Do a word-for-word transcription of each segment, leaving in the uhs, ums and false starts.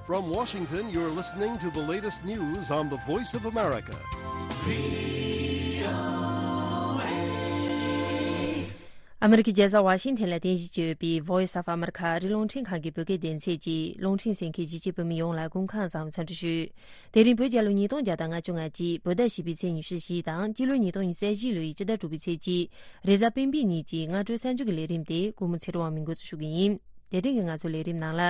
From Washington, you're listening to the latest news on the Voice of America. ཨ་མི་རི་ཀའི་རྒྱལ་ས་ཝ་ཤིང་ཊོན་ལ་རྟེན་གཞི་བྱས་ཡོད་པའི་Voice of America ཨ་རིའི་རླུང་འཕྲིན་ཁང་གི་བོད་སྐད་སྡེ་ཚན་གྱིས་རླུང་འཕྲིན་གསན་མཁན་གཞིས་བྱེས་བོད་མི་ཡོངས་ལ་སྐུ་ཁམས་བཟང་འཚམས་འདྲི་ཞུ། དེ་རིང་བོད་རྒྱལ་ལོ་ཉིས་སྟོང་བརྒྱ་དང་ང་གཅིག་བོད་ཟླ་བཞི་པའི་ཚེས་ཉི་ཤུ་བཞི་དང་སྤྱི་ལོ་ཉིས་སྟོང་ཉི་ཤུ་རྩ་བཞི་ལོའི་སྤྱི་ཟླ་དྲུག་པའི་ཚེས་གཅིག་རེས་གཟའ་སྤེན་པའི་ཉིན་གྱི་སྔ་དྲོའི་གསར་འགྱུར་གྱི་ལས་རིམ་དེ་ཀུན་མོ་ཚེ་རིང་དབང་མོས་འགོ་འཛུགས་ཞུ་གི་ཡིན། དེ་རིང་གི་ང་ཚོའི་ལས་རིམ་ནང་ལ།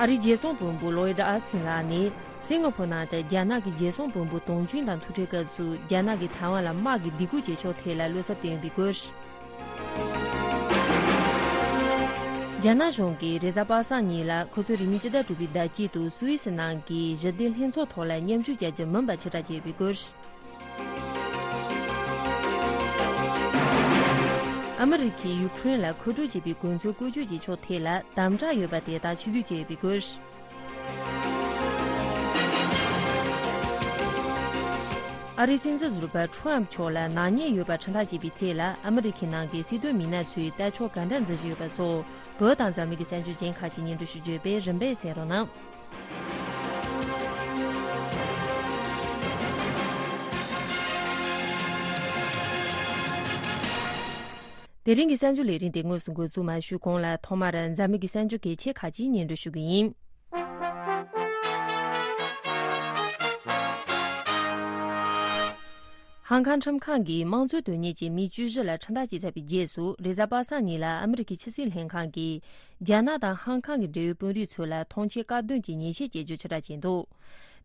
ཨ་རིའི་རྒྱལ་སྲུང་དཔོན་པོ་ལོའིད་ཨ་སིན་ལགས་ནས་སིང་ག་ཕོར་ནང་དུ་རྒྱ་ནག་གི་རྒྱལ་སྲུང་དཔོན་པོ་དོང་ཅུན་དང་ཐུག་འཕྲད་སྐབས་སུ་རྒྱ་ནག་གིས་ཐའེ་ཝན་ལ་དམག་གི་སྡིགས་སྐུལ་བྱེད་ཕྱོགས་ཐད་ལ་བློ་འཚབ་བཏོན་པའི་སྐོར། རྒྱ་ནག་གཞུང་གིས་རེས་གཟའ་པ་སངས་ཉིན་ལ་ཁོ་ཚོའི་རིང་མིན་སྤྱི་ཟླ་དྲུག་པའི་ཟླ་དཀྱིལ་དུ་སུད་སི་ནང་གི་ཞི་བདེ་ལྷན་ཚོགས་ཐོག་ལ་མཉམ་ཞུགས་བྱ་རྒྱུ་མིན་པ་ཕྱིར་བསྒྲགས་བྱས་པའི་སྐོར། ཨ་མི་རི་ཀས་ཡུ་ཁུ་རེན་ལ་མཁོ་སྤྲོད་བྱས་པའི་གོ་མཚོན་བཀོལ་སྤྱོད་ཀྱི་ཕྱོགས་ཐད་ལ་དམ་དྲག་ཡོད་པ་དེ་དག་ཕྱིར་བསྡུ་བྱས་ཡོད་པའི་སྐོར། ཨ་རིའི་སྲིད་འཛིན་ཟུར་པ་ཁྲོམ་མཆོག་ལ་ནག་ཉེས་ཡོད་པ་ཁྲིམས་ཐག་བཅད་པའི་ཐད་ལ་ཨ་མི་རི་ཁའི་ནང་གི་སྲིད་དོན་མི་སྣ་ཚོས་ལྟ་ཕྱོགས་ག་འདྲ་འཛིན་བཞིན་ཡོད་པ་སོགས་བོད་དང་འཛམ་གླིང་གི་གསར་འགྱུར་གཞན་ཁག་ཅིག་སྙན་སྒྲོན་ཞུ་རྒྱུ་བས་རིམ་པས་གསན་རོགས་གནང་། དེ་རིང་གི་གསར་འགྱུར་ལས་རིམ་དེ་དངོས་སུ་འགོ་འཛུགས་མ་ཞུས་གོང་ལ་ཐོག་མར་འཛམ་གླིང་གི་གསར་འགྱུར་གལ་ཆེ་ཁག་ཅིག་སྙན་སྒྲོན་ཞུ་གི་ཡིན། ཧང་ཀང་ཁྲིམས་ཁང་གིས་དམངས་གཙོའི་དོན་གཉེར་གྱི་མི་བཅུ་བཞི་ལ་ཁྲིམས་ཐག་བཅད་ཚར་བའི་རྗེས་སུ་རེས་གཟའ་པ་སངས་ཉིན་ལ་ཨ་མི་རི་ཀའི་ཕྱི་སྲིད་ལྷན་ཁང་གིས་རྒྱ་ནག་དང་ཧང་ཀང་གི་འབྲེལ་ཡོད་དཔོན་རིགས་ཚོ་ལ་ཐོངས་མཆན་བཀག་སྡོམ་གྱི་ཉེས་ཆད་བཅད་རྒྱུ་ཕྱིར་བསྒྲགས་བྱས་འདུག་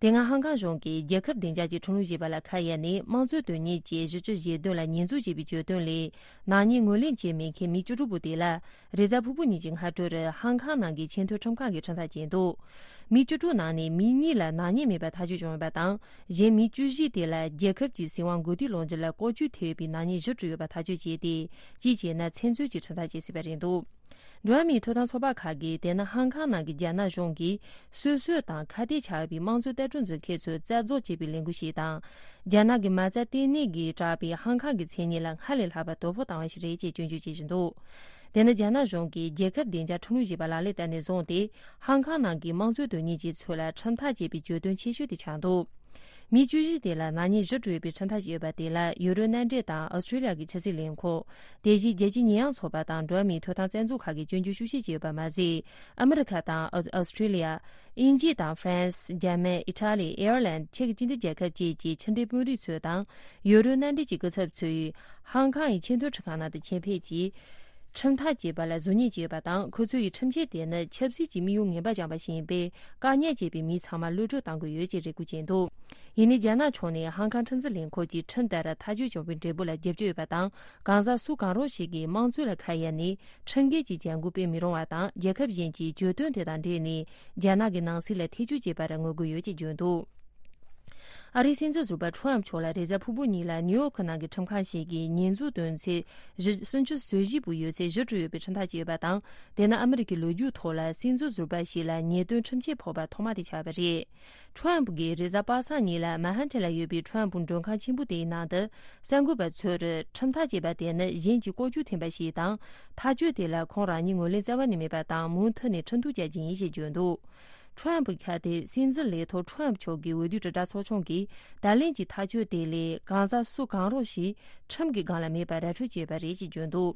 དེ་སྔ་ཧང་ཀང་གཞུང་གིས་རྒྱལ་ཁབ་བདེ་འཇགས་ཀྱི་ཁྲིམས་ལུགས་ཞེས་པ་ལ་ཁ་གཡར་ནས་དམངས་གཙོའི་དོན་གཉེར་གྱི་གཞི་བཅུ་ཞེ་བདུན་ལ་ཉེས་འཛུགས་བྱས་པའི་གྱོད་དོན་ལས་ནག་ཉེས་ངོས་ལེན་བྱས་མེད་མཁན་མི་བཅུ་དྲུག་པོ་དེ་ལ་རེས་གཟའ་ཕུར་བུ་ཉིན་གྱི་སྔ་དྲོར་ཧང་ཀང་ནང་གི་ཆེས་མཐོའི་ཁྲིམས་ཁང་གིས་ཁྲིམས་ཐག་བཅད་འདུག་མི་བཅུ་དྲུག་ནང་ནས་མི་གཉིས་ལ་ནག་ཉེས་མེད་པ་ཐག་གཅོད་བྱུང་ཡོད་པ་དང་གཞན་མི་བཅུ་བཞི་དེ་ལ་རྒྱལ་ཁབ་ཀྱི་སྲིད་དབང་གོ་སྒྲིག་ལོག་འཇུག་ལ་ལྐོག་ཇུས་ཐེབས་པའི་ནག་ཉེས་བཞི་གྲུབ་ཡོད་པ་ཐག་གཅོད་བྱས་ཏེ་གཅིག་བྱས་ན་ཚེ་བཙོན་གྱི་ཁྲིམས་ཐག་བཅད་སྲིད་པ་རེད་འདུག་འགྲོ་བ་མིའི་ཐོབ་ཐང་ཚོགས་པ་ཁག་གིས་དེ་ནི་ཧང་ཀང་ནང་གི་རྒྱ་ནག་གཞུང་གིས་སོ་སོ་དང་ཁ་གཏད་ཆགས་པའི་དམངས་གཙོའི་ལྟ་གྲུབ་འཛིན་མཁན་ཚོའི་རྩ་རྫོགས་བྱེད་པའི་ལས་འགུལ་ཞིག་དང་། རྒྱ་ནག་གི་མ་རྩ་ལྟེ་གནས་ཀྱིས་བསྒྲགས་པའི་ཧང་ཀང་གི་མཚན་སྙན་ལ་སྔར་ལས་ལྷག་པར་དོ་ཕོག་བཏང་བ་ཞིག་རེད་ཅེས་སྐྱོན་བརྗོད་བྱེད་བཞིན་འདུག་དེ་ནི་རྒྱ་ནག་གཞུང་གིས་རྒྱལ་ཁབ་བདེ་འཇགས་ཁྲིམས་ལུགས་ཞེས་པ་ལག་ལེན་བསྟར་ནས་བཟུང་སྟེ་ཧང་ཀང་ནང་གི་དམངས་གཙོའི་དོན་གཉེར་ཅན་ཚོ་ལ་ཁྲིམས་ཐག་བཅད་པའི་གྱོད་དོན་ཆེ་ཤོས་དེ་ཆགས་འདུག་མི་བཅུ་བཞི་དེ་ལ་ནག་ཉེས་བཞི་གྲུབ་ཡོད་པའི་ཁྲིམས་ཐག་བཅད་ཡོད་པ་དེ་ལ་ཡུ་རོབ་མནའ་འབྲེལ་དང་ཨོ་སི་ཀྲི་ལི་ཡ་གི་ཕྱི་སྲིད་ལས་ཁུངས། དེ་བཞིན་རྒྱལ་སྤྱིའི་ཉེས་ཡངས་ཚོགས་པ་དང་འགྲོ་བ་མིའི་ཐོབ་ཐང་རྩ་འཛུགས་ཁག་གིས་སྐྱོན་བརྗོད་ཤུགས་ཆེ་བྱས་ཡོད་པ་མ་ཟད། ཨ་མི་རི་ཁ་དང་ཨོ་ཨོ་སི་ཀྲི་ལི་ཡ། དབྱིན་ཇི་དང་ཧྥ་རན་སི། འཇར་མན། ཨི་ཊ་ལི། ཨེར་ལན། ཅེཀ་སྤྱི་མཐུན་རྒྱལ་ཁབ་བཅས་ཀྱི་ཕྱི་འབྲེལ་དཔོན་རིགས་ཚོ་དང་ཡུ་རོབ་མནའ་འབྲེལ་གྱི་སྐུ་ཚབ་ཚོས་ཧང་ཀང་ཡི་ཆེས་མཐོའི་ཁྲིམས་ཁང་ནང་དུ་ཆེད་ཕེབས་ཀྱིས། ཁྲིམས་ཐག་བཅད་པ་ལ་གཟུར་གཉེར་བྱས་ཡོད་པ་དང་ཁོ་ཚོ་ཡི་ཁྲིམས་ཆད་དེ་ནི་ཆབ་སྲིད་ཀྱི་དམིགས་ཡུལ་ངན་པ་བཅངས་པ་ཞིག་ཡིན་པས་བཀག་ཉར་བྱས་པའི་མི་ཚང་མ་གློད་བཀྲོལ་གཏང་དགོས་ཡོད་ཅེས་རེ་སྐུལ་བྱས་འདུག་ཡིན་ནའི་རྒྱ་ནག་ཕྱོགས་ནས་ཧང་ཀང་ཁྲིམས་འཛིན་ལས་ཁུངས་ཀྱི་ཁྲིམས་ལྟར་ཐག་གཅོད་བྱུང་བའི་འབྲས་བུ་ལ་རྒྱབ་སྐྱོར་ཡོད་པ་དང་གང་ཟག་སུ་གང་རུང་ཞིག་གིས་དམངས་གཙོ་ལ་ཁ་གཡར་ནས་ཁྲིམས་འགལ་གྱི་བྱ་འགུལ་སྤེལ་མི་རུང་བ་དང་རྒྱལ་ཁབ་གཞན་གྱིས་གྱོད་དོན་དེ་དང་འབྲེལ་ནས་རྒྱ་ནག་གི་ནང་སྲིད་ལ་ཐེ་ཇུས་བྱེད་པར་ངོ་རྒོལ་ཡོད་ཅེས་བརྗོད་འདུག་ཨ་རིའི་སྲིད་འཛིན་ཟུར་པ་ཁྲོམ་མཆོག་ལ་རེས་གཟའ་ཕུར་བུ་ཉིན་ལ་ནིའུ་ཡོག་ནང་གི་ཁྲིམས་ཁང་ཞིག་གིས་ཉེས་འཛུགས་འདོན་ཚེས་བཞི་སུམ་ཅུ་སོ་བཞི་པོ་ཡོད་ཚད་བཞི་གྲུབ་ཡོད་པའི་ཁྲིམས་ཐག་བཅད་ཡོད་པ་དང་དེ་ནི་ཨ་མི་རི་ཀའི་ལོ་རྒྱུས་ཐོག་ལ་སྲིད་འཛིན་ཟུར་པ་ཞིག་ལ་ཉེས་དོན་ཁྲིམས་ཆད་ཕོག་པ་ཐོག་མ་དེ་ཆགས་པ་རེད། ཁྲོམ་གྱིས་རེས་གཟའ་པ་སངས་ཉིན་ལ་མན་ཧན་ཐན་ལ་ཡོད་པའི་ཁྲོམ་མགྲོན་ཁང་ཆེན་པོ་དེའི་ནང་དུ་གསར་འགོད་པ་ཚོར་ཁྲིམས་ཐག་བཅད་པ་དེ་ནི་གཞན་གྱིས་ལྐོག་ཇུས་འཐེན་པ་ཞིག་དང་ཐག་གཅོད་དེ་ལ་ཁོང་རང་ཉིད་ངོས་ལེན་རྩ་བ་ནས་མེད་པ་དང་མུ་མཐུད་ནས་ཁྲིམས་གཏུག་བྱ་རྒྱུ་ཡིན་ཞེས་བརྗོད་འདུག་ཁྲོམ་ཁ་དེ་སྲིད་འཛིན་ལས་ཐོག་ཁྲོམ་མཆོག་གི་འོས་བསྡུའི་དྲིལ་བསྒྲགས་ཚོགས་ཆུང་གིས་ད་ལན་གྱི་ཐག་གཅོད་དེ་ལས་གང་ཟག་སུ་གང་རུང་ཞིག་ཁྲིམས་ཀྱི་སྒང་ལ་མེད་པར་ར་འཕྲོད་བྱས་པ་རེད་ཅེས་བརྗོད་འདུག་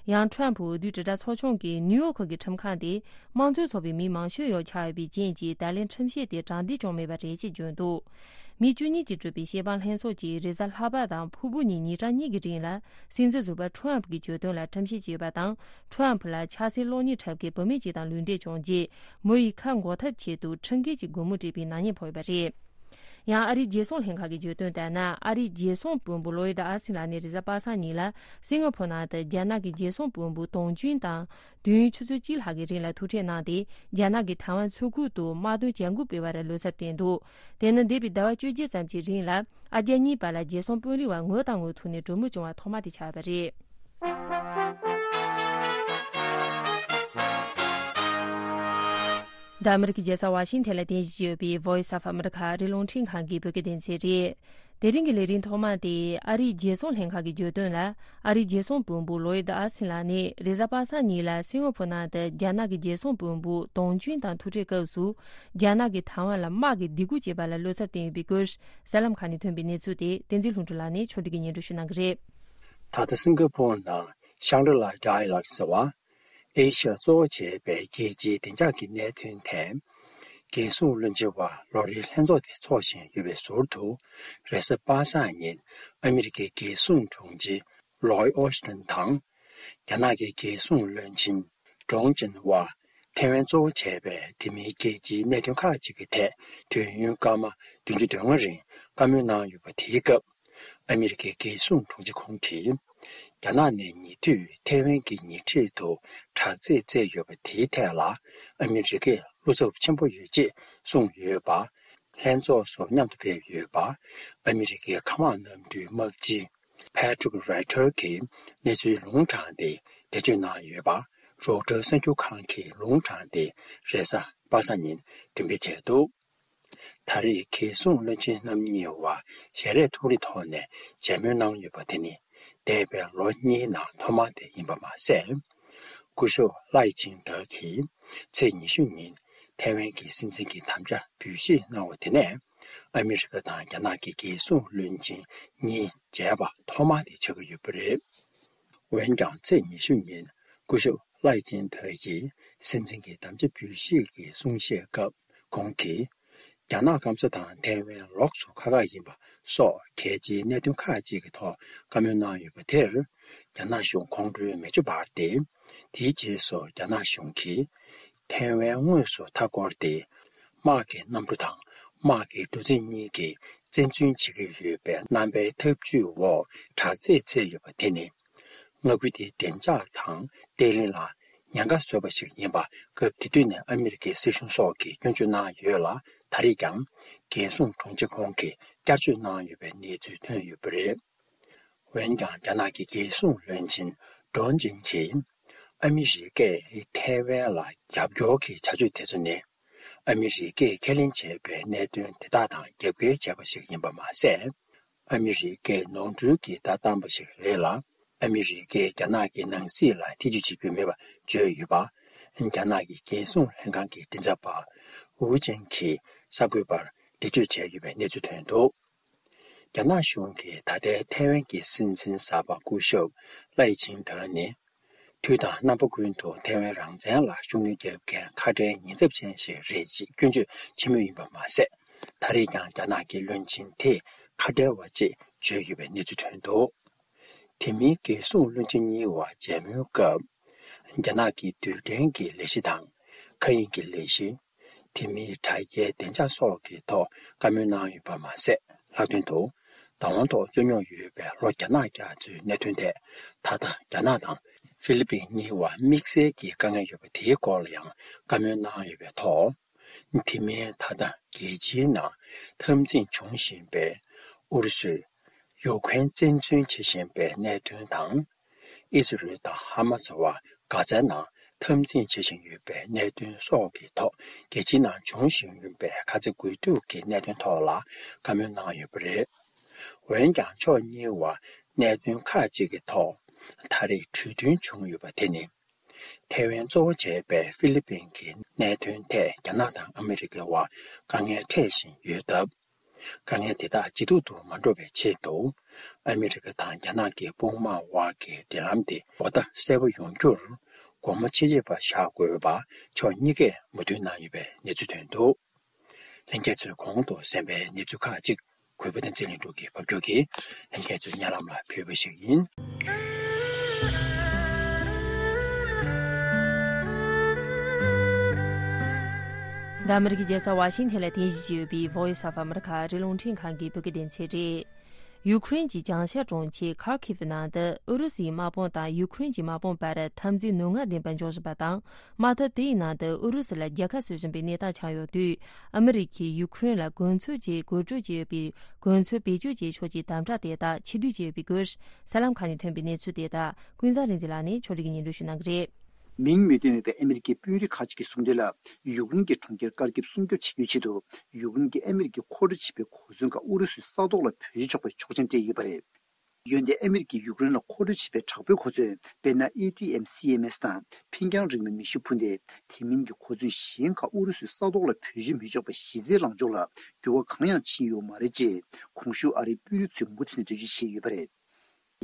ཡང་ཁྲོམ་འོས་བསྡུའི་དྲིལ་བསྒྲགས་ཚོགས་ཆུང་གིས་ནིའུ་ཡོག་གི་ཁྲིམས་ཁང་དེ་དམངས་གཙོའི་ཚོགས་པའི་མི་མང་ཤོས་ཡོད་ཆགས་ཡོད་པའི་རྐྱེན་གྱིས་ད་ལན་ཁྲིམས་ཆད་དེ་དྲང་བདེན་བྱུང་མེད་པ་རེད་ཅེས་བརྗོད་འདུག་མི་བཅུ་གཉིས་ཀྱིས་གྲུབ་པའི་བཤེར་དཔང་ལྷན་ཚོགས་ཀྱིས་རེས་གཟའ་ལྷག་པ་དང་ཕུར་བུ་ཉིན་ཉིན་གྲངས་གཉིས་ཀྱི་རིང་ལ་སྲིད་འཛིན་ཟུར་པ་ཁྲོམ་གྱི་གྱོད་དོན་ལ་ཁྲིམས་བཤེར་བྱས་ཡོད་པ་དང་ཁྲོམ་ལ་ཆབ་སྲིད་གློག་བརྙན་འཁྲབ་མཁན་བུད་མེད་ཅིག་དང་ལུས་འབྲེལ་བྱུང་རྗེས་མོ་ཡི་ཁ་འགོག་ཐབས་ཆེད་དུ་ཁྲིམས་འགལ་གྱི་སྒོར་མོ་སྤྲད་པའི་ནག་ཉེས་ཕོག་ཡོད་པ་རེད། ཡང་ཨ་རིའི་རྒྱལ་སྲུང་ལྷན་ཁང་གི་བརྗོད་དོན་ལྟར་ན་ཨ་རིའི་རྒྱལ་སྲུང་དཔོན་པོ་ལོའི་ཌ་ཨ་སིན་ལགས་ནས་རེས་གཟའ་པ་སངས་ཉིན་ལ་སིང་ག་ཕོར་ནང་དུ་རྒྱ་ནག་གི་རྒྱལ་སྲུང་དཔོན་པོ་ཏོང་ཅུན་དང་དུས་ཡུན་ཆུ་ཚོད་གཅིག་ལྷག་གི་རིང་ལ་ཐུག་འཕྲད་གནང་སྟེ་རྒྱ་ནག་གིས་ཐའེ་ཝན་མཚོ་ཁུལ་དུ་དམག་དོན་བྱ་འགུལ་སྤེལ་བར་བློ་འཚབ་བསྟན་འདུག་དེ་ནི་འདས་པའི་ཟླ་བ་བཅོ་བརྒྱད་ཙམ་གྱི་རིང་ལ་ཨ་རྒྱ་གཉིས་བར་ལ་རྒྱལ་སྲུང་དཔོན་རིགས་བར་ངོ་དང་ངོ་ཐུག་ནས་གྲོས་མོལ་བྱུང་བ་ཐོག་མ་དེ་ཆགས་པ་རེད། འདི་ཨ་མི་རི་ཀའི་རྒྱལ་ས་ཝ་ཤིང་ཐན་ལ་རྟེན་གཞི་ཡོད་པའི་Voice of America ཨ་རིའི་རླུང་འཕྲིན་ཁང་གི་བོད་སྐད་སྡེ་ཚན་རེད། དེ་རིང་གི་ལས་རིམ་ཐོག་མ་དེ་ཨ་རིའི་རྒྱལ་སྲུང་ལྷན་ཁང་གིས་བརྗོད་དོན་ལ། ཨ་རིའི་རྒྱལ་སྲུང་བློན་པོ་ལོའིད་ཨ་སིན་ལགས་ནས་རེས་གཟའ་པ་སངས་ཉིན་ལ་སིང་ག་ཕོར་ནང་དུ་རྒྱ་ནག་གི་རྒྱལ་སྲུང་བློན་པོ་ཏོང་ཅུན་དང་ཐུག་འཕྲད་སྐབས་སུ། རྒྱ་ནག་གིས་ཐའེ་ཝན་ལ་དམག་གི་སྡིགས་སྐུལ་བྱས་པ་ལ་བློ་འཚབ་བསྟན་ཡོད་པའི་སྐོར། གསར་ལམ་ཁག་ནས་ཐོན་པའི་གནས་ཚུལ་དེ་བསྟན་འཛིན་ལྷུན་གྲུབ་ལགས་ནས་ཕྱོགས་སྒྲིག་གིས་སྙན་སྒྲོན་ཞུ་གནང་གི་རེད། ད་ལྟ་སིང་ག་ཕོར་ནང་ཤང་གྲི་ལ་ཌའི་ལོག་ཟེར་བ། ཨེ་ཤི་ཡ་གཙོ་བོ་བྱས་པའི་རྒྱལ་སྤྱིའི་བདེ་འཇགས་ཀྱི་གནད་དོན་ཐད། རྒྱལ་སྲུང་བློན་ཆེན་བར་ལོ་རེའི་ལྷན་ཚོགས་དེ་འཚོགས་བཞིན་ཡོད་པའི་ཟུར་དུ། རེས་གཟའ་པ་སངས་ཉིན་ཨ་མི་རི་ཀའི་རྒྱལ་སྲུང་དྲུང་ཆེ་ལོའི་ཨོ་སི་ཏན་དང་། རྒྱ་ནག་གི་རྒྱལ་སྲུང་བློན་ཆེན་ཀྲོང་ཅིན་ཝ། ཐའེ་ཝན་གཙོ་བོ་བྱས་པའི་དེ་མིན་རྒྱལ་སྤྱིའི་གནད་དོན་ཁག་ཅིག་གི་ཐད་དུས་ཡུན་སྐར་མ་བདུན་ཅུ་དོན་ལྔ་རིང་བཀའ་མོལ་གནང་ཡོད་པ་དེའི་སྐབས། ཨ་མི་རི་ཀའི་རྒྱལ་སྲུང་དྲུང་ཆེ་ཁོང་གིས། རྒྱ་ནག་ནས་ཉེ་དུས་ཐའེ་ཝན་གྱི་ཉེ་འཁྲིས་དུ་དྲག་རྩལ་རྩེད་ཡོད་པ་དེའི་ཐད་ལ་ཨ་མི་རི་ཀས་བློ་འཚབ་ཆེན་པོ་ཡོད་ཅེས་གསུངས་ཡོད་པ། ལྷན་ཚོགས་སུ་མཉམ་དུ་ཕེབས་ཡོད་པ། ཨ་མི་རི་ཀའི་མཁའ་དམག་གནམ་གྲུའི་དམག་སྤྱི་Patrick Ryder གྱིས་གནས་ཚུལ་ལུང་དྲངས་ཏེ་འགྲེལ་བརྗོད་གནང་ཡོད་པ། Reuters གསར་འགྱུར་ཁང་གིས་ལུང་དྲངས་ཏེ་རེས་གཟའ་པ་སངས་ཉིན་འགྲེམས་སྤེལ་བྱས་འདུག་ད་རེས་རྒྱལ་སྲུང་བློན་ཆེན་རྣམ་གཉིས་བར་ཞལ་རས་ཐུག་རིས་ཐོག་ནས་མཇལ་མོལ་གནང་ཡོད་པ་དེ་ནི་འདས་པའི་ལོ་གཉིས་ནང་ཐོག་མ་དེ་ཡིན་པ་མ་ཟད། སྐུ་ཞབས་ལའེ་ཆིང་ཏེ་གིས་ཚེས་ཉི་ཤུ་ཉིན་ཐའེ་ཝན་གྱི་སྲིད་འཛིན་གྱི་དམ་བཅའ་འབུལ་བཞེས་གནང་བ་དེ་ནས་ཨ་མི་རི་ཀ་དང་རྒྱ་ནག་གི་རྒྱལ་སྲུང་བློན་ཆེན་གཉིས་མཇལ་བ་ཐོག་མ་དེ་ཆགས་ཀྱི་ཡོད་པ་རེད། འོན་ཀྱང་ཚེས་ཉི་ཤུ་ཉིན་སྐུ་ཞབས་ལའེ་ཆིང་ཏེ་ཡིས་སྲིད་འཛིན་གྱི་དམ་བཅའ་འབུལ་བཞེས་ཀྱི་གསུང་བཤད་སྐབས་ཁོང་གིས། རྒྱ་ནག་སྐམ་ས་དང་ཐའེ་ཝན་ལོགས་སུ་ཁ་ཁ་ཡིན་པ་སོགས་གལ་ཆེའི་གནད་དོན་ཁག་ཅིག་གི་ཐོག་བཀའ་མོལ་གནང་ཡོད་པ་དེར། རྒྱ་ནག་གཞུང་ཁོང་ཁྲོའི་མེ་ལྕེ་འབར་ཏེ། དེའི་རྗེས་སུ་རྒྱ་ནག་གཞུང་གིས་ཐའེ་ཝན་དངོས་སུ་མཐའ་བསྐོར་ཏེ། དམག་གི་གནམ་གྲུ་དང་དམག་གི་གྲུ་གཟིངས་གཉིས་ཀྱིས་བཙན་འཛུལ་བྱེད་ཀྱི་ཡོད་པའི་རྣམ་པའི་ཐབས་ཇུས་འོག་དྲག་རྩལ་རྩེད་ཡོད་པ་དེ་ནི། མངའ་ཁུལ་དེའི་བདེ་འཇགས་དང་བརྟན་ལྷིང་ལ་ཉེན་ཁ་བཟོས་པ་ཞིག་ཡིན་པ། སྐབས་དེ་དུས་ནས་ཨ་མི་རི་ཀའི་སྲིད་གཞུང་སོགས་ཀྱིས་སྐྱོན་བརྗོད་གནང་ཡོད་ལ། ད་རེས་ཀྱང་རྒྱལ་སྲུང་དྲུང་ཆེ་ཁོང་གིས་བསྐྱར་བརྗོད་གནང་ཡོད་པའི་གནས་ཚུལ་ཐོན་ཡོད་པ་རེད། འོན་ཀྱང་རྒྱ་ནག་གི་རྒྱལ་སྲུང་བློན་ཆེན་ཀྲོང་ཅིན་གྱིས། ཨ་མི་རི་ཀས་ཐའེ་ཝན་ལ་རྒྱབ་སྐྱོར་གྱི་བྱ་སྤྱོད་དེ་ཚོ་ནི། ཨ་མི་རི་ཀས་ཁས་ལེན་བྱས་པའི་གནད་དོན་དེ་དག་དང་རྒྱབ་འགལ་བྱས་པ་ཞིག་ཡིན་པ་མ་ཟད། ཨ་མི་རི་ཀས་ནོར་འཁྲུལ་གྱི་བརྡ་བཏང་པ་ཞིག་རེད་ལ། ཨ་མི་རི་ཀས་རྒྱ་ནག་གི་ནང་སྲིད་ལ་ཐེ་ཇུས་བྱེད་རྒྱུ་མེད་པ་བརྗོད་ཡོད་པ། རྒྱ་ནག་གི་རྒྱལ་སྲུང་ལྷན་ཁང་གི་མགྲིན་ཚབ་པ་ཝུ་ཅན་གྱིས་གསར་འགོད་པར་འགྲེལ་བརྗོད་བྱས་ཡོད་པའི་གནས་ཚུལ་ཐོན་འདུག་རྒྱ་ནག་གཞུང་གིས་ད་ལྟའི་ཐའེ་ཝན་གྱི་སྲིད་འཛིན་གསར་པ་སྐུ་ཞབས་ལའེ་ཆིང་ཏེ་ནི། དུས་དང་རྣམ་པ་ཀུན་ཏུ་ཐའེ་ཝན་རང་བཙན་ལ་ཤུགས་སྣོན་རྒྱག་མཁན་ཁ་བྲལ་ཉེན་ཚབས་ཅན་ཞིག་རེད་ཅེས་སྐྱོན་བརྗོད་བྱེད་མུས་ཡིན་པ་མ་ཟད། ད་རེས་ཀྱང་རྒྱ་ནག་གི་བློན་ཆེན་དེས་ཁ་བྲལ་བ་ཅེས་བརྗོད་ཡོད་པའི་གནས་ཚུལ་ཐོན་འདུག་དེ་མིན་རྒྱལ་སྲུང་བློན་ཆེན་གཉིས་བར་མཇལ་མོལ་སྐབས། རྒྱ་ནག་གི་རྡུལ་ཕྲན་གྱི་ལས་གཞི་དང་། མཁའ་དབྱིངས་ཀྱི་ལས་གཞི། དེ་མིན་དྲ་རྒྱའི་བདེ་འཇགས་སོགས་ཀྱི་ཐོག་བཀའ་མོལ་གནང་ཡོད་པ་མ་ཟད། ལྷག་དོན་དུ། བདག་དབང་ཐོག་རྩོད་རྙོག་ཡོད་པའི་ལྷོ་རྒྱ་ནག་རྒྱ་མཚོའི་གནད་དོན་ཐད། ད་ལྟ་རྒྱ་ནག་དང་ཧྥི་ལི་པིན་གཉིས་བར་དམིགས་བསལ་གྱི་དཀའ་ངལ་ཡོད་པ་དེའི་སྐོར་ལ་ཡང་བཀའ་མོལ་གནང་ཡོད་པའི་ཐོག་དེ་མིན་ད་ལྟ་རྒྱལ་སྤྱིའི་ནང་འཐབ་འཛིང་འབྱུང་བཞིན་པའི་ཨུ་རུ་སུས་ཡུ་ཁུ་རེན་བཙན་འཛུལ་བྱེད་བཞིན་པའི་གནད་དོན་དང་། ཨི་ཟི་རེལ་དང་ཧ་མ་སི་བར་གྷ་ཛའི་ནང་འཐབ་འཛིང་བྱེད་བཞིན་ཡོད་པའི་གནད་དོན་སོགས་ཀྱི་ཐོག་རྒྱལ་སྤྱིའི་ནང་འབྱུང་བཞིན་ཡོད་པའི་ཁ་ཚ་དགོས་གཏུག་གི་གནད་དོན་ཐོག་ལ་བཀའ་མོལ་གནང་ཡོད་པ་རེད། འོན་ཀྱང་ཕྱོགས་གཉིས་བར་གནད་དོན་ཁག་ཅིག་གི་ཐོག་ད་རེས་གྲོས་མཐུན་བྱུང་ཡོད་པ་དེ་ནི། ཐའེ་ཝན་གཙོ་བོ་བྱས་པའི་ཧྥི་ལི་པིན་གྱི་གནད་དོན་ཐད་རྒྱ་ནག་དང་ཨ་མི་རི་ཀའི་བར་དཀའ་ངལ་འཕྲད་བཞིན་ཡོད་སྟབས། དཀའ་ངལ་དེ་དག་ཇེ་སྡུག་ཏུ་མ་འགྲོ་བའི་ཆེད་དུ། ཨ་མི་རི་ཀ་དང་རྒྱ་ནག་གི་དཔུང་དམག་དབར་གྱི་འབྲེལ་ལམ་དེ་གོ་བརྡ་གསལ་པོ་ཡོང་རྒྱུར་སྒོ་མོ་ཕྱེ་བྱེད་པ་བཞག་དགོས་པ་ཕྱོགས་གཉིས་ཀས་མོས་མཐུན་གནང་ཡོད་པའི་གནས་ཚུལ་ཐོན་འདུག་ལྷན་རྒྱས་ཚོས་གོང་དུ་གསན་པའི་གནས་ཚུལ་ཁག་ཅིག་གུས་པ་བསྟན་འཛིན་ལྷུན་གྲུབ་ཀྱིས་ཕབ་སྒྱུར་གྱིས་ལྷན་རྒྱས་ཚོའི་སྙན་ལམ་ལ་ཕུལ་བ་ཞིག་ཡིན། འདི་ཨ་མི་རི་ཀའི་རྒྱལ་ས་ཝ་ཤིང་ཐན་ལ་རྟེན་གཞི་བྱས་ཡོད་པའི་Voice of America ཨ་རིའི་རླུང་འཕྲིན་ཁང་གི་བོད་སྐད་སྡེ་ཚན་རེད། ཡུ་ཁུ་རེན་གྱི་བྱང་ཤར་གྲོང་ཁྱེར་ཁར་ཁིབ་ནང་དུ་ཨུ་རུ་སུའི་དམག་དཔུང་དང་ཡུ་ཁུ་རེན་གྱི་དམག་དཔུང་བར་འཐབ་འཛིང་ནུས་ངག་ལྡན་པ་འབྱུང་བཞིན་པ་དང་། དམག་འཐབ་དེའི་ནང་དུ་ཨུ་རུ་སུ་ལ་རྒྱལ་ཁ་བཟོ་བཞིན་པའི་གནས་སྟངས་ཆགས་ཡོད་དུས། ཨ་མི་རི་ཀས་ཡུ་ཁུ་རེན་ལ་གོ་མཚོན་གྱི་གོ་སྒྲིག་བྱས་ཡོད་པའི་གོ་མཚོན་བེད་སྤྱོད་བྱེད་ཕྱོགས་ཀྱི་དམ་དྲག་དེ་དག་ཕྱིར་བསྡུ་བྱས་ཡོད་པའི་སྐོར། གསར་ལམ་ཁག་ནས་ཐོན་པའི་གནས་ཚུལ་དེ་དག་ཀུན་བཟང་རིག་འཛིན་ལགས་ནས་ཕྱོགས་སྒྲིག་གིས་སྙན་སྒྲོན་ཞུ་གནང་གི་རེད། མིང་མི་བཏོན་པའི་ཨ་མི་རི་ཀའི་དཔོན་རིགས་ཁག་ཅིག་གིས་གསུངས་དོན་ལ། ཡུཀ་རེན་གྱི་གྲོང་ཁྱེར་དཀར་ཁེབས་སྲུང་སྐྱོབ་བྱེད་རྒྱུའི་ཆེད་དུ། ཡུཀ་རེན་གྱིས་ཨ་མི་རི་ཀའི་མཁོ་སྤྲོད་བྱས་པའི་གོ་མཚོན་ཁག་ཨུ་རུ་སུའི་ས་ཐོག་ལ་བེད་སྤྱོད་ཆོག་པའི་ཆོག་མཆན་སྤྲད་ཡོད་པ་རེད། འོན་ཏེ་ཨ་མི་རི་ཀས་ཡུཀ་རེན་ལ་མཁོ་སྤྲོད་བྱས་པའི་དྲག་པོའི་གོ་མཚོན། དཔེར་ན། ཨེ་ཊི་ཨེམ་སི་ཨེམ་ཨེས་དང་འཕེན་རྒྱང་རིང་བའི་མེ་ཤུགས་འཕུར་མདེལ། དེ་མིན་གྱི་གོ་མཚོན་གཞན་ཁག་ཨུ་རུ་སུའི་ས་ཐོག་ལ་བེད་སྤྱོད་མི་ཆོག་པ་གཞི་རྩའི་ལངས་ཕྱོགས་ལ་འགྱུར་བ་གང་ཡང་ཕྱིན་ཡོད་མ་རེད་ཅེས། གོང་ཞུས་ཨ་རིའི་དཔོན་རིགས་ཚོས་མུ་མཐུད་ནས་འགྲེལ་བརྗོད་བྱས་ཡོད་པ་རེད།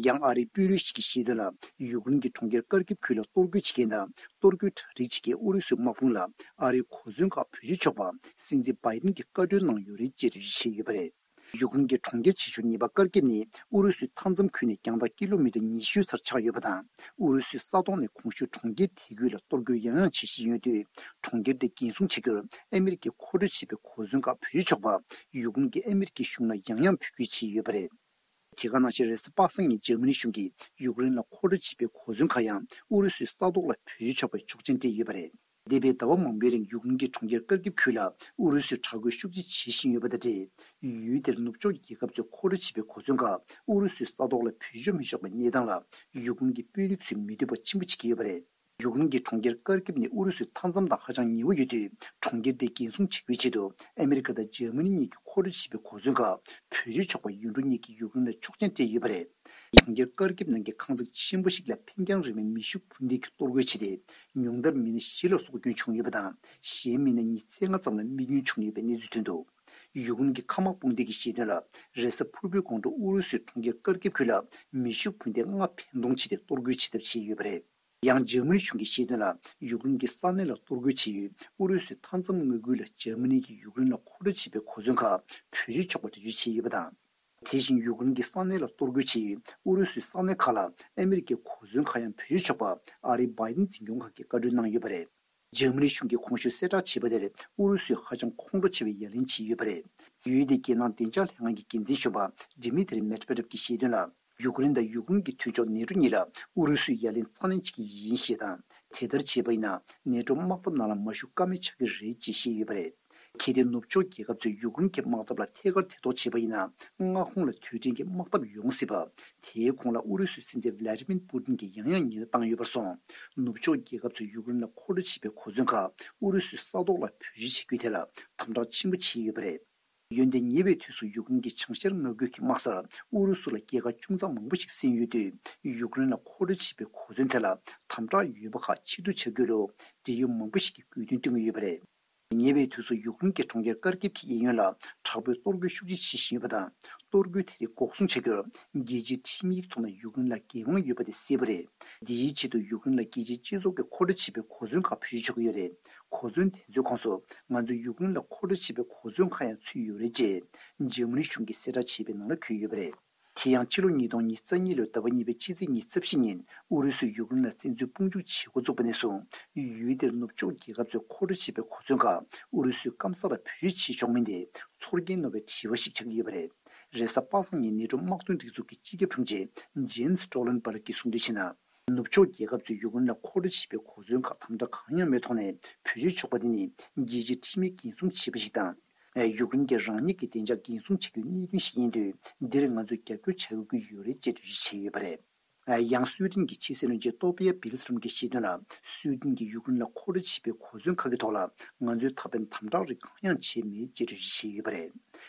ཡང་ཨ་རིའི་དཔོན་རིགས་ཤིག་གིས་བཤད་དོན་ལ། ཡུཀ་རེན་གྱི་གྲོང་ཁྱེར་ཀར་ཀིབ་ཁུལ་ལ་གཏོར་རྒོལ་བྱེད་མཁན་དང་། གཏོར་རྒོལ་གྲ་སྒྲིག་བྱེད་མཁན་ཨུ་རུ་སུའི་དམག་དཔུང་ལ། ཨ་རིའི་གོ་མཚོན་ཁག་བེད་སྤྱོད་ཆོག་པ། སྲིད་འཛིན་བྷའི་ཌེན་གྱིས་བཀའ་འཁྲོལ་གནང་ཡོད་རེད་ཅེས་འགྲེལ་བརྗོད་བྱས་ཡོད་པ་རེད། ཡུཀ་རེན་གྱི་གྲོང་ཁྱེར་ཆེ་ཤོས་ཉེས་པ་ཀར་ཀིབ་ནི། ཨུ་རུ་སུའི་མཐའ་མཚམས་ཁུལ་ནས་རྒྱང་ཐག་ཀི་ལོ་མི་ཊར་ཉི་ཤུའི་ཚར་ཆགས་ཡོད་པ་དང་། ཨུ་རུ་སུའི་ས་ཐོག་ནས་གོང་ཞུས་གྲོང་ཁྱེར་དེ་ཁུལ་ལ་གཏོར་རྒོལ་ཡང་ཡང་བྱེད་བཞིན་ཡོད་དུས། གྲོང་ཁྱེར་དེ་འགན་སྲུང་བྱེད་རྒྱུར་ཨ་མི་རི་ཀས་མཁོ་སྤྲོད་བྱས་པའི་གོ་མཚོན་ཁག་བེད་སྤྱོད་ཆོག་པ། ཡུཀ་རེན་གྱིས་ཨ་མི་རི་ཀའི་གཞུང་ལ་ཡང་ཡང་འབོད་སྐུལ་བྱས་ཡོད་པ་རེད། དེ་ག་ནང་བཞིན་རེས་གཟའ་པ་སངས་ཉིན་འཇར་མ་ནི་གཞུང་གིས་ཡུཀ་རེན་ལ་མཁོ་སྤྲོད་བྱས་པའི་གོ་མཚོན་ཁག་ཡང་ཨུ་རུ་སུའི་ས་ཐོག་ལ་བེད་སྤྱོད་ཆོག་པའི་ཆོག་མཆན་སྤྲད་ཡོད་པ་རེད། འདས་པའི་ཟླ་བ་མང་པོའི་རིང་ཡུཀ་རེན་གྱི་གྲོང་ཁྱེར་ཀར་ཀིབ་ཁུལ་ལ་ཨུ་རུ་སུས་དྲག་རྒོལ་ཤུགས་ཆེ་བྱེད་བཞིན་ཡོད་པ་དང་འབྲེལ། ཡུལ་དེར་ནུབ་ཕྱོགས་རྒྱལ་ཁབ་ཚོས་མཁོ་སྤྲོད་བྱས་པའི་གོ་མཚོན་ཁག་ཨུ་རུ་སུའི་ས་ཐོག་ལ་བེད་སྤྱོད་མི་ཆོག་པའི་གནས་སྟངས་ལ་ཡུཀ་རེན་གྱི་དཔོན་རིགས་ཚོས་མི་འདོད་པ་ཆེན་པོ་བྱེད་ཀྱི་ཡོད་པ་རེད། ཡུཀ་རེན་གྱི་གྲོང་ཁྱེར་ཀར་ཀིབ་ནི་ཨུ་རུ་སུའི་མཐའ་མཚམས་དང་ཧ་ཅང་ཉེ་བོ་ཡོད་དུས། གྲོང་ཁྱེར་དེ་འགན་སྲུང་བྱེད་རྒྱུའི་ཆེད་དུ་ཨ་མི་རི་ཀ་དང་འཇར་མ་ནི་གཉིས་ཀྱིས་མཁོ་སྤྲོད་བྱས་པའི་གོ་མཚོན་ཁག་བེད་སྤྱོད་ཆོག་པ་ཡུལ་གྲུ་གཉིས་ཀྱིས་ཡུཀ་རེན་ལ་ཆོག་མཆན་སྤྲད་ཡོད་པ་རེད། གྲོང་ཁྱེར་ཀར་ཀིབ་ནང་གི་ཁང་བརྩེགས་ཆེན་པོ་ཞིག་ལ་འཕེན་རྒྱང་རིང་བའི་མེ་ཤུགས་འཕུར་མདེལ་གྱིས་གཏོར་རྒོལ་བྱས་ཏེ། ཉུང་མཐར་མི་སྣ་བཞི་ལ་སྲོག་སྐྱོན་བྱུང་ཡོད་པ་དང་། གཞན་མི་སྣ་ཉི་ཤུ་རྩ་ལྔ་ཙམ་ལ་རྨས་སྐྱོན་བྱུང་ཡོད་པའི་གནས་ཚུལ་ཐོན་འདུག་ཡུཀ་རེན་གྱི་མཁའ་དམག་དཔུང་སྡེ་གིས་བཤད་དོན་ལ། རེས་གཟའ་ཕུར་བུའི་དགོང་དྲོ་ཨུ་རུ་སུས་གྲོང་ཁྱེར་ཀར་ཀིབ་ཁུལ་ལ་མེ་ཤུགས་འཕུར་མདེལ་ལྔ་འཕེན་གཏོང་བྱས་ཏེ་གཏོར་རྒོལ་བྱེད་ཐབས་བྱས་ཡོད་པ་རེད། ཡང་འཇར་མ་ནི་གཞུང་གིས་བཤད་དོན་ལ། ཡུཀ་རེན་གྱི་ས་གནས་ལ་གཏོར་རྒོལ་བྱས་ཡོད་ཨུ་རུ་སུའི་མཐའ་མཚམས་མངའ་ཁུལ་ལ་འཇར་མ་ནི་གིས་ཡུཀ་རེན་ལ་མཁོ་སྤྲོད་བྱས་པའི་གོ་མཚོན་ཁག་བེད་སྤྱོད་ཆོག་པ་འགྲེལ་བརྗོད་བྱས་ཡོད་པ་དང་། དེ་བཞིན་ཡུཀ་རེན་གྱི་ས་གནས་ལ་གཏོར་རྒོལ་བྱས་ཡོད་ཨུ་རུ་སུའི་ས་གནས་ཁག་ལ་ཨ་མི་རི་ཀའི་གོ་མཚོན་ཁག་ཡང་བེད་སྤྱོད་ཆོག་པ་ཨ་རིའི་བྷའི་ཌེན་འཛིན་སྐྱོང་ཁང་གིས་བཀའ་འཁྲོལ་གནང་ཡོད་པ་རེད། འཇར་མ་ནི་གཞུང་གིས་གོང་ཞུས་གསལ་བསྒྲགས་བྱས་པ་དེར་ཨུ་རུ་སུས་ཧ་ཅང་ཁོང་ཁྲོ་ཆེ་བའི་ཡ་ལན་བྱས་ཡོད་པ་རེད། ཡུལ་དེའི་རྒྱལ་ནང་བདེ་འཇགས་ལྷན་ཁང་གི་འགན་འཛིན་གཞོན་པ་ཌི་མི་ཐི་རི་མེད་ཝེ་ཌེབ་ཀྱིས་བཤད་དོན་ལ། ཡུཀ་རེན་དང་ཡུཀ་རེན་གྱི་མཐུན་ཕྱོགས་ནེ་ཊོ་གཉིས་ལ་ཨུ་རུ་སུས་ཡ་ལན་རྩ་ནན་བྱེད་ཀྱི་ཡིན་ཞེས་དང་། དེ་ལྟར་བྱས་པ་ཡིན་ན་ནེ་ཊོ་དམག་འཐབ་ནང་ལ་མ་ཞུགས་ཀ་མེད་ཆགས་ཀྱི་རེད་ཅེས་བཤད་ཡོད་པ་རེད། གལ་ཏེ་ནུབ་ཕྱོགས་རྒྱལ་ཁབ་ཚོས་ཡུཀ་རེན་གྱི་དམག་འཐབ་ལ་ཐད་ཀར་ཐེ་གཏོགས་བྱས་པ་ཡིན་ན། མངའ་ཁོངས་ལ་དུས་དྲན་གྱི་དམག་འཐབ་ཡོང་སྲིད་པ། དེའི་གོང་ལ་ཨུ་རུ་སུའི་སྲིད་འཛིན་ཝི་ལ་ཏི་མིར་པུ་ཏིན་གྱིས་ཡང་ཡང་ཉེན་བརྡ་བཏང་ཡོད་པར་སོང་། ནུབ་ཕྱོགས་རྒྱལ་ཁབ་ཚོས་ཡུཀ་རེན་ལ་མཁོ་སྤྲོད་བྱས་པའི་གོ་མཚོན་ཁག་ཨུ་རུ་སུའི་ས་ཐོག་ལ་བེད་སྤྱོད་བྱེད་རྒྱུའི་ཐད་ལ་དམ་དྲག་ཆེན་པོ་བྱས་ཡོད་པ་རེད། འོན་ཏེ་ཉེ་བའི་དུས་སུ་ཡུཀ་རེན་གྱི་བྱང་ཤར་མངའ་ཁུལ་གྱི་དམག་སར་ཨུ་རུ་སུ་ལ་རྒྱལ་ཁ་ཅུང་ཙམ་མང་པོ་ཞིག་ཟིན་ཡོད་དུས། ཡུཀ་རེན་ལ་མཁོ་སྤྲོད་བྱས་པའི་གོ་མཚོན་དེ་ལ་དམ་དྲག་ཡོད་པ་ཁག་ཕྱིར་བསྡུ་བྱ་རྒྱུ་ལུ་འབྲེལ་ཡོད་མང་པོ་ཞིག་གིས་དགོས་འདུན་བཏོན་གྱི་ཡོད་པ་རེད། ཉེ་བའི་དུས་སུ་ཡུཀ་རེན་གྱི་གྲོང་ཁྱེར་ཀར་ཀིབ་ཀྱི་གཡས་གཡོན་ལ་དྲག་པོའི་གཏོར་རྒོལ་ཤུགས་ཆེ་བྱེད་བཞིན་ཡོད་པ་དང་། གཏོར་རྒོལ་དེ་རིགས་འགོག་སྲུང་བྱ་རྒྱུར་རྒྱལ་སྤྱིའི་ཁྲིམས་ཡིག་ཐོག་ནས་ཡུཀ་རེན་ལ་འགན་དབང་ཡོད་པ་དེ་གསལ་པོ་རེད། འདིའི་ཆེད་དུ་ཡུཀ་རེན་ལ་རྒྱལ་སྤྱིའི་སྤྱི་ཚོགས་ཀྱིས་མཁོ་སྤྲོད་བྱེད་པའི་གོ་མཚོན་ཁག་བེད་སྤྱོད་ཆོག་གི་ཡོད་རེད། གོ་མཚོན་དེ་ཚོའི་ཁོངས་སུ་ང་ཚོས་ཡུཀ་རེན་ལ་མཁོ་སྤྲོད་བྱེད་པའི་གོ་མཚོན་ཁག་ཡང་ཚུད་ཡོད་རེད་ཅེས་འཇར་མ་ནི་གཞུང་གིས་གསལ་བསྒྲགས་བྱས་པའི་ནང་ལ་འཁོད་ཡོད་པ་རེད། དེ་ཡང་ཕྱི་ལོ་ཉིས་སྟོང་ཉི་ཤུ་རྩ་གཉིས་ལོའི་ཟླ་བ་གཉིས་པའི་ཕྱི་ཚེས་ཉི་ཤུ་རྩ་བཞི་ཉིན་ཨུ་རུ་སུས་ཡུཀ་རེན་ལ་བཙན་འཛུལ་དཔུང་འཇུག་བྱེད་འགོ་བཙུགས་པ་ནས་བཟུང་། ཡུལ་དེར་ནུབ་ཕྱོགས་རྒྱལ་ཁབ་ཚོས་མཁོ་སྤྲོད་བྱས་པའི་གོ་མཚོན་ཁག་ཨུ་རུ་སུས་སྐམ་ས་ལ་བེད་སྤྱོད་བྱེད་ཆོག་མིན་དེ་ཚོར་སྐྱེན་སྣོན་པའི་དྲི་བ་ཞིག་ཆགས་ཀྱི་ཡོད་པ་རེད། རེས་གཟའ་པ་སངས་ཉིན་ནེ་ཊོ་དམག་དོན་སྒྲིག་འཛུགས་ཀྱི་སྤྱི་ཁྱབ་དྲུང་ཆེ་ཇེན་སི་སྟོལ་ལན་བར་གྱིས་གསུངས་དོན་བྱས་ན། ནུབ་ཕྱོགས་རྒྱལ་ཁབ་ཚོས་ཡུཀ་རེན་ལ་མཁོ་སྤྲོད་བྱས་པའི་གོ་མཚོན་ཁག་དམ་དྲག་གང་ཡང་མེད་ཐོག་ནས་བེད་སྤྱོད་ཆོག་པ་དེ་ནི་རྒྱལ་སྤྱིའི་ཁྲིམས་ཡིག་འགན་སྲུང་བྱས་པ་ཞིག་དང་། ཡུཀ་རེན་གྱི་རང་ཉིད་ཀྱི་བདེ་འཇགས་འགན་སྲུང་བྱ་རྒྱུའི་གནད་དོན་ཞིག་ཡིན་དུས། འདིར་ང་ཚོས་རྒྱབ་སྐྱོར་བྱ་དགོས་ཀྱི་ཡོད་རེད་ཅེས་འགྲེལ་བརྗོད་བྱས་ཡོད་པ་རེད། ཡང་སུའེ་ཏེན་གྱི་ཕྱི་སྲིད་བློན་ཆེན་ཏོ་པི་ཡ་བིལ་སི་ཀྲོམ་གྱིས་བཤད་དོན་ལ། སུའེ་ཏེན་གྱིས་ཡུཀ་རེན་ལ་མཁོ་སྤྲོད་བྱས་པའི་གོ་མཚོན་ཁག་གི་ཐོག་ལ་ང་ཚོས་ད་ཕན་དམ་དྲག་རིགས་གང་ཡང་བྱས་མེད་ཅེས་འགྲེལ་བརྗོད་བྱས་ཡོད་པ་རེད།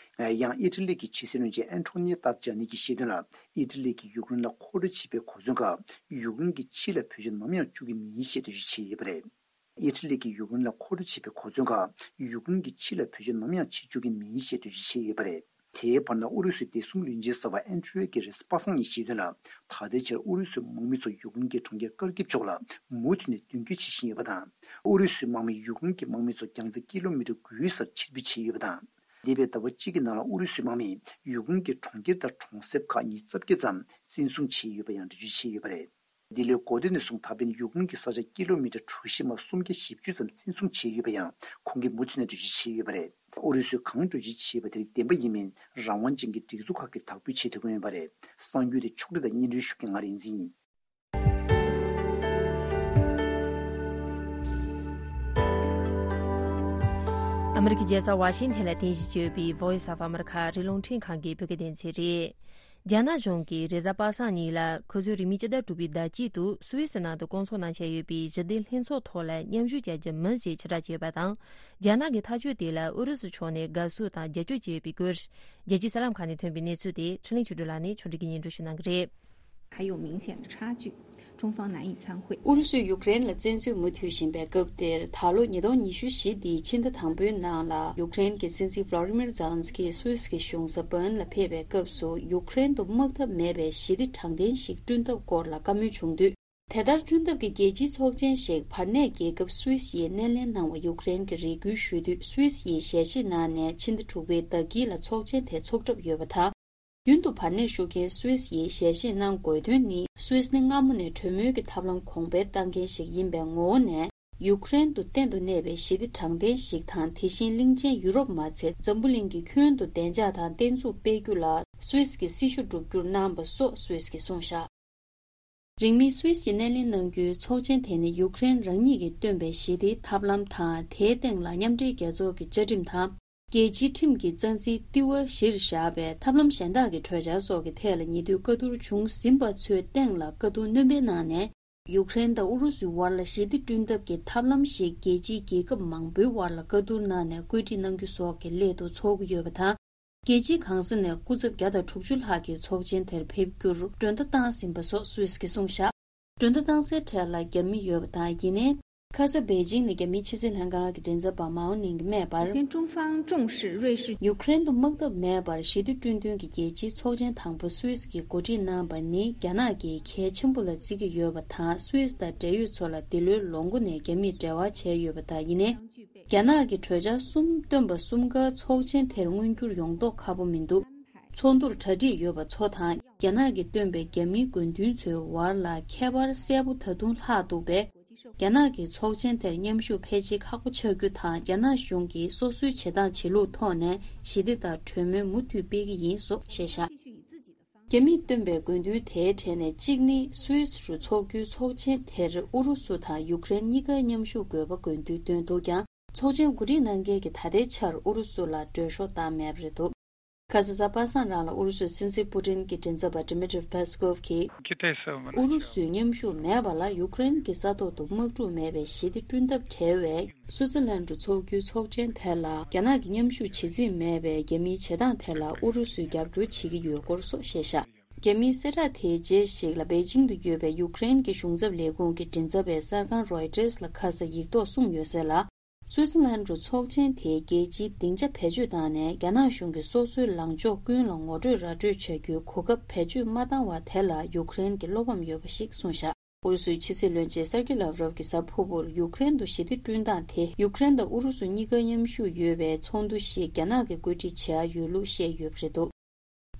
ཡང་ཨི་ཊ་ལི་གི་ཕྱི་སྲིད་བློན་ཆེན་ཨན་ཐོ་ནི་ཏཱ་ཇཱ་ནི་གྱིས་བཤད་དོན་ལ། ཨི་ཊ་ལི་གིས་ཡུཀ་རེན་ལ་མཁོ་སྤྲོད་བྱས་པའི་གོ་མཚོན་ཁག་ཡུཀ་རེན་གྱི་ཕྱི་ལ་བེད་སྤྱོད་ནམ་ཡང་བཅུག་གི་མིན་ཞེས་འགྲེལ་བརྗོད་བྱས་ཡོད་པ་རེད། ཨི་ཊ་ལི་གིས་ཡུཀ་རེན་ལ་མཁོ་སྤྲོད་བྱས་པའི་གོ་མཚོན་ཁག་ཡུཀ་རེན་གྱི་ཕྱི་ལ་བེད་སྤྱོད་ནམ་ཡང་བྱེད་བཅུག་གི་མིན་ཞེས་འགྲེལ་བརྗོད་བྱས་ཡོད་པ་རེད། དེའི་བར་ན་ཨུ་རུ་སུའི་བདེ་སྲུང་བློན་ཆེན་གསར་པ་ཨན་ཏྲི་ཡོ་གིས་རེས་གཟའ་པ་སངས་ཉིན་བཤད་དོན་ལ། ད་ལྟའི་ཆར་ཨུ་རུ་སུའི་དམག་མི་ཚོ་ཡུཀ་རེན་གྱི་གྲོང་ཁྱེར་ཀར་ཀིབ་ཕྱོགས་ལ་མུ་མཐུད་ནས་མདུན་སྐྱོད་བྱེད་བཞིན་ཡོད་པ་དང་། ཨུ་རུ་སུའི་དམག་མིས་ཡུཀ་རེན་གྱི་དམག་མི་ཚོ་རྒྱང་ཚད་ཀི་ལོ་མི་ཊར་དགུའི་སར་ཕྱིར་འབུད་བྱས་ཡོད་པ་དང་། འདས་པའི་ཟླ་བ་གཅིག་གི་ནང་ལ་ཨུ་རུ་སུའི་དམག་མིས་ཡུཀ་རེན་གྱི་གྲོང་ཁྱེར་དང་གྲོང་གསེབ་ཁག་ཉིས་རྩ་བརྒྱད་ཙམ་བཙན་བཟུང་བྱས་ཡོད་པ་ཡང་འགྲེལ་བརྗོད་བྱས་ཡོད་པ་རེད། འདི་ལོའི་འགོ་སྟོད་ནས་བཟུང་ད་ཕན་ཡུཀ་རེན་གྱི་ས་ཆ་ཀི་ལོ་མི་ཊར་གྲུ་བཞི་མ་སུམ་བརྒྱ་བཞི་བཅུ་ཙམ་བཙན་བཟུང་བྱས་ཡོད་པ་ཡང་ཁོང་གིས་མུ་མཐུད་ནས་འགྲེལ་བརྗོད་བྱས་ཡོད་པ་རེད། ཨུ་རུ་སུས་གང་འགྲེལ་བརྗོད་བྱས་པ་དེ་རིགས་བདེན་པ་ཡིན་མིན་རང་དབང་ཅན་གྱི་སྒྲིག་འཛུགས་ཁག་གིས་དག་འབུལ་བྱེད་ཐུབ་ཀྱི་མེད་པ་རེད། གསར་འགྱུར་དེ་ཕྱོགས་སྒྲིག་དང་སྙན་སྒྲོན་ཞུ་མཁན་ང་རིག་འཛིན་ཡིན། ཨ་མི་རི་ཀའི་རྒྱལ་ས་ཝ་ཤིང་ཐན་ལ་རྟེན་གཞི་བྱས་ཡོད་པའི་Voice of America ཨ་རིའི་རླུང་འཕྲིན་ཁང་གི་བོད་སྐད་སྡེ་ཚན་རེད། རྒྱ་ནག་གཞུང་གིས་རེས་གཟའ་པ་སངས་ཉིན་ལ་ཁོ་ཚོའི་རིང་མིན་སྤྱི་ཟླ་དྲུག་པའི་ཟླ་དཀྱིལ་དུ་སུད་སི་ནང་དུ་བསྐོང་ཚོགས་གནང་འཆར་ཡོད་པའི་ཞི་བདེ་ལྷན་ཚོགས་ཐོག་ལ་མཉམ་ཞུགས་བྱ་རྒྱུ་མིན་ཞེས་ཕྱིར་བསྒྲགས་བྱས་ཡོད་པ་དང་། རྒྱ་ནག་གི་ཐག་གཅོད་དེ་ལ་ཨུ་རུ་སུ་ཕྱོགས་ནས་དགའ་བསུ་དང་རྒྱབ་སྐྱོར་བྱས་ཡོད་པའི་སྐོར། རྒྱལ་སྤྱིའི་གསར་ལམ་ཁག་ནས་ཐོན་པའི་གནས་ཚུལ་དེ་འཕྲིན་ལས་ཆོས་སྒྲོན་ལགས་ནས་ཕྱོགས་སྒྲིག་གིས་སྙན་སྒྲོན་ཞུ་གནང་གི་རེད། 还有明显的差距，中方难以参会。 ཨུ་རུ་སུས་ཡུཀ་རེན་ལ་བཙན་འཛུལ་མུ་མཐུད་བཞིན་པའི་སྐབས་དེར། ད་ལོ་ཉིས་སྟོང་ཉི་ཤུ་བཞི་འདིའི་ཕྱི་ཟླ་དང་པོའི་ནང་ལ་ཡུཀ་རེན་གྱི་སྲིད་འཛིན་ཝླ་ཌི་མིར་ཛེ་ལན་སི་ཀི་སུད་སི་གི་གཞུང་ས་བྷརན་ལ་ཕེབས་པའི་སྐབས་སུ། ཡུཀ་རེན་དུ་དམག་འཐབ་མེད་པའི་ཞི་བདེ་དྲང་བདེན་ཞིག་བསྐྲུན་ཐབས་སྐོར་ལ་བཀའ་མོལ་བྱུང་དུས། དེ་ལྟར་བསྐྲུན་ཐབས་ཀྱི་རྒྱལ་སྤྱིའི་ཚོགས་ཆེན་ཞིག་བར་གནས་རྒྱལ་ཁབ་སུད་སི་ཡིས་སྣེ་ལེན་གནང་བ་ཡུཀ་རེན་གྱིས་རེ་སྐུལ་ཞུས་དུས། སུད་སི་ཡིས་ཞལ་བཞེས་གནང་ནས་ཕྱི་ཟླ་དྲུག་པའི་ཟླ་དཀྱིལ་ལ་ཚོགས་ཆེན་དེ་འཚོགས་གྲབས་ཡོད་པ་དང་། རྒྱུན་དུ་བར་གནས་ཞུ་མཁན་སུད་སི་ཡིས་ཞལ་བཞེས་གནང་དགོས་དོན་ནི། སུད་སི་ནི་སྔ་མོ་ནས་གྲོས་མོལ་གྱི་ཐབས་ལམ་གོང་འཕེལ་བཏང་མཁན་ཞིག་ཡིན་པའི་ངོ་བོ་ནས། ཡུཀ་རེན་དུ་གཏན་དུ་གནས་པའི་ཞི་བདེ་དྲང་བདེན་ཞིག་དང་། དེ་བཞིན་གླིང་ཆེན་ཡུ་རོབ་མ་ཚད་འཛམ་བུ་གླིང་གི་ཁྱོན་དུ་བདེ་འཇགས་དང་བརྟན་ཚུགས་སྤེལ་རྒྱུ་ལ་སུད་སི་གིས་སྲི་ཞུ་བསྒྲུབ་རྒྱུར་གནང་བ་སོགས་སུད་སི་གིས་གསུངས་བཞག་རིང་མིན་སུད་སི་ཡིས་སྣེ་ལེན་གནང་རྒྱུའི་ཚོགས་ཆེན་དེ་ནི་ཡུཀ་རེན་རང་ཉིད་ཀྱིས་བཏོན་པའི་ཞི་བདེའི་ཐབས་ལམ་དང་། དེའི་སྟེང་ལ་མཉམ་འབྲེལ་རྒྱལ་ཚོགས་ཀྱི་བཅའ་ཁྲིམས་དང་། རྒྱལ་སྤྱིའི་ཁྲིམས་ཀྱི་རྩ་འཛིན་ལྟེ་བ་གཞིར་བཞག་པའི་ཐབས་ལམ་གཞན་དག་གི་གྲོས་འཆར་སོགས་ཀྱི་ཐད་ལ་ཉེ་དུས་བཀའ་བསྡུར་བྱུང་ཟིན་པ་ཚོའི་སྟེང་ལ་བཀའ་བསྡུར་སྣོན་སྤེལ་གནང་ནས། ཡུཀ་རེན་དང་ཨུ་རུ་སུའི་བར་ལ་ཞི་བདེ་བསྐྲུན་ཐབས་ཀྱི་ཐབས་ལམ་ཞིག་རྒྱལ་སྤྱིའི་རྒྱལ་ཁབ་མང་པོའི་བར་ལ་བཀའ་བསྡུར་གནང་ནས་བཀོད་སྒྲིག་གནང་རྒྱུ་སོགས་ཀྱི་སླད་དུ་འཚོགས་ཀྱི་ཡོད་པ་དང་། རྒྱལ་སྤྱིའི་གང་ས་ནས་སྐུ་ཚབ་བརྒྱ་དང་དྲུག་ཅུ་ལྷག་གིས་ཚོགས་ཆེན་དེར་ཕེབས་རྒྱུར་མགྲོན་བརྡ་བཏང་ཟིན་པ་སོགས་སུད་སི་གིས་གསུངས་བཞག་མགྲོན་བརྡ་བཏང་སའི་གྲས་ལ་རྒྱ་མི་ཡོད་པ་དང་། ཡིན་ནའི། ཁ་ས་པེ་ཅིང་ནས་རྒྱ་མིའི་ཕྱི་སྲིད་ལྷན་ཁང་གི་མགྲིན་ཚབ་པ་མའོ་ནིང་གིས་སྨྲས་པར། 首先，中方重视瑞士 ཡུཀ་རེན་དུ་དམག་འཐབ་མེད་པར་ཞི་བདེ་བསྐྲུན་དོན་གྱི་རྒྱལ་སྤྱིའི་ཚོགས་ཆེན་དང་པོ་སུད་སི་གིས་གོ་སྒྲིག་གནང་བ་ནི། རྒྱ་ནག་གིས་གལ་ཆེན་པོ་ལ་བརྩི་གི་ཡོད་པ་དང་། སུད་སི་དང་འབྲེལ་ཡོད་ཚོ་ལ་འདི་ལོའི་ལོ་མགོ་ནས་རྒྱ་མིས་འབྲེལ་བ་བྱས་ཡོད་པ་དང་། ཡིན་ནའི། རྒྱ་ནག་གིས་གྲོས་འཆར་གསུམ་བཏོན་པ་གསུམ་ཀ་ཚོགས་ཆེན་དེར་མངོན་འགྱུར་ཡོང་མདོག་ཁ་པོ་མི་འདུག་ཚོགས་འདུར་གྲ་སྒྲིག་ཡོད་པ་ཚོ་དང་། རྒྱ་ནག་གིས་བཏོན་པའི་རྒྱ་མིའི་དགོས་འདུན་ཚོའི་བར་ལ་ཁྱད་པར་གསལ་པོ་ད་དུང་ལྷག་འདུག་པས། རྒྱ་ནག་གིས་ཚོགས་ཆེན་དེར་མཉམ་ཞུགས་ཕལ་ཆེར་ཁག་པོ་ཆགས་རྒྱུ་དང་། རྒྱ་ནག་གཞུང་གིས་སོ་སོའི་བྱེད་སྟངས་བྱེད་ལུགས་ཐོག་ནས་ཞི་བདེ་དང་གྲོས་མོལ་མུ་མཐུད་སྤེལ་གྱི་ཡིན་སོགས་བཤད་བཞག་རྒྱ་མིས་བཏོན་པའི་དགོས་འདུན་དེའི་གྲས་ནས་གཅིག་ནི། སུད་སི་རུ་འཚོགས་རྒྱུའི་ཚོགས་ཆེན་དེར་ཨུ་རུ་སུ་དང་ཡུཀ་རེན་གཉིས་ཀ་མཉམ་ཞུགས་དགོས་པ་དགོས་འདུན་བཏོན་འདུག་ཀྱང་། ཚོགས་ཆེན་གོ་སྒྲིག་གནང་མཁན་གྱིས་ད་ལྟའི་ཆར་ཨུ་རུ་སུ་ལ་འགྲོ་ཤོག་བཏང་མེད་པ་རེད་འདུག་ཁ་ས་གཟའ་པ་སངས་རང་ལ་ཨུ་རུ་སུའི་སྲིད་འཛིན་པུ་ཏིན་གྱི་མགྲིན་ཚབ་པ་Dmitry Peskov གིས། ཨུ་རུ་སུས་མཉམ་ཞུགས་མེད་པ་ལ་ཡུཀ་རེན་གྱི་ས་ཐོག་ཏུ་དམག་འཁྲུག་མེད་པའི་ཞི་བདེ་བསྐྲུན་ཐབས་བྲལ་བའི་སུའུ་ཙེར་ལན་དུ་འཚོགས་རྒྱུའི་ཚོགས་ཆེན་དེ་ལ་རྒྱ་ནག་གིས་མཉམ་ཞུགས་བྱེད་རྩིས་མེད་པའི་རྒྱ་མིའི་བྱེད་སྟངས་དེ་ལ་ཨུ་རུ་སུས་རྒྱབ་སྐྱོར་བྱེད་ཀྱི་ཡོད་སྐོར་སོགས་བཤད་བཞག་རྒྱ་མིའི་གསལ་བསྒྲགས་དེའི་རྗེས་ཤིག་ལ་པེ་ཅིང་དུ་ཡོད་པའི་ཡུཀ་རེན་གྱི་གཞུང་ཚབ་ལས་ཁུངས་ཀྱི་མགྲིན་ཚབ་པས་གསར་ཁང་Reuters ལ་ཁ་ས་ཡིག་ཐོག་གསུངས་ཡོད་གསལ་ལ། སུའུ་ཙེར་ལན་དུ་ཚོགས་ཆེན་དེའི་རྒྱལ་སྤྱིའི་སྡིངས་ཆ་བེད་སྤྱོད་བཏང་ནས་རྒྱ་ནག་གཞུང་གིས་སོ་སོའི་ལངས་ཕྱོགས་ཀུན་ལ་ངོ་སྤྲོད་ར་སྤྲོད་བྱ་རྒྱུའི་གོ་སྐབས་བེད་སྤྱོད་མ་བཏང་བ་དེ་ལ་ཡུཀ་རེན་གྱིས་བློ་ཕམ་ཡོད་པ་ཞིག་གསུངས་བཞག་ཨུ་རུ་སུའི་ཕྱི་སྲིད་བློན་ཆེན་སར་ཀི་ལབ་རོབ་ཀྱིས་གཟའ་ཕུར་བུར་ཡུཀ་རེན་དུ་ཞི་བདེ་བསྐྲུན་སྟངས་དེ་ཡུཀ་རེན་དང་ཨུ་རུ་སུ་གཉིས་ཀ་མཉམ་ཞུགས་ཡོད་པའི་ཚོགས་འདུ་ཞིག་རྒྱ་ནག་གིས་བཀོད་སྒྲིག་བྱེད་ཡ་ཡོད་ལུགས་བཤད་ཡོད་པ་རེད་འདུག་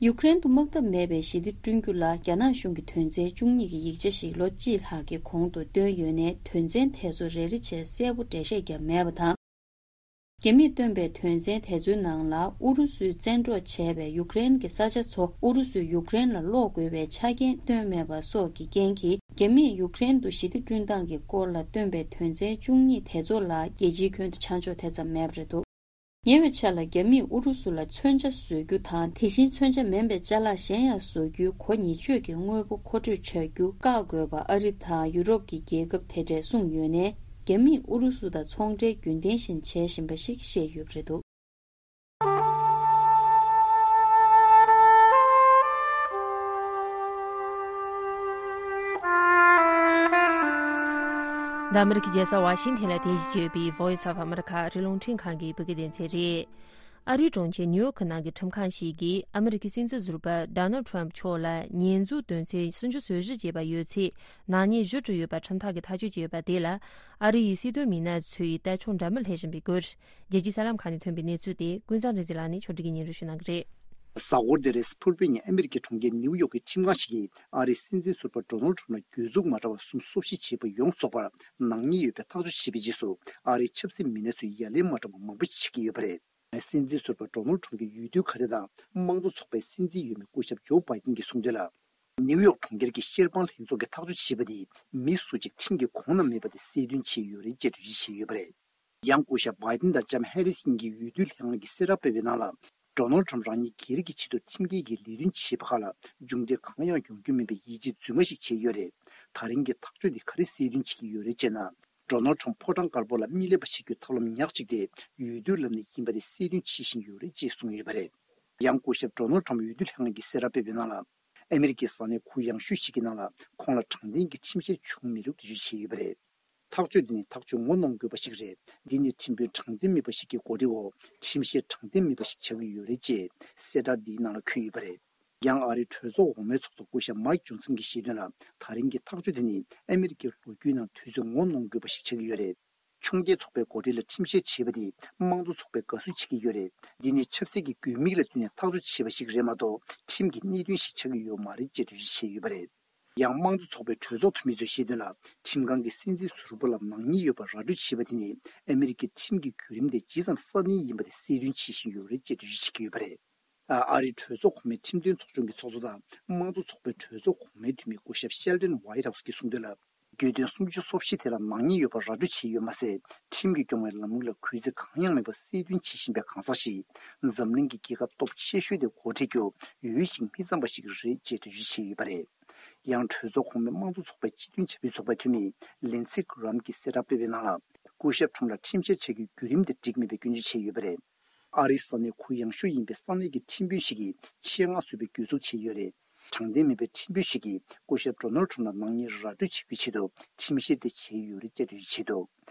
ཡུཀ་རེན་དུ་དམག་འཐབ་མེད་པའི་ཞི་བདེ་བསྐྲུན་རྒྱུ་ལ་རྒྱ་ནག་གཞུང་གིས་དོན་ཚན་བཅུ་གཉིས་ཀྱི་ཡིག་ཆ་ཞིག་ལོ་གཅིག་ལྷག་གི་གོང་དུ་བཏོན་ཡོད་ནའི། དོན་ཚན་དེ་ཚོ་རེ་རེ་བྱས་གསལ་པོ་འགྲེལ་བཤད་བརྒྱབ་མེད་པ་དང་། རྒྱ་མིས་བཏོན་པའི་དོན་ཚན་དེ་ཚོའི་ནང་ལ་ཨུ་རུ་སུས་བཙན་འཕྲོག་བྱས་པའི་ཡུཀ་རེན་གྱི་ས་ཆ་ཚོ་ཨུ་རུ་སུས་ཡུཀ་རེན་ལ་སློག་དགོས་པའི་ཆ་རྐྱེན་བཏོན་མེད་པ་སོགས་ཀྱི་རྐྱེན་གྱིས། རྒྱ་མིས་ཡུཀ་རེན་དུ་ཞི་བདེ་བསྐྲུན་སྟངས་ཀྱི་སྐོར་ལ་བཏོན་པའི་དོན་ཚན་བཅུ་གཉིས་དེ་ཚོ་ལ་རྒྱལ་སྤྱིའི་ཁྱོན་དུ་ཆ་འཇོག་དེ་ཙམ་མེད་པ་རེད་འདུག་ཉེ་བའི་ཆར་ལ་རྒྱ་མིས་ཨུ་རུ་སུ་ལ་མཚོན་ཆ་བཟོ་རྒྱུ་དང་། དེ་བཞིན་མཚོན་ཆ་མིན་པའི་ཅ་ལག་གཞན་ཡང་བཟོ་རྒྱུའི་གོ་ཉེས་ཆོད་ཀྱི་དངོས་པོ་མཁོ་སྤྲོད་བྱ་རྒྱུ་བཀག་དགོས་པ་ཨ་རི་དང་ཡུ་རོབ་ཀྱི་རྒྱལ་ཁབ་དེ་འདྲས་གསུངས་ཡོད་ནའི། རྒྱ་མིས་ཨུ་རུ་སུ་དང་ཚོང་འབྲེལ་རྒྱུན་ལྡན་བཞིན་བྱེད་བཞིན་པ་ཞིག་བཤད་ཡོད་པ་རེད་འདུག་འདི་ཨ་མི་རི་ཀའི་རྒྱལ་ས་ཝ་ཤིང་ཐན་ལ་རྟེན་གཞི་བྱས་ཡོད་པའི་Voice of America ཨ་རིའི་རླུང་འཕྲིན་ཁང་གི་བོད་སྐད་སྡེ་ཚན་རེད། ཨ་རིའི་གྲོང་ཁྱེར་ནིའུ་ཡོག་གི་ནང་གི་ཁྲིམས་ཁང་ཞིག་གིས་ཨ་མི་རི་ཀའི་སྲིད་འཛིན་ཟུར་པ་Donald Trump མཆོག་ལ་ཉེས་འཛུགས་དོན་ཚན་སུམ་ཅུ་སོ་བཞི་ཅེས་པ་ཡོད་ཚད་ནག་ཉེས་ཞུ་འབྲུ་ཡོད་པ་ཁྲིམས་ཐག་གིས་ཐག་གཅོད་བྱས་ཡོད་པ་དེ་ལ་ཨ་རི་ཡི་སྲིད་དོན་མི་སྣ་ཚོས་ལྟ་ཕྱོགས་འདྲ་མིན་སླེབས་བཞིན་པའི་སྐོར། རྒྱལ་སྤྱིའི་གསར་ལམ་ཁག་ནས་ཐོན་པའི་གནས་ཚུལ་དེ་ཀུན་བཟང་རིག་འཛིན་ལགས་ནས་ཕྱོགས་སྒྲིག་གིས་སྙན་སྒྲོན་ཞུ་གནང་གི་རེད། གཟའ་འཁོར་འདིར་སྤུར་པའི་ཉིན་ཨ་མི་རི་ཀའི་གྲོང་ཁྱེར་ནིའུ་ཡོག་གི་ཁྲིམས་ཁང་ཞིག་གིས་ཨ་རིའི་སྲིད་འཛིན་ཟུར་པ་Donald Trump ལ་གྱོད་འཛུགས་མ་འདྲ་བ་གསུམ་སོ་བཞི་བྱས་པ་ཡོངས་རྫོགས་པར་ནག་ཉེས་ཡོད་པའི་ཐག་གཅོད་བྱས་པའི་རྗེས་སུ། ཨ་རིའི་ཆབ་སྲིད་མི་སྣ་ཚོས་ཡ་ལན་མ་འདྲ་བ་མང་པོ་བྱེད་ཀྱི་ཡོད་པ་རེད། སྲིད་འཛིན་ཟུར་པ་Donald Trump གྱི་འོས་བསྡུའི་ཁ་བརྡ་དང་དམངས་གཙོ་ཚོགས་པའི་སྲིད་འཛིན་འོས་མི་སྐུ་ཞབས་ཇོ་བྷའི་ཏིན་གྱིས་གསུངས་དོན་ལ། ནིའུ་ཡོག་གྲོང་ཁྱེར་གྱི་བཤེར་དཔང་ལྷན་ཚོགས་ཀྱིས་ཐག་གཅོད་བྱས་པ་དེ་མི་སུ་གཅིག་ཁྲིམས་ཀྱི་ཁོངས་ན་མེད་པ་དེ་གསལ་སྟོན་བྱས་ཡོད་རེད་ཅེས་འགྲེལ་བརྗོད་བྱས་ཡོད་པ་རེད། ཡང་སྐུ་ཞབས་བྷའི་ཏིན་དང་ལྕམ་ཧེ་རིས་གཉིས་ཀྱིས་འོས་བསྡུའི་ལྷན་ཁང་གིས་གསལ་བསྒྲགས་སྤེལ་བའི་ནང་ལ། ཌོ་ནལ་ཌི་ཊརམ་རང་ཉིད་སྒེར་གྱི་ཆེད་དུ་ཁྲིམས་འགལ་གྱི་ལས་དོན་བྱས་པ་ཁག་ལ་མཇུག་འབྲས་གང་ཡང་ཡོང་རྒྱུ་མིན་པའི་ཡིད་ཆེས་རྫུན་མ་ཞིག་བྱས་ཡོད་རེད། ད་རིང་གི་ཐག་གཅོད་འདི་ག་རེ་གསལ་སྟོན་བྱེད་ཀྱི་ཡོད་རེད་ཅེ་ན། ཌོ་ནལ་ཊརམ་ཕོ་བྲང་དཀར་པོ་ལ་མི་སླེབས་པ་བྱེད་རྒྱུའི་ཐབས་ལམ་ཉག་གཅིག་དེ་འོས་བསྡུའི་ལམ་ནས་ཡིན་པ་དེ་གསལ་སྟོན་བྱེད་བཞིན་ཡོད་རེད་ཅེས་གསུངས་ཡོད་པ་རེད། ཡང་སྐུ་ཞབས་ཌོ་ནལ་ཌི་ཊརམ་འོས་བསྡུ་ལྷན་ཁང་གིས་གསལ་བསྒྲགས་སྤེལ་བའི་ནང་ལ། ཨ་མི་རི་ཀའི་ས་གནས་གུ་ཡངས་ཤོས་ཤིག་གི་ནང་ལ་ཁོང་ལ་དྲང་བདེན་གྱི་ཁྲིམས་བཤེར་བྱུང་མེད་ལུགས་འགྲེལ་བརྗོད་བྱས་ཡོད་པ་རེད། ཐག་གཅོད་འདི་ནི་ཐག་གཅོད་ངོ་གནོང་དགོས་པ་ཞིག་རེད། འདི་ནི་ཁྲིམས་དཔོན་དྲང་བདེན་མེད་པ་ཞིག་གི་གོ་སྒྲིག་འོག་ཁྲིམས་བཤེར་དྲང་བདེན་མེད་པ་ཞིག་ཆགས་ཀྱི་ཡོད་རེད་ཅེས་གསལ་བསྒྲགས་འདིའི་ནང་ལ་འཁོད་ཡོད་པ་རེད། ཡང་ཨ་རིའི་གྲོས་ཚོགས་འོག་མའི་ཚོགས་གཙོ་སྐུ་ཞབས་མའིག་ཇོན་སན་གྱིས་བཤད་དོན་ལ། ད་རིང་གི་ཐག་གཅོད་དེ་ནི་ཨ་མི་རི་ཀའི་ལོ་རྒྱུས་ནང་དུས་ཚོད་ངོ་གནོང་དགོས་པ་ཞིག་ཆགས་ཀྱི་ཡོད་རེད། ཕྱོགས་འགལ་ཚོགས་པའི་འགོ་ཁྲིད་ལ་ཁྲིམས་བཤེར་བྱས་པ་དེ་དམངས་གཙོ་ཚོགས་པས་དགའ་བསུ་བྱེད་ཀྱི་ཡོད་རེད། འདི་ནི་ཆབ་སྲིད་ཀྱི་དགོས་དམིགས་ལ་བསྟུན་ནས་ཐག་གཅོད་བྱས་པ་ཞིག་རེད་མ་གཏོགས་ཁྲིམས་ཀྱི་གནད་དོན་ཞིག་ཆགས་ཀྱི་ཡོད་མ་རེད་ཅེས་འགྲེལ་བརྗོད་བྱས་ཡོད་པ་རེད། ཡང་དམངས་གཙོ་ཚོགས་པའི་གྲོས་ཚོགས་འཐུས་མི་ཚོས་བཤད་དོན་ལ། ཁྲིམས་ཁང་གིས་སྲིད་འཛིན་ཟུར་པ་ལ་ནག་ཉེས་ཡོད་པ་ར་སྤྲོད་བྱས་པ་དེ་ནི་ཨ་མི་རི་ཀའི་ཁྲིམས་ཀྱི་བརྒྱུད་རིམ་དེ་ཇི་ཙམ་སྲ་བརྟན་ཡིན་པ་དེ་གསལ་སྟོན་བྱེད་བཞིན་ཡོད་རེད་ཅེས་འགྲེལ་བརྗོད་བྱེད་ཀྱི་ཡོད་པ་རེད། ཨ་རིའི་གྲོས་ཚོགས་གོང་མའི་ཁྲིམས་དོན་ཚོགས་ཆུང་གི་ཚོགས་གཙོ་དང་དམངས་གཙོ་ཚོགས་པའི་གྲོས་ཚོགས་གོང་མའི་འཐུས་མི་སྐུ་ཞབས་ཤེལ་ཌན་ཝའི་ཊ་ཧའུ་སི་གིས་གསུངས་དོན་ལ། གྱོད་དོན་སུམ་ཅུ་སོ་བཞི་དེ་ལ་ནག་ཉེས་ཡོད་པ་ར་སྤྲོད་བྱས་ཡོད་མ་ཟད། ཁྲིམས་ཀྱིས་སྐྱོང་བའི་ལམ་ལུགས་ལ་གུས་བརྩི་གང་ཡང་མེད་པ་གསལ་སྟོན་བྱེད་བཞིན་པའི་གང་ཟག་ཞིག་འཛམ་གླིང་གི་རྒྱལ་ཁབ་སྟོབས་ཆེ་ཤོས་དེ་འགོ་ཁྲིད་རྒྱུ་འོས་ཤིང་མི་འཚམ་པ་ཞིག་རེད་ཅེས་འགྲེལ་བརྗོད་བྱས་ཡོད་པ་རེད། ཡང་གྲོས་ཚོགས་གོང་མའི་དམངས་གཙོ་ཚོགས་པའི་སྤྱི་མཐུན་བྱ་སྤྱོད་ཚོགས་པའི་འཐུས་མི་ལིན་སི་གྷི་རམ་གྱིས་གསལ་བསྒྲགས་སྤེལ་བའི་ནང་ལ། སྐུ་ཞབས་ཁྲོམ་ལ་ཁྲིམས་བཤེར་བྱ་རྒྱུའི་བརྒྱུད་རིམ་དེ་འགྲིག་མེད་པའི་སྐྱོན་བརྗོད་བྱས་ཡོད་པ་རེད། ཨ་རིའི་ས་གནས་གུ་ཡངས་ཤོས་ཡིན་པའི་ས་གནས་ཀྱི་ཁྲིམས་དཔོན་ཞིག་གིས་ཆེད་མངགས་བཟོས་པའི་གྱོད་འཛུགས་བྱས་ཡོད་རེད། དྲང་བདེན་མེད་པའི་ཁྲིམས་དཔོན་ཞིག་གིས་སྐུ་ཞབས་ཌོ་ནལ་ཁྲོམ་ལ་ནག་ཉེས་ར་སྤྲོད་བྱེད་རྒྱུའི་ཆེད་དུ་ཁྲིམས་བཤེར་དེ་བྱས་ཡོད་རེད་ཅེས་འགྲེལ་བརྗོད་བྱས་འདུག་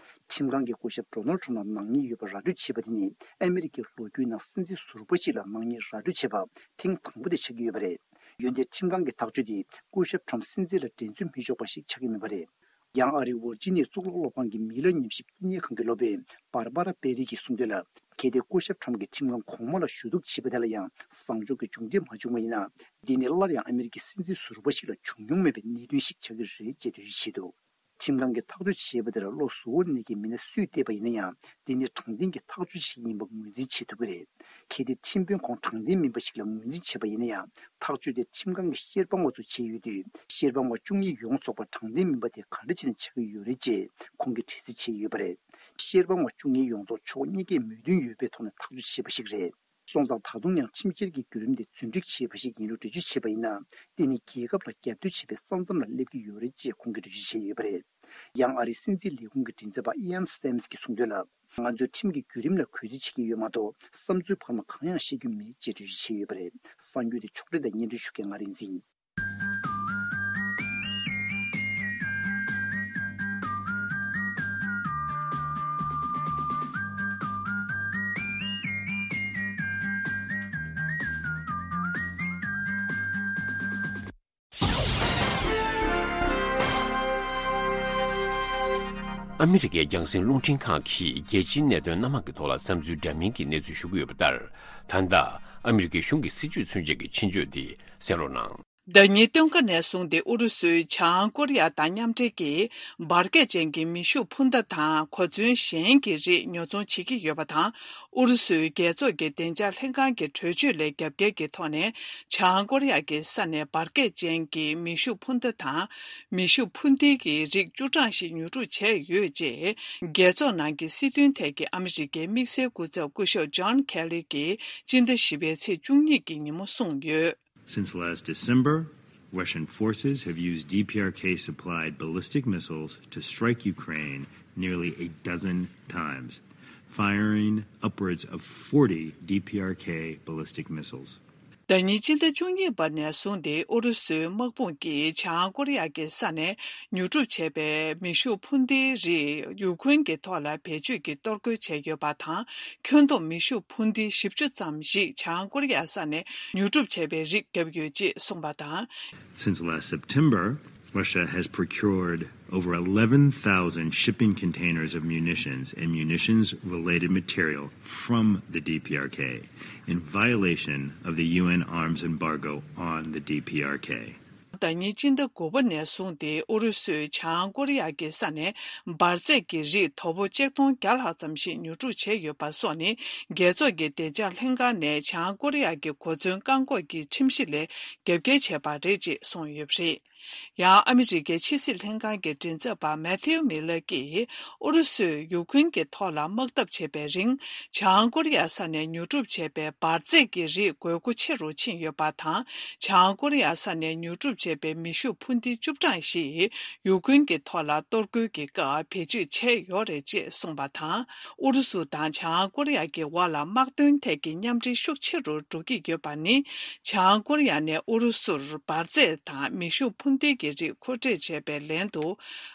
ཁྲིམས་ཁང་གིས་སྐུ་ཞབས་ཌོ་ནལ་ཁྲོམ་ལ་ནག་ཉེས་ཡོད་པ་ར་སྤྲོད་བྱས་པ་དེ་ནི་ཨ་མི་རི་ཀའི་ལོ་རྒྱུས་ནང་སྲིད་འཛིན་ཟུར་པ་ཞིག་ལ་ནག་ཉེས་ར་སྤྲོད་བྱས་པ་ཐེངས་དང་པོ་དེ་ཆགས་ཀྱི་ཡོད་པ་རེད། འོན་ཏེ་ཁྲིམས་ཁང་གི་ཐག་གཅོད་དེས་སྐུ་ཞབས་ཁྲོམ་སྲིད་འཛིན་ལ་འགྲན་རྩོད་མི་ཆོག་པ་ཞིག་ཆགས་ཀྱི་མེད་པ་རེད། ཡང་ཨ་རིའི་ཝར་ཇི་ནི་ཡའི་གཙུག་ལག་སློབ་ཁང་གི་མི་ལ་ཉམས་ཞིབ་བསྟི་གནས་ཁང་གི་སློབ་དཔོན་བྷར་བྷ་ར་པེ་རི་གིས་གསུངས་དོན་ལ། གལ་ཏེ་སྐུ་ཞབས་ཁྲོམ་གྱིས་ཁྲིམས་ཁང་གོང་མ་ལ་ཞུ་གཏུག་བྱས་པ་དེ་ལ་ཡང་བཟང་ཕྱོགས་ཀྱི་མཇུག་འབྲས་མ་བྱུང་བ་ཡིན་ན། འདི་ནི་སླར་ཡང་ཨ་མི་རི་ཀའི་སྲིད་འཛིན་ཟུར་པ་ཞིག་ལ་བྱུང་མྱོང་མེད་པའི་གནད་དོན་ཞིག་ཆགས་ཀྱི་རེད་ཅེས་འགྲེལ་བརྗོད་བྱས་འདུག་ཁྲིམས་ཁང་གིས་ཐག་གཅོད་བྱས་པ་དེར་བློ་གཟུ་བོར་གནས་མཁན་མི་སྣ་སུས་བལྟས་པ་ཡིན་ན་ཡང་། འདི་ནི་དྲང་བདེན་གྱི་ཐག་གཅོད་ཞིག་ཡིན་པ་ངོས་འཛིན་བྱེད་ཐུབ་ཀྱི་རེད། གལ་ཏེ་ཁྲིམས་དཔོན་ཁོང་དྲང་བདེན་མིན་པ་ཞིག་ལ་ངོས་འཛིན་བྱས་པ་ཡིན་ན་ཡང་། ཐག་གཅོད་དེ་ཁྲིམས་ཁང་གི་བཤེར་དཔང་བ་ཚོས་བྱས་ཡོད་དུས། བཤེར་དཔང་བ་བཅུ་གཉིས་ཡོངས་རྫོགས་པ་དྲང་བདེན་མིན་པ་དེ་ག་འདྲ་བྱས་ནས་ཆགས་ཀྱི་ཡོད་རེད་ཅེས་ཁོང་གིས་དྲི་རྩད་བྱས་ཡོད་པ་རེད། བཤེར་དཔང་བ་བཅུ་གཉིས་ཡོངས་རྫོགས་ཕྱོགས་གཉིས་ཀས་མོས་མཐུན་ཡོད་པའི་ཐོག་ནས་ཐག་གཅོད་བྱས་པ་ཞིག་རེད། སོང་ཙང་ད་དུང་ཡང་ཁྲིམས་བཤེར་གྱི་བརྒྱུད་རིམ་དེ་རྫུན་སྒྲིག་བྱས་པ་ཞིག་ཡིན་ལུགས་འགྲེལ་བརྗོད་བྱས་པ་ཡིན་ན། དེ་ནི་རྒྱལ་ཁབ་ལ་རྒྱབ་གཏོད་བྱེད་པའི་ས་མཚམས་ལ་སླེབས་ཀྱི་ཡོད་རེད་ཅེས་ཁོང་གིས་འགྲེལ་བརྗོད་བྱས་ཡོད་པ་རེད། ཡང་ཨ་རིའི་སྲིད་འཛིན་ལས་ཁུངས་ཀྱི་མགྲིན་ཚབ་པ་ཨི་ཡན་སེམས་གྱིས་གསུངས་དོན་ལ། ང་ཚོས་ཁྲིམས་ཀྱི་བརྒྱུད་རིམ་ལ་གུས་བརྩི་བྱེད་ཀྱི་ཡོད་མ་གཏོགས་བསམ་ཚུལ་བར་མ་གང་ཡང་བཤད་རྒྱུ་མེད་ཅེས་འགྲེལ་བརྗོད་བྱས་ཡོད་པ་རེད། གསར་འགྱུར་དེ་ཕྱོགས་སྒྲིག་དང་སྙན་སྒྲོན་ཞུ་མཁན་ང་རིག་འཛིན་ཡིན། ཨ་མི་རི་ཀའི་རྒྱང་སྲིང་རླུང་འཕྲིན་ཁང་གིས་རྒྱལ་སྤྱིའི་གནད་དོན་སྣ་མང་གི་ཐོག་ལ་བསམ་ཚུལ་འདྲ་མིན་གྱི་གནས་ཚུལ་ཞུ་གི་ཡོད་པ་ལྟར། ད་ལྟ་ཨ་མི་རི་ཀའི་གཞུང་གི་སྲིད་བྱུས་མཚོན་བྱེད་ཀྱི་ཆེད་བརྗོད་དེ་གསན་རོགས་གནང་། ཟླ་ཉིན་སྟོན་ཁ་ནས་བཟུང་སྟེ་ཨུ་རུ་སུས་བྱང་ཀོ་རི་ཡ་དང་མཉམ་འབྲེལ་གྱིས་འབར་གས་ཅན་གྱི་མེ་ཤུགས་འཕུར་མདའ་དང་གོ་མཚོན་གཞན་གྱི་རིགས་ཉོ་ཚོང་བྱེད་ཀྱི་ཡོད་པ་དང་། ཨུ་རུ་སུའི་རྒྱལ་ཚོགས་ཀྱི་བདེ་འཇགས་ལྷན་ཁང་གི་གྲོས་ཆོད་ལས་རྒྱབ་འགལ་གྱི་ཐོག་ནས་བྱང་ཀོ་རི་ཡ་གི་ས་ནས་འབར་གས་ཅན་གྱི་མེ་ཤུགས་འཕུར་མདའ་དང་མེ་ཤུགས་འཕུར་མདེལ་གྱི་རིགས་བཅུ་གྲངས་ཤིག་ཉོ་སྒྲུབ་བྱས་ཡོད་ཅེས་རྒྱལ་ཚོགས་ནང་གི་སྲིད་དོན་ཐད་ཀྱི་ཨ་མི་རི་ཀའི་དམིགས་བསལ་སྐུ་ཚབ་སྐུ་ཞབས་ཇོན་ཁེ་ལི་གིས་སྤྱི་ཟླ་བཞི་པའི་ཚེས་བཅུ་གཉིས་ཀྱི་ཉིན་མོ་གསུངས་ཡོད། Since last December, Russian forces have used D P R K supplied ballistic missiles to strike Ukraine nearly a dozen times, firing upwards of forty D P R K ballistic missiles. ཟླ་ཉིན་སྤྱི་ཟླ་བཅུ་གཉིས་པ་ནས་བཟུང་སྟེ་ཨུ་རུ་སུའི་དམག་དཔུང་གིས་བྱང་ཀོ་རི་ཡ་གི་ས་ནས་ཉོ་སྒྲུབ་བྱས་པའི་མེ་ཤུགས་འཕུར་མདེལ་རིགས་ཡུ་ཁུ་རེན་གྱི་ཐོག་ལ་བེད་སྤྱོད་ཀྱིས་གཏོར་རྒོལ་བྱས་ཡོད་པ་དང་། ཁྱོན་བསྡོམས་མེ་ཤུགས་འཕུར་མདེལ་བཞི་བཅུ་ཙམ་ཞིག་བྱང་ཀོ་རི་ཡ་ས་ནས་ཉོ་སྒྲུབ་བྱས་པའི་རིགས་བརྒྱབ་ཡོད་ཅེས་གསུངས་པ་དང་། Since last September, Russia has procured over eleven thousand shipping containers of munitions and munitions related material from the D P R K in violation of the U N arms embargo on the D P R K. ཟླ་ཉིན་སྤྱི་ཟླ་དགུ་པ་ནས་བཟུང་སྟེ་ཨུ་རུ་སུས་བྱང་ཀོ་རི་ཡ་གི་ས་ནས་འབར་རྫས་ཀྱི་རིགས་དོ་པོ་ཆིག་སྟོང་བརྒྱ་ལྷག་ཙམ་ཞིག་ཉོ་སྒྲུབ་བྱས་ཡོད་པ་སོགས་ནི་རྒྱལ་ཚོགས་ཀྱི་བདེ་འཇགས་ལྷན་ཁང་ནས་བྱང་ཀོ་རི་ཡ་གི་གོ་མཚོན་བཀག་འགོག་གི་ཁྲིམས་གཞི་ལས་རྒྱབ་འགལ་བྱས་པ་རེད་ཅེས་གསུངས་ཡོད་པ་རེད། ཡང་ཨ་མི་རི་ཀའི་ཕྱི་སྲིད་ལྷན་ཁང་གི་མགྲིན་ཚབ་པ་མེ་ཐིའུ་མི་ལར་གྱིས་ཨུ་རུ་སུས་ཡུ་ཁུན་གྱི་ཐོག་ལ་དམག་འཐབ་བྱེད་པའི་རིང་། བྱང་ཀོ་རི་ཡ་ས་ནས་ཉོ་སྒྲུབ་བྱས་པའི་འབར་རྫས་ཀྱི་རིགས་དགོས་མཁོ་ཆེ་རུ་ཕྱིན་ཡོད་པ་དང་། བྱང་ཀོ་རི་ཡ་ས་ནས་ཉོ་སྒྲུབ་བྱས་པའི་མེ་ཤུགས་འཕུར་མདེལ་བཅུ་གྲངས་ཤིག་ཡུ་ཁུན་གྱི་ཐོག་ལ་གཏོར་རྒོལ་གྱི་སྐབས་བེད་སྤྱོད་བྱས་ཡོད་རེད་ཅེས་གསུངས་པ་དང་། ཨུ་རུ་སུ་དང་བྱང་ཀོ་རི་ཡ་གི་དབར་ལ་དམག་དོན་ཐད་ཀྱི་མཉམ་འབྲེལ་ཤུགས་ཆེ་རུ་འགྲོ་གི་ཡོད་པ་ནི། བྱང་ཀོ་རི་ཡ་ནས་ཨུ་རུ་སུར་འབར་རྫས་དང་མེ་ཤུགས་འཕུར་མདེལ་གྱི་རིགས་མཁོ་སྤྲོད་བྱས་པའི་ལན་དུ།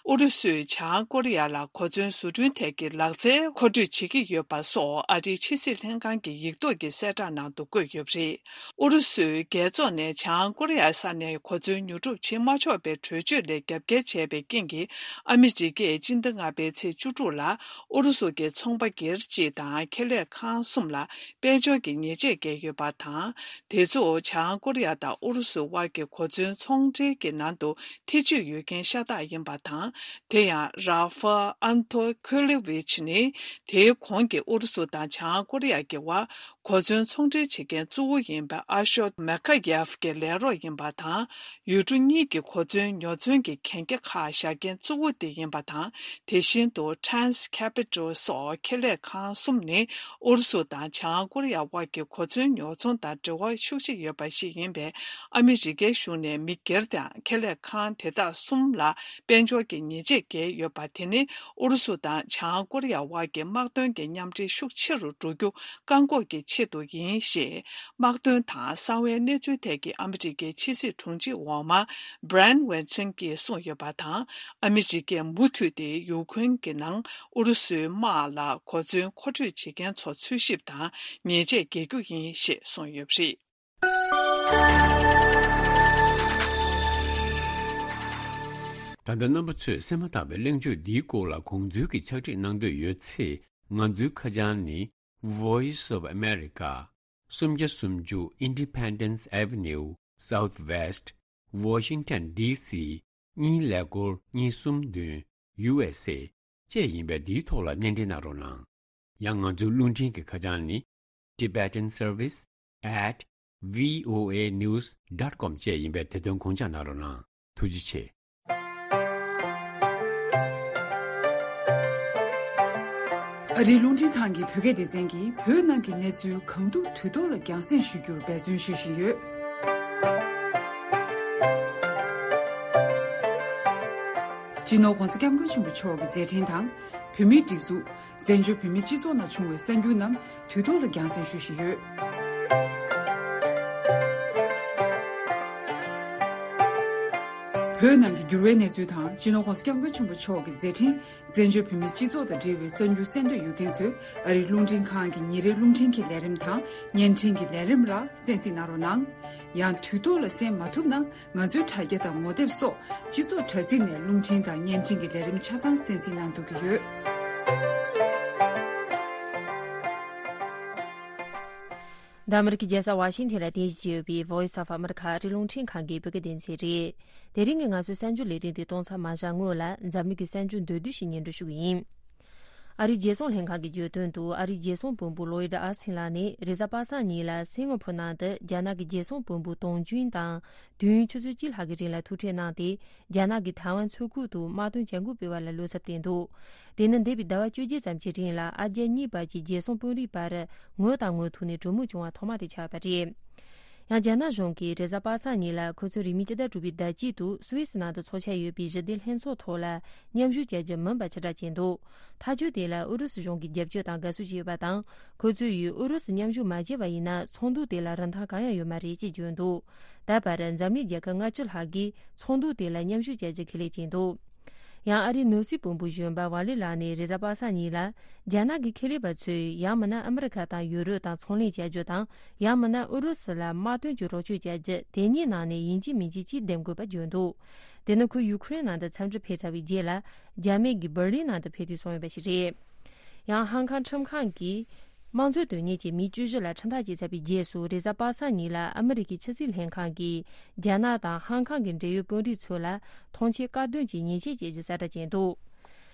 ཨུ་རུ་སུས་བྱང་ཀོ་རི་ཡ་ལ་གོ་མཚོན་བཟོ་སྐྲུན་ཐད་ཀྱི་ལག་རྩལ་མཁོ་སྤྲོད་བྱེད་ཀྱི་ཡོད་པ་སོགས་ཨ་རིའི་ཕྱི་སྲིད་ལྷན་ཁང་གི་ཡིག་ཐོག་གི་གསལ་བསྒྲགས་ནང་དུ་བཀོད་ཡོད་པ་རེད། ཨུ་རུ་སུའི་རྒྱལ་ཚོགས་ནས་བྱང་ཀོ་རི་ཡ་ས་ནས་གོ་མཚོན་ཉོ་སྒྲུབ་བྱེད་མ་ཆོག་པའི་གྲོས་ཆོད་ལས་རྒྱབ་འགལ་བྱས་པའི་རྐྱེན་གྱིས། ཨ་མི་རི་ཀས་སྤྱི་ཟླ་ལྔ་པའི་ཚེས་བཅུ་དྲུག་ལ་ཨུ་རུ་སུ་གྱི་ཚོང་པ་སྒེར་གཅིག་དང་ཁེ་ལས་ཁང་གསུམ་ལ་དཔལ་འབྱོར་གྱི་ཉེས་ཆད་བཀལ་ཡོད་པ་དང་། དེ་ཚོ་བྱང་ཀོ་རི་ཡ་དང་ཨུ་རུ་སུ་དབར་གྱི་གོ་མཚོན་ཚོང་འབྲེལ་གྱི་ནང་དུ་ཐེ་བྱུས་ཡོད་མཁན་ཤ་སྟག་ཡིན་པ་དང་། དེ་ཡང་ར་ཧྥ་ཨན་ཐོ་ཁོ་ལེ་ཝིཆ་ནི་དེའི་གོང་གི་ཨུ་རུ་སུ་དང་བྱང་ཀོ་རི་ཡ་གྱི་དབར། གོ་མཚོན་ཚོང་འབྲེལ་བྱེད་མཁན་གཙོ་བོ་ཡིན་པ་ཨ་ཤོད་མེ་ཁ་ཡེབ་ཀྱི་ལས་རོགས་ཡིན་པ་དང་། ཡུལ་གྲུ་གཉིས་ཀྱི་གོ་མཚོན་ཉོ་ཚོང་གི་གན་རྒྱ་ཁག་བཞག་མཁན་གཙོ་བོ་དེ་ཡིན་པ་དང་། དེ་བཞིན་དུ་Trans Capital སོགས་ཁེ་ལས་ཁང་གསུམ་ནི་ཨུ་རུ་སུ་དང་བྱང་ཀོ་རི་ཡ་དབར་གྱི་གོ་མཚོན་ཉོ་ཚོང་དང་འབྲེལ་བ་ཤུགས་ཆེ་ཡོད་པ་ཞིག་ཡིན་པས། ཨ་མི་རི་ཀའི་གཞུང་ནས་མི་སྒེར་དང་ཁེ་ལས་ཁང་དེ་དག་གསུམ་ལ་དཔལ་འབྱོར་གྱི་ཉེས་ཆད་བཀལ་ཡོད་པ་དེ་ནི། ཨུ་རུ་སུ་དང་བྱང་ཀོ་རི་ཡ་དབར་གྱི་དམག་དོན་གྱི་མཉམ་འབྲེལ་ཤུགས་ཆེ་རུ་འགྲོ་རྒྱུ་བཀག་འགོག་གི་ཆེད་དུ་ཡིན་ཞེས། དམག་དོན་དང་གསང་བའི་གནས་ཚུལ་ཐད་ཀྱི་ཨ་མི་རི་ཀའི་ཕྱི་སྲིད་དྲུང་ཆེ་འོག་མ་Bryan Weinstein གྱིས་གསུངས་ཡོད་པ་དང་། ཨ་མི་རི་ཀས་མུ་མཐུད་དེ་ཡུ་ཁུན་གྱི་ནང་ཨུ་རུ་སུའི་དམག་ལ་གོ་མཚོན་མཁོ་སྤྲོད་བྱེད་མཁན་ཚོ་འཚོལ་ཞིབ་དང་ཉེས་ཆད་འགེལ་རྒྱུ་ཡིན་ཞེས་གསུངས་ཡོད་པ་རེད། ད་ལྟ་རྣམ་པ་ཚོས་གསན་མ་ཐག་པའི་གླེང་བརྗོད་འདིའི་སྐོར་ལ་དགོངས་ཚུལ་གྱི་ཕྱག་བྲིས་གནང་འདོད་ཡོད་ཚེ། ང་ཚོའི་ཁ་བྱང་ནི། Voice of America། སུམ་བརྒྱ་སུམ་ཅུ་Independence Avenue Southwest Washington D C གཉིས་ཀླད་ཀོར་གཉིས་གསུམ་བདུན། U S A བཅས་ཡིན་པས། འདིའི་ཐོག་ལ་སྣེ་འདྲེན་གནང་རོགས་གནང་། ཡང་ང་ཚོའི་རླུང་འཕྲིན་གྱི་ཁ་བྱང་ནི། Tibetan Service at V O A news dot com བཅས་ཡིན་པས། དེ་དོན་དགོངས་འཇགས་གནང་རོགས་གནང་། ཐུགས་རྗེ་ཆེ། ཨ་རིའི་རླུང་འཕྲིན་ཁང་གི་བོད་སྐད་སྡེ་ཚན་གྱིས་བོད་ནང་གི་གནས་ཚུལ་གང་ཐུབ་དུས་ཐོག་ལ་རྒྱང་སྲིང་ཞུ་རྒྱུར་འབད་བརྩོན་ཞུ་བཞིན་ཡོད། སྤྱི་ནོར་༧གོང་ས་༧སྐྱབས་མགོན་ཆེན་པོ་མཆོག་གི་མཛད་འཕྲིན་དང་། བོད་མིའི་སྒྲིག་འཛུགས། བཙན་བྱོལ་བོད་མིའི་སྤྱི་ཚོགས་ནང་བྱུང་བའི་གསར་འགྱུར་རྣམས་དུས་ཐོག་ལ་རྒྱང་སྲིང་ཞུ་བཞིན་ཡོད། བོད་ནང་གི་འགྱུར་བའི་གནས་ཚུལ་དང་། སྤྱི་ནོར་༧གོང་ས་༧སྐྱབས་མགོན་ཆེན་པོ་མཆོག་གི་མཛད་འཕྲིན། བཙན་བྱོལ་བོད་མིའི་སྤྱི་ཚོགས་དང་འབྲེལ་བའི་གསར་འགྱུར་གསན་འདོད་ཡོད་མཁན་ཚོས་ཨ་རིའི་རླུང་འཕྲིན་ཁང་གི་ཉིན་རེའི་རླུང་འཕྲིན་གྱི་ལས་རིམ་དང་། བརྙན་འཕྲིན་གྱི་ལས་རིམ་ལ་གསན་གཟིགས་གནང་རོགས་གནང་། ཡང་དུས་ཐོག་ལ་གསན་མ་ཐུབ་ན། ང་ཚོའི་དྲ་རྒྱ་དང་ངོ་དེབ་སོགས་སྤྱི་ཚོགས་དྲ་ཚིགས་ནས་རླུང་འཕྲིན་དང་བརྙན་འཕྲིན་གྱི་ལས་རིམ་ཆ་ཚང་གསན་གཟིགས་གནང་ཐུབ་ཀྱི་ཡོད། འདི་ཨ་མི་རི་ཀའི་རྒྱལ་ས་ཝ་ཤིང་ཐན་ལ་རྟེན་གཞི་བྱས་ཡོད་པའི་Voice of America ཨ་རིའི་རླུང་འཕྲིན་ཁང་གི་བོད་སྐད་སྡེ་ཚན་རེད། དེ་རིང་གི་ང་ཚོའི་གསར་འགྱུར་ལས་རིམ་དེ་གཏོང་ཚར་མ་བཞག་སྔོན་ལ། འཛམ་གླིང་གི་གསར་འགྱུར་མདོར་བསྡུས་ཤིག་སྙན་སྒྲོན་ཞུ་གི་ཡིན། ཨ་རིའི་རྒྱལ་སྲུང་ལྷན་ཁང་གིས་བརྗོད་དོན་དུ། ཨ་རིའི་རྒྱལ་སྲུང་དཔོན་པོ་ལོ་ཡིད་ཨ་སིན་ལགས་ནས་རེས་གཟའ་པ་སངས་ཉིན་ལ་སིང་ག་ཕོར་ནང་དུ་རྒྱ་ནག་གི་རྒྱལ་སྲུང་དཔོན་པོ་ཏོང་ཅུན་དང་དུས་ཡུན་ཆུ་ཚོད་གཅིག་ལྷག་གི་རིང་ལ་ཐུག་འཕྲད་གནང་སྟེ། རྒྱ་ནག་གིས་ཐའེ་ཝན་མཚོ་ཁུལ་དུ་དམག་དོན་བྱ་འགུལ་སྤེལ་བ་ལ་བློ་འཚབ་བསྟན་འདུག་དེ་ནི་འདས་པའི་ཟླ་བ་བཅོ་བརྒྱད་ཙམ་གྱི་རིང་ལ་ཨ་རྒྱ་གཉིས་བར་གྱི་རྒྱལ་སྲུང་དཔོན་རིགས་བར་ངོ་དང་ངོ་ཐུག་ནས་གྲོས་མོལ་བྱུང་བ་ཐོག་མ་དེ་ཆགས་པ་རེད། ཡང་རྒྱ་ནག་གཞུང་གིས་རེས་གཟའ་པ་སངས་ཉིན་ལ་ཁོ་ཚོའི་རིང་མིན་སྤྱི་ཟླ་དྲུག་པའི་ཟླ་དཀྱིལ་དུ་སུད་སི་ནང་དུ་འཚོགས་འཆར་ཡོད་པའི་ཞི་བདེ་ལྷན་ཚོགས་ཐོག་ལ་མཉམ་ཞུགས་བྱ་རྒྱུ་མིན་པ་ཕྱིར་བསྒྲགས་བྱས་འདུག་ཐག་གཅོད་དེ་ལ་ཨུ་རུ་སུ་གཞུང་གིས་རྒྱབ་སྐྱོར་དང་དགའ་བསུ་བྱས་ཡོད་པ་དང་། ཁོ་ཚོས་ཡུལ་ཨུ་རུ་སུ་མཉམ་ཞུགས་མ་བྱས་པ་ཡིན་ན་ཚོགས་འདུ་དེ་ལ་རིན་ཐང་གང་ཡང་ཡོད་མ་རེད་ཅེས་བརྗོད་འདུག་ད་བར་འཛམ་གླིང་རྒྱལ་ཁབ་ལྔ་བཅུ་ལྷག་གིས་ཚོགས་འདུ་དེ་ལ་མཉམ་ཞུགས་བྱ་རྒྱུ་ཁས་ལེན་བྱས་འདུག་ཡང་ཨ་རིའི་ནོར་སྲིད་དཔོན་པོ་གཞོན་པ་ཝ་ལི་ལགས་ནས་རེས་གཟའ་པ་སངས་ཉིན་ལ། རྒྱ་ནག་གི་ཁེ་ལས་པ་ཚོས་ཡང་མིན་ན་ཨ་མི་རི་ཀ་དང་ཡུ་རོབ་དང་ཚོང་ལས་བྱ་རྒྱུ་དང་། ཡང་མིན་ན་ཨུ་རུ་སུ་ལ་དམག་དོན་གྱི་རོགས་སྐྱོར་བྱ་རྒྱུ་དེ་གཉིས་ནང་ནས་ཡིན་གཅིག་མིན་གཅིག་གཅིག་འདེམས་དགོས་པ་བརྗོད་འདུག་དེ་ནི་ཁོས་ཡུ་ཁུ་རེན་ནང་དུ་འཚམས་འདྲིར་ཕེབས་ཚར་བའི་རྗེས་ལ། རྒྱ་མི་གིས་འབར་ལིན་ནང་དུ་ཕེབས་དུས་གསུངས་ཡོད་པ་ཞིག་རེད། ཡང་ཧང་ཀང་ཁྲིམས་ཁང་གིས་དམངས་གཙོའི་དོན་གཉེར་གྱི་མི་བཅུ་བཞི་ལ་ཁྲིམས་ཐག་བཅད་ཚར་བའི་རྗེས་སུ། རེས་གཟའ་པ་སངས་ཉིན་ལ་ཨ་མི་རི་ཀའི་ཕྱི་སྲིད་ལྷན་ཁང་གིས་རྒྱ་ནག་དང་ཧང་ཀང་གི་འབྲེལ་ཡོད་དཔོན་རིགས་ཚོ་ལ་ཐོངས་མཆན་བཀག་སྡོམ་གྱི་ཉེས་ཆད་བཅད་རྒྱུ་གསལ་བསྒྲགས་བྱས་འདུག་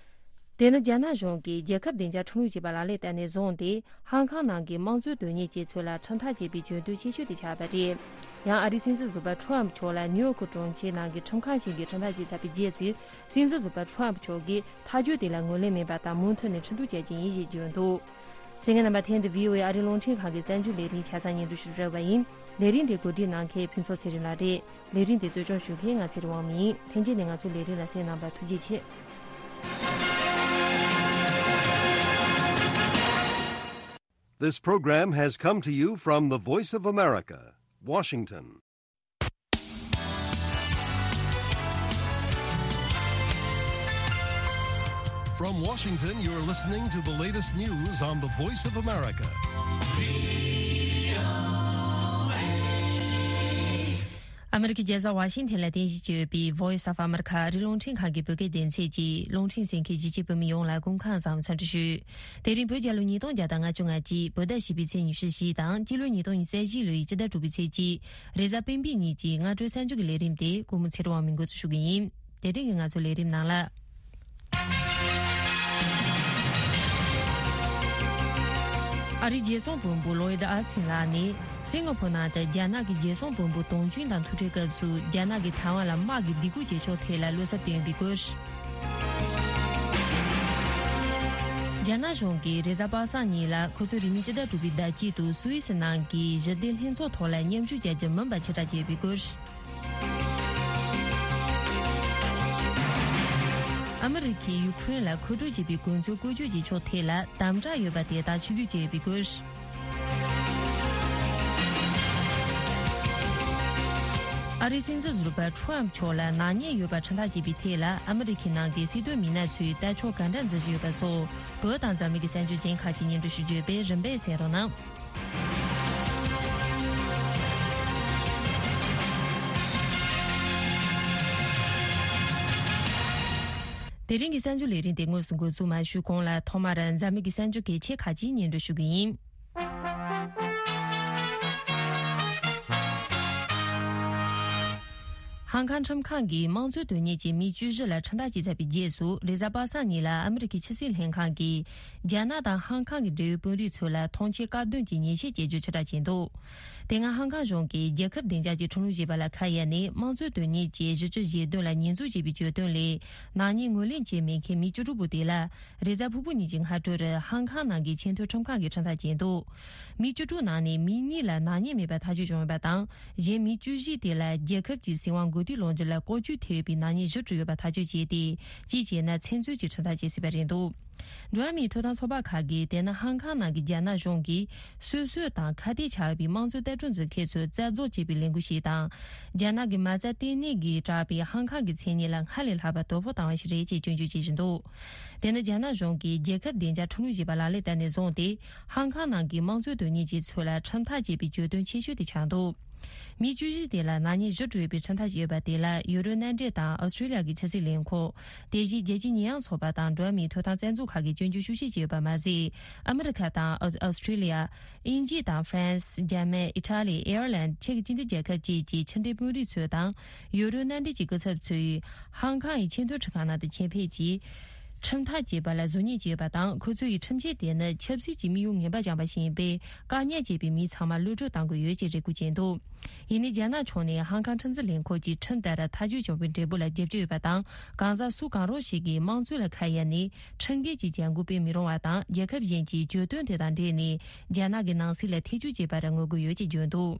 དེ་ནི་རྒྱ་ནག་གཞུང་གིས་རྒྱལ་ཁབ་བདེ་འཇགས་ཁྲིམས་ལུགས་ཅེས་པ་ལག་ལེན་བསྟར་ནས་བཟུང་སྟེ། ཧང་ཀང་ནང་གི་དམངས་གཙོའི་དོན་གཉེར་བྱེད་ཚུལ་ལ་ཁྲིམས་ཐག་བཅད་པའི་བརྗོད་དོན་ཆེ་ཤོས་དེ་ཆགས་པ་རེད། ཡང་ཨ་རིའི་སྲིད་འཛིན་ཟུར་པ་ཁྲོམ་མཆོག་ལ་ནིའུ་ཡོག་གི་གྲོང་ཁྱེར་ནང་གི་ཁྲིམས་ཁང་ཞིག་གིས་ཁྲིམས་ཐག་བཅད་ཚར་བའི་རྗེས་སུ། སྲིད་འཛིན་ཟུར་པ་ཁྲོམ་མཆོག་གིས་ཐག་གཅོད་དེ་ལ་ངོས་ལེན་མེད་པ་དང་མུ་མཐུད་ནས་ཁྲིམས་གཏུག་བྱ་རྒྱུ་ཡིན་ཞེས་བརྗོད་འདུག་གསན་མཁན་རྣམ་པ། ཐེངས་འདི་བྷི་ཨོ་ཨེ་ཨ་རིའི་རླུང་འཕྲིན་ཁང་གི་གསར་འགྱུར་ལས་རིམ་ཆ་ཚང་སྙན་སྒྲོན་ཞུ་རྒྱུ་ཡིན། ལས་རིམ་འདི་གོ་སྒྲིག་གནང་མཁན་ཕུན་ཚོགས་ཚེ་རིང་ལགས་རེད། ལས་རིམ་འདི་གཙོ་སྐྱོང་ཞུ་མཁན་ང་ཚེ་རིང་དབང་མོ་ཡིན། ལྷན་རྒྱས་ནས་ང་ཚོའི་ལས་རིམ་ལ་གསན་གནང་བར་ཐུགས་རྗེ་ཆེ། This program has come to you from the Voice of America, Washington. From Washington, you're listening to the latest news on the Voice of America. ཨ་མི་རི་ཀའི་རྒྱལ་ས་ཝ་ཤིང་ཐན་ལ་རྟེན་གཞི་བྱས་ཡོད་པའི་Voice of America ཨ་རིའི་རླུང་འཕྲིན་ཁང་གི་བོད་སྐད་སྡེ་ཚན་གྱིས་རླུང་འཕྲིན་གསན་མཁན་གཞིས་བྱེས་བོད་མི་ཡོངས་ལ་སྐུ་ཁམས་བཟང་བའི་འཚམས་འདྲི་ཞུ། དེ་རིང་བོད་རྒྱལ་ལོ་ཉིས་སྟོང་བརྒྱ་དང་ལྔ་བཅུ་ང་གཅིག་བོད་ཟླ་བཞི་པའི་ཚེས་ཉི་ཤུ་བཞི་དང་སྤྱི་ལོ་ཉིས་སྟོང་ཉི་ཤུ་རྩ་བཞི་ལོའི་སྤྱི་ཟླ་དྲུག་པའི་ཚེས་གཅིག་རེས་གཟའ་སྤེན་པའི་ཉིན་གྱི་སྔ་དྲོའི་གསར་འགྱུར་གྱི་ལས་རིམ་དེ་ཀུན་མོ་ཚེ་རིང་དབང་མོས་འགོ་འཛུགས་ཞུ་གི་ཡིན། དེ་རིང་གི་ང་ཚོའི་ལས་རིམ་ནང་ལ། ཨ་རིའི་རྒྱལ་སྲུང་བློན་པོ་ལོའིད་ཨ་སིན་ལགས་ནས་སིང་ག་ཕོར་ནང་དུ་རྒྱ་ནག་གི་རྒྱལ་སྲུང་བློན་པོ་ཏོང་ཅུན་དང་ཐུག་འཕྲད་སྐབས་སུ་རྒྱ་ནག་གིས་ཐའེ་ཝན་ལ་དམག་གི་སྡིགས་སྐུལ་བྱེད་ཕྱོགས་ཐད་ལ་བློ་འཚབ་བཏོན་པའི་སྐོར། རྒྱ་ནག་གཞུང་གིས་རེས་གཟའ་པ་སངས་ཉིན་ལ་ཁོ་ཚོའི་རིང་མིན་སྤྱི་ཟླ་དྲུག་པའི་ཟླ་དཀྱིལ་དུ་སུད་སི་ནང་གི་ཞི་བདེ་ལྷན་ཚོགས་ཐོག་ལ་མཉམ་ཞུགས་བྱ་རྒྱུ་མིན་པ་ཕྱིར་བསྒྲགས་བྱས་པའི་སྐོར། ཨ་མི་རི་ཁས་ཡུ་ཁུ་རེན་ལ་མཁོ་སྤྲོད་བྱས་པའི་གོ་མཚོན་བཀོལ་སྤྱོད་བྱེད་ཕྱོགས་ཐད་ལ་དམ་དྲག་ཡོད་པ་དེ་དག་ཆིག་སྒྲིལ་བྱས་ཡོད་པའི་སྐོར། ཨ་རིའི་སྲིད་འཛིན་ཟུར་པ་ཁྲོམ་མཆོག་ལ་ནག་ཉེས་ཡོད་པ་ཁྲིམས་ཐག་བཅད་པའི་ཐད་ལ་ཨ་མི་རི་ཁའི་ནང་གི་སྲིད་དོན་མི་སྣ་ཚོས་ལྟ་ཕྱོགས་ག་འདྲ་འཛིན་བཞིན་ཡོད་པ་སོགས་བོད་དང་འཛམ་གླིང་གི་གསར་འགྱུར་གཞན་ཁག་ཅིག་སྙན་སྒྲོན་ཞུ་རྒྱུ་ཡོད་པས་རིམ་པས་གསན་རོགས་གནང་། དེ་རིང་གི་གསར་འགྱུར་ལས་རིམ་དེ་དངོས་སུ་འགོ་འཛུགས་མ་ཞུས་གོང་ལ་ཐོག་མར་འཛམ་གླིང་གི་གསར་འགྱུར་གལ་ཆེ་ཁག་ཅིག་སྙན་སྒྲོན་ཞུ་གི་ཡིན། ཧང་ཀང་ཁྲིམས་ཁང་གིས་དམངས་གཙོའི་དོན་གཉེར་གྱི་མི་བཅུ་བཞི་ལ་ཁྲིམས་ཐག་བཅད་ཚར་བའི་རྗེས་སུ་རེས་གཟའ་པ་སངས་ཉིན་ལ་ཨ་མི་རི་ཀའི་ཕྱི་སྲིད་ལྷན་ཁང་གིས་རྒྱ་ནག་དང་ཧང་ཀང་གི་འབྲེལ་ཡོད་དཔོན་རིགས་ཚོ་ལ་ཐོངས་མཆན་བཀག་སྡོམ་གྱི་ཉེས་ཆད་བཅད་རྒྱུ་ཕྱིར་བསྒྲགས་བྱས་འདུག་དེ་སྔ་ཧང་ཀང་གཞུང་གིས་རྒྱལ་ཁབ་བདེ་འཇགས་ཀྱི་ཁྲིམས་ལུགས་ཞེས་པ་ལ་ཁ་གཡར་ནས་དམངས་གཙོའི་དོན་གཉེར་གྱི་གཞི་བཅུ་ཞེ་བདུན་ལ་ཉེས་འཛུགས་བྱས་པའི་གྱོད་དོན་ལས་ནག་ཉེས་ངོས་ལེན་བྱས་མེད་མཁན་མི་བཅུ་དྲུག་པོ་དེ་ལ་རེས་གཟའ་ཕུར་བུ་ཉིན་གྱི་སྔ་དྲོར་ཧང་ཀང་ནང་གི་ཆེས་མཐོའི་ཁྲིམས་ཁང་གིས་ཁྲིམས་ཐག་བཅད་འདུག་མི་བཅུ་དྲུག་ནང་ནས་མི་གཉིས་ལ་ནག་ཉེས་མེད་པ་ཐག་གཅོད་བྱུང་ཡོད་པ་དང་། གཞན་མི་བཅུ་བཞི་དེ་ལ་རྒྱལ་ཁབ་ཀྱི་སྲིད་དབང་གོ་སྒྲིག་ལོ་རྒྱུས་ལ་ལྐོག་ཇུས་ཐེབས་ཡོད་པའི་ནག་ཉེས་བཞི་བཀྲམ་ཡོད་པ་ཐག་གཅོད་བྱས་ཏེ། སྤྱི་བྱས་ན་ཚེ་མཚོན་གྱི་ཁྲིམས་ཐག་བཅད་ཟིན་པ་རེད་འདུག་འགྲོ་བ་མིའི་ཐོབ་ཐང་ཚོགས་པ་ཁག་གིས་དེ་ནི་ཧང་ཀང་ནང་གི་རྒྱ་ནག་གཞུང་གིས་སོ་སོའི་དང་ཁ་གཏད་བྱ་བའི་དམངས་གཙོའི་ལྟ་གྲུབ་འཛིན་མཁན་ཚོས་རྩ་རྫོགས་བྱས་པའི་ལས་འགུལ་ཞིག་དང་། རྒྱ་ནག་གི་མ་རྩ་ལྟེ་གནས་ཀྱིས་བསྒྲགས་པའི་ཧང་ཀང་གི་མཚན་སྙན་ལ་སྔར་ལས་ལྷག་པ་དོ་ཕོག་བཏང་བ་ཞིག་རེད་ཅེས་སྐྱོན་བརྗོད་བྱེད་བཞིན་འདུག་དེ་ནི་རྒྱ་ནག་གཞུང་གིས་རྒྱལ་ཁབ་བདེ་འཇགས་ཁྲིམས་ལུགས་ཞེས་པ་ལག་ལེན་བསྟར་ནས་བཟུང་སྟེ། ཧང་ཀང་ནང་གི་དམངས་གཙོའི་དོན་གཉེར་ཅན་ཚོ་ལ་ཁྲིམས་ཐག་བཅད་པའི་གྱོད་དོན་ཆེ་ཤོས་དེ་ཆགས་འདུག་མི་བཅུ་བཞི་དེ་ལ་ནག་ཉེས་བཞི་བཀྲམ་ཡོད་པའི་ཁྲིམས་ཐག་བཅད་ཡོད་པ་དེ་ལ་ཡུ་རོབ་མནའ་འབྲེལ་དང་ཨོ་སི་ཀྲི་ལི་ཡ་གི་ཕྱི་སྲིད་ལས་ཁུངས། དེ་བཞིན་རྒྱལ་སྤྱིའི་ཉེས་ཡངས་ཚོགས་པ་དང་འགྲོ་བ་མིའི་ཐོབ་ཐང་རྩ་འཛུགས་ཁག་གིས་སྐྱོན་བརྗོད་ཤུགས་ཆེ་བྱས་ཡོད་པ་མ་ཟད། ཨ་མི་རི་ཁ་དང་ཨོ་ཨོ་སི་ཀྲི་ལི་ཡ། དབྱིན་ཇི་དང་ཧྥ་རན་སི། འཇར་མན། ཨི་ཊ་ལི། ཨེར་ལན། ཅེཀ་སྤྱི་མཐུན་རྒྱལ་ཁབ་བཅས་ཀྱི་ཕྱི་འབྲེལ་དཔོན་རིགས་ཚོ་དང་། ཡུ་རོབ་མནའ་འབྲེལ་གྱི་སྐུ་ཚབ་ཚོས། ཧང་ཀང་ཡི་ཆེས་མཐོའི་ཁྲིམས་ཁང་ནང་དུ་ཆེད་ཕེབས་ཀྱིས། ཁྲིམས་ཐག་བཅད་པ་ལ་གཟུགས་བརྙན་བཅས་ཡོད་པ་དང་། ཁོ་ཚོ་ཡི་ཁྲིམས་ཆད་དེ་ནི་ཆབ་སྲིད་ཀྱི་དམིགས་ཡུལ་ངན་པ་སྦྱངས་པ་ཞིག་ཡིན་པས། བཀག་ཉར་བྱས་པའི་མི་ཚང་མ་གློད་བཀྲོལ་གཏང་དགོས་ཡོད་ཅེས་རེ་སྐུལ་བྱས་འདུག་ཡིན་ནའི་རྒྱ་ནག་ཕྱོགས་ནས་ཧང་ཀང་ཁྲིམས་འཛིན་ལས་ཁུངས་ཀྱིས་ཁྲིམས་ལྟར་ཐག་གཅོད་བྱུང་བའི་འབྲས་བུ་ལ་རྒྱབ་སྐྱོར་ཡོད་པ་དང་། གང་ཟག་སུ་གང་རུང་ཞིག་གིས་དམངས་གཙོ་ལ་ཁ་གཡར་ནས་ཁྲིམས་འགལ་གྱི་བྱ་འགུལ་སྤེལ་མི་རུང་བ་དང་། རྒྱལ་ཁབ་གཞན་གྱིས་གྱོད་དོན་དེ་དང་འབྲེལ་ནས་རྒྱ་ནག་གི་ནང་སྲིད་ལ་ཐེ་ཇུས་བྱེད་པར་ངོ་རྒོལ་ཡོད་ཅེས་བརྗོད་འདུག་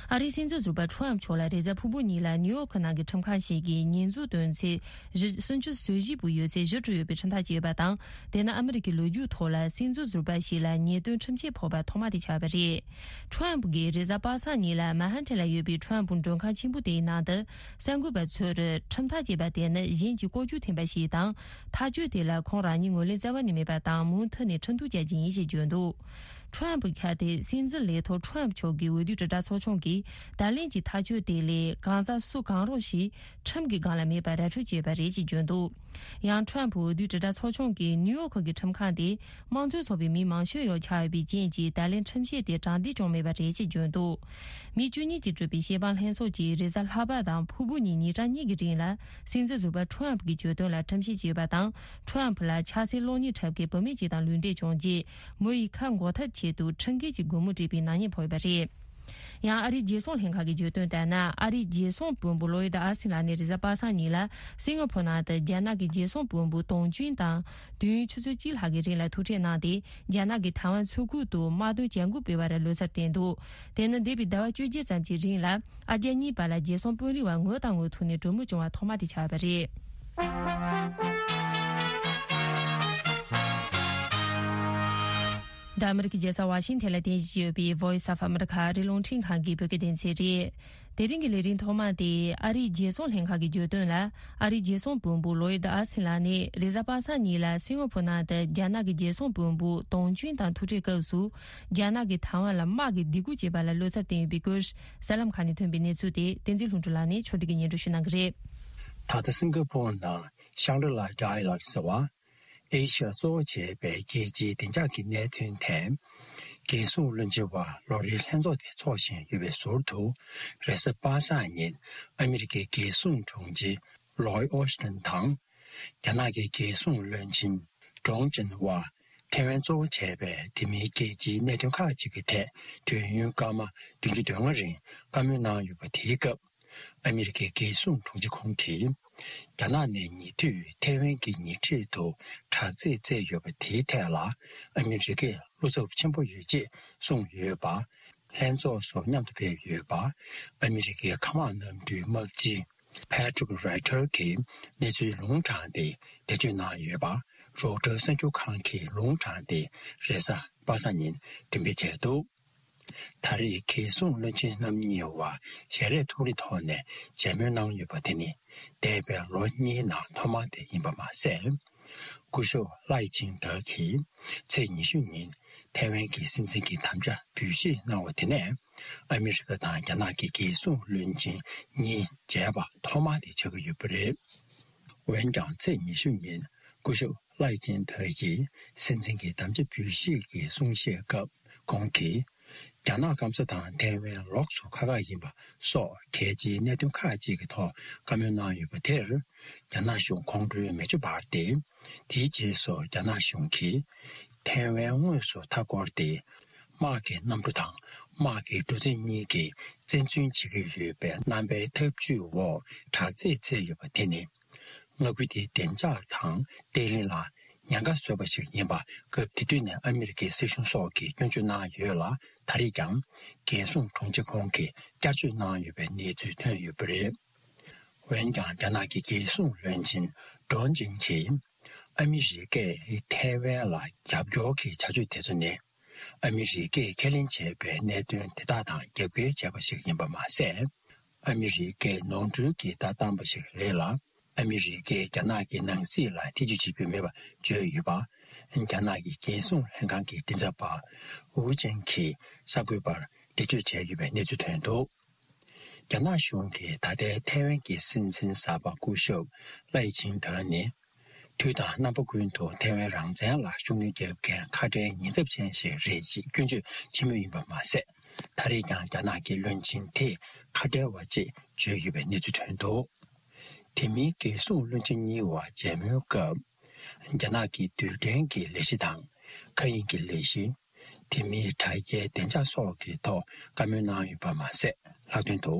ཨ་རིའི་སྲིད་འཛིན་ཟུར་པ་ཁྲོམ་མཆོག་ལ་རེས་གཟའ་ཕུར་བུ་ཉིན་ལ་ནིའུ་ཡོག་གི་ནང་གི་ཁྲིམས་ཁང་ཞིག་གིས་ཉེས་འཛུགས་དོན་ཚན་བཞི། སུམ་ཅུ་སོ་བཞི་པོ་ཡོད་ཚད་བཞི་བཀྲམ་ཡོད་པའི་ཁྲིམས་ཐག་བཅད་ཡོད་པ་དང་། དེ་ནི་ཨ་མི་རི་ཀའི་ལོ་རྒྱུས་ཐོག་ལ་སྲིད་འཛིན་ཟུར་པ་ཞིག་ལ་ཉེས་དོན་ཁྲིམས་ཆད་ཕོག་པ་ཐོག་མ་དེ་ཆགས་པ་རེད། ཁྲོམ་གྱིས་རེས་གཟའ་པ་སངས་ཉིན་ལ་མན་ཧན་ཐན་ལ་ཡོད་པའི་ཁྲོམ་མགྲོན་ཁང་ཆེན་པོ་དེའི་ནང་དུ་གསར་འགོད་པ་ཚོར་ཁྲིམས་ཐག་བཅད་པ་དེ་ནི་གཞན་གྱི་ལྐོག་ཇུས་འཐེན་པ་ཞིག་དང་། ཐག་གཅོད་དེ་ལ་ཁོང་རང་ཉིད་ངོས་ལེན་རྩ་བ་ནས་མེད་པ་དང་། མུ་མཐུད་ནས་ཁྲིམས་གཏུག་བྱ་རྒྱུ་ཡིན་ཞེས་བརྗོད་འདུག་ཁྲོམ་གྱི་ཁ་དེ་སྲིད་འཛིན་ལས་ཐོག་ཁྲོམ་མཆོག་གི་འོས་བསྡུ་དྲིལ་བསྒྲགས་ཚོགས་ཆུང་གིས་ད་ལན་གྱི་ཐག་གཅོད་དེ་ལས་གང་ཟག་སུ་གང་རུང་ཞིག་ཁྲིམས་ཀྱི་སྒང་ལ་མེད་པར་ར་འཕྲོད་བྱས་པ་རེད་ཅེས་བརྗོད་འདུག་ཡང་ཁྲོམ་འོས་བསྡུ་དྲིལ་བསྒྲགས་ཚོགས་ཆུང་གིས་ནིའུ་ཡོག་གི་ཁྲིམས་ཁང་དེ་དམངས་གཙོའི་ཚོགས་པའི་མི་མང་ཤོས་ཡོད་ཆགས་ཡོད་པའི་རྐྱེན་གྱིས་ད་ལན་ཁྲིམས་ཆད་དེ་དྲང་བདེན་བྱུང་མེད་པ་རེད་ཅེས་བརྗོད་འདུག་མི་བཅུ་གཉིས་ཀྱིས་གྲུབ་པའི་བྱེད་དཔང་ལྷན་ཚོགས་ཀྱིས་རེས་གཟའ་ལྷག་པ་དང་ཕུར་བུ་ཉིན་ཉིན་གྲངས་གཉིས་ཀྱི་རིང་ལ་སྲིད་འཛིན་ཟུར་པ་ཁྲོམ་གྱི་གྱོད་དོན་ལ་ཁྲིམས་ཆད་བཅད་ཡོད་པ་དང་། ཁྲོམ་ལ་ཆགས་སྲེད་གློག་བརྙན་འཁྲབ་མཁན་བུད་མེད་ཅིག་དང་ལུས་འབྲེལ་བྱུང་རྗེས། མོ་ཡི་ཁ་འགོག་ཐབས་ཆེད་དུ་ཁྲིམས་འགལ་གྱི་སྒོར་མོ་སྤྲད་པའི་ནག་ཉེས་ཕོག་ཡོད་པ་རེད། ཡང་ཨ་རིའི་རྒྱལ་སྲུང་ལྷན་ཁང་གིས་བརྗོད་དོན་ལྟར་ན། ཨ་རིའི་རྒྱལ་སྲུང་དཔོན་པོ་ལོ་ཡིད་ཨ་སིན་ལགས་ནས་རེས་གཟའ་པ་སངས་ཉིན་ལ་སིང་ག་ཕོར་ནང་དུ་རྒྱ་ནག་གི་རྒྱལ་སྲུང་དཔོན་པོ་ཏོང་ཅུན་དང་དུས་ཡུན་ཆུ་ཚོད་གཅིག་ལྷག་གི་རིང་ལ་ཐུག་འཕྲད་གནང་སྟེ། རྒྱ་ནག་གིས་ཐའེ་ཝན་མཚོ་ཁུལ་དུ་དམག་དོན་བྱ་འགུལ་སྤེལ་བར་བློ་འཚབ་བསྟན་འདུག་དེ་ནི་འདས་པའི་ཟླ་བ་བཅོ་བརྒྱད་ཙམ་གྱི་རིང་ལ་ཨ་རྒྱ་གཉིས་བར་ལ་རྒྱལ་སྲུང་དཔོན་རིགས་བར་ངོ་དང་ངོ་ཐུག་ནས་གྲོས་མོལ་བྱུང་བ་ཐོག་མ་དེ་ཆགས་པ་རེད། འདི་ཨ་མི་རི་ཀའི་རྒྱལ་ས་ཝ་ཤིང་ཐན་ལ་རྟེན་གཞི་བྱས་ཡོད་པའི་Voice of America ཨ་རིའི་རླུང་འཕྲིན་ཁང་གི་བོད་སྐད་སྡེ་ཚན་རེད། དེ་རིང་གི་ལས་རིམ་ཐོག་མ་དེ་ཨ་རིའི་རྒྱལ་སྲུང་ལྷན་ཁང་གིས་བརྗོད་དོན་ལ། ཨ་རིའི་རྒྱལ་སྲུང་དཔོན་པོ་ལོ་ཡིད་ཨ་སིན་ལགས་ནས་རེས་གཟའ་པ་སངས་ཉིན་ལ་སིང་ག་ཕོར་ནང་དུ་རྒྱ་ནག་གི་རྒྱལ་སྲུང་དཔོན་པོ་ཏོང་ཅུན་དང་ཐུག་འཕྲད་སྐབས་སུ། རྒྱ་ནག་གིས་ཐའེ་ཝན་ལ་དམག་གི་སྡིགས་སྐུལ་བྱས་པ་ལ་བློ་འཚབ་བསྟན་ཡོད་པའི་སྐོར། གསར་ལམ་ཁག་ནས་ཐོན་པའི་གནས་ཚུལ་དེ་བསྟན་འཛིན་ལྷུན་གྲུབ་ལགས་ནས་ཕྱོགས་སྒྲིག་གིས་སྙན་སྒྲོན་ཞུ་གནང་གི་རེད། ད་ལྟ་སིང་ག་ཕོར་ནང་ཤང་གྲི་ལ་ཌའི་ལོག་ཟེར་བ། ཨེ་ཤི་ཡ་གཙོ་བོ་བྱས་པའི་རྒྱལ་སྤྱིའི་བདེ་འཇགས་ཀྱི་གནད་དོན་ཐད། རྒྱལ་སྲུང་བློན་ཆེན་བར་ལོ་རེའི་ལྷན་ཚོགས་དེ་འཚོགས་བཞིན་ཡོད་པའི་ཟུར་དུ། རེས་གཟའ་པ་སངས་ཉིན་ཨ་མི་རི་ཀའི་རྒྱལ་སྲུང་དྲུང་ཆེ་ལོའི་ཨོ་སི་ཏན་དང་། རྒྱ་ནག་གི་རྒྱལ་སྲུང་བློན་ཆེན་ཀྲོང་ཅིན་ཝ་ཐའེ་ཝན་གཙོ་བོ་བྱས་པའི་དེ་མིན་རྒྱལ་སྤྱིའི་གནད་དོན་ཁག་ཅིག་གི་ཐད་དུས་ཡུན་སྐར་མ་བདུན་ཅུ་དོན་ལྔ་རིང་བཀའ་མོལ་གནང་ཡོད་པ་དེའི་སྐབས། ཨ་མི་རི་ཀའི་རྒྱལ་སྲུང་དྲུང་ཆེ་ཁོང་གིས། རྒྱ་ནག་ནས་ཉེ་དུས་ཐའེ་ཝན་གྱི་ཉེ་འཁྲིས་དུ་དྲག་རྩལ་བཙལ་ཡོད་པ་དེའི་ཐད་ལ་ཨ་མི་རི་ཀས་བློ་འཚབ་ཆེན་པོ་ཡོད་ཅེས་གསུངས་ཡོད་པ། ལྷན་ཚོགས་སུ་མཉམ་དུ་ཕེབས་ཡོད་པ། ཨ་མི་རི་ཀའི་མཁའ་དམག་གནམ་གྲུའི་དམག་སྤྱི་Patrick Ryder གྱིས་གནས་ཚུལ་ལུང་དྲངས་ཏེ་འགྲེལ་བརྗོད་གནང་ཡོད་པ། Reuters གསར་འགྱུར་ཁང་གིས་ལུང་དྲངས་ཏེ་རེས་གཟའ་པ་སངས་ཉིན་འགྲེམས་སྤེལ་བྱས་འདུག་ད་རེས་རྒྱལ་སྲུང་བློན་ཆེན་རྣམ་གཉིས་བར་ཞལ་རས་ཐུག་རེས་ཐོག་ནས་མཇལ་མོལ་གནང་ཡོད་པ་དེ་ནི། འདས་པའི་ལོ་གཉིས་ནང་ཐོག་མ་དེ་ཡིན་པ་མ་ཟད། སྐུ་ཞབས་ལའི་ཆིང་ཏེ་གིས་ཚེས་ཉི་ཤུ་ཉིན་ཐའེ་ཝན་གྱི་སྲིད་འཛིན་གྱི་དམ་བཅའ་འབུལ་བཞེས་གནང་བ་དེ་ནས། ཨ་མི་རི་ཀ་དང་རྒྱ་ནག་གི་རྒྱལ་སྲུང་བློན་ཆེན་གཉིས་མཇལ་བ་ཐོག་མ་དེ་ཆགས་ཀྱི་ཡོད་པ་རེད། འོན་ཀྱང་ཚེས་ཉི་ཤུ་ཉིན་སྐུ་ཞབས་ལའི་ཆིང་ཏེ་ཡིས་སྲིད་འཛིན་གྱི་དམ་བཅའ་འབུལ་བཞེས་ཀྱི་གསུང་བཤད་སྐབས་ཁོང་གིས། རྒྱ་ནག་སྐམ་ས་དང་ཐའེ་ཝན་ལོགས་སུ་ཁག་ཁག་ཡིན་པ་སོགས་གལ་ཆེའི་གནད་དོན་ཁག་ཅིག་གི་ཐོག་བཀའ་མོལ་གནང་ཡོད་པ་དེར། རྒྱ་ནག་གཞུང་ཁོང་ཁྲོའི་མེ་ལྕེ་འབར་ཏེ། དེའི་རྗེས་སུ་རྒྱ་ནག་གཞུང་གིས་ཐའེ་ཝན་དངོས་སུ་མཐའ་བསྐོར་ཏེ། དམག་གི་གནམ་གྲུ་དང་དམག་གི་གྲུ་གཟིངས་གཉིས་ཀྱིས་བཙན་འཛུལ་བྱེད་ཀྱི་ཡོད་པའི་རྣམ་པའི་ཐབས་ཇུས་འོག་དྲག་རྩལ་བཙལ་ཡོད་པ་དེ་ནི། མངའ་ཁུལ་དེའི་བདེ་འཇགས་དང་བརྟན་ལྷིང་ལ་ཉེན་ཁ་བཟོས་པ་ཞིག་ཡིན་པ་སྐབས་དེ་དུས་ནས་ཨ་མི་རི་ཀའི་སྲིད་གཞུང་སོགས་ཀྱིས་སྐྱོན་བརྗོད་གནང་ཡོད་ལ། ད་རེས་ཀྱང་རྒྱལ་སྲུང་དྲུང་ཆེ་ཁོང་གིས་བསྐྱར་བརྗོད་གནང་ཡོད་པའི་གནས་ཚུལ་ཐོན་ཡོད་པ་རེད། འོན་ཀྱང་རྒྱ་ནག་གི་རྒྱལ་སྲུང་བློན་ཆེན་ཀྲོང་ཅིན་གྱིས། ཨ་མི་རི་ཀས་ཐའེ་ཝན་ལ་རྒྱབ་སྐྱོར་གྱི་བྱ་སྤྱོད་དེ་ཚོ་ནི། ཨ་མི་རི་ཀས་ཁས་ལེན་བྱས་པའི་གནད་དོན་དེ་དག་དང་རྒྱབ་འགལ་བྱས་པ་ཞིག་ཡིན་པ་མ་ཟད། ཨ་མི་རི་ཀས་ནོར་འཁྲུལ་གྱི་ལྟ་སྟངས་པ་ཞིག་རེད་ལ། ཨ་མི་རི་ཀས་རྒྱ་ནག་གི་ནང་སྲིད་ལ་ཐེ་ཇུས་བྱེད་རྒྱུ་མེད་པ་བརྗོད་ཡོད་པ། རྒྱ་ནག་གི་རྒྱལ་སྲུང་ལྷན་ཁང་གི་མགྲིན་ཚབ་པ་ཝུ་ཅན་གྱིས་གསར་འགོད་པར་འགྲེལ་བརྗོད་བྱས་ཡོད་པའི་གནས་ཚུལ་ཐོན་འདུག་རྒྱ་ནག་གཞུང་གིས་ད་ལྟའི་ཐའེ་ཝན་གྱི་སྲིད་འཛིན་གསར་པ་སྐུ་ཞབས་ལའེ་ཆིང་ཏེ་ནི། དུས་དང་རྣམ་པ་ཀུན་ཏུ་ཐའེ་ཝན་རང་བཙན་ལ་ཤུགས་སྣོན་རྒྱག་མཁན་ཁ་བྲལ་ཉེན་ཚབས་ཅན་ཞིག་རེད་ཅེས་སྐྱོན་བརྗོད་བྱེད་མུས་ཡིན་པ་མ་ཟད། ད་རེས་ཀྱང་རྒྱ་ནག་གི་བློན་ཆེན་དེས་ཁ་བྲལ་བ་ཅེས་བརྗོད་ཡོད་པའི་གནས་ཚུལ་ཐོན་འདུག་དེ་མིན་རྒྱལ་སྲུང་བློན་ཆེན་གཉིས་བར་མཇལ་མོལ་སྐབས། རྒྱ་ནག་གི་རྡུལ་ཕྲན་གྱི་ལས་གཞི་དང་། མཁའ་དབྱིངས་ཀྱི་ལས་གཞི། དེ་མིན་དྲ་རྒྱའི་བདེ་འཇགས་སོགས་ཀྱི་ཐོག་བཀའ་མོལ་གནང་ཡོད་པ་མ་ཟད། ལྷག་དོན་དུ།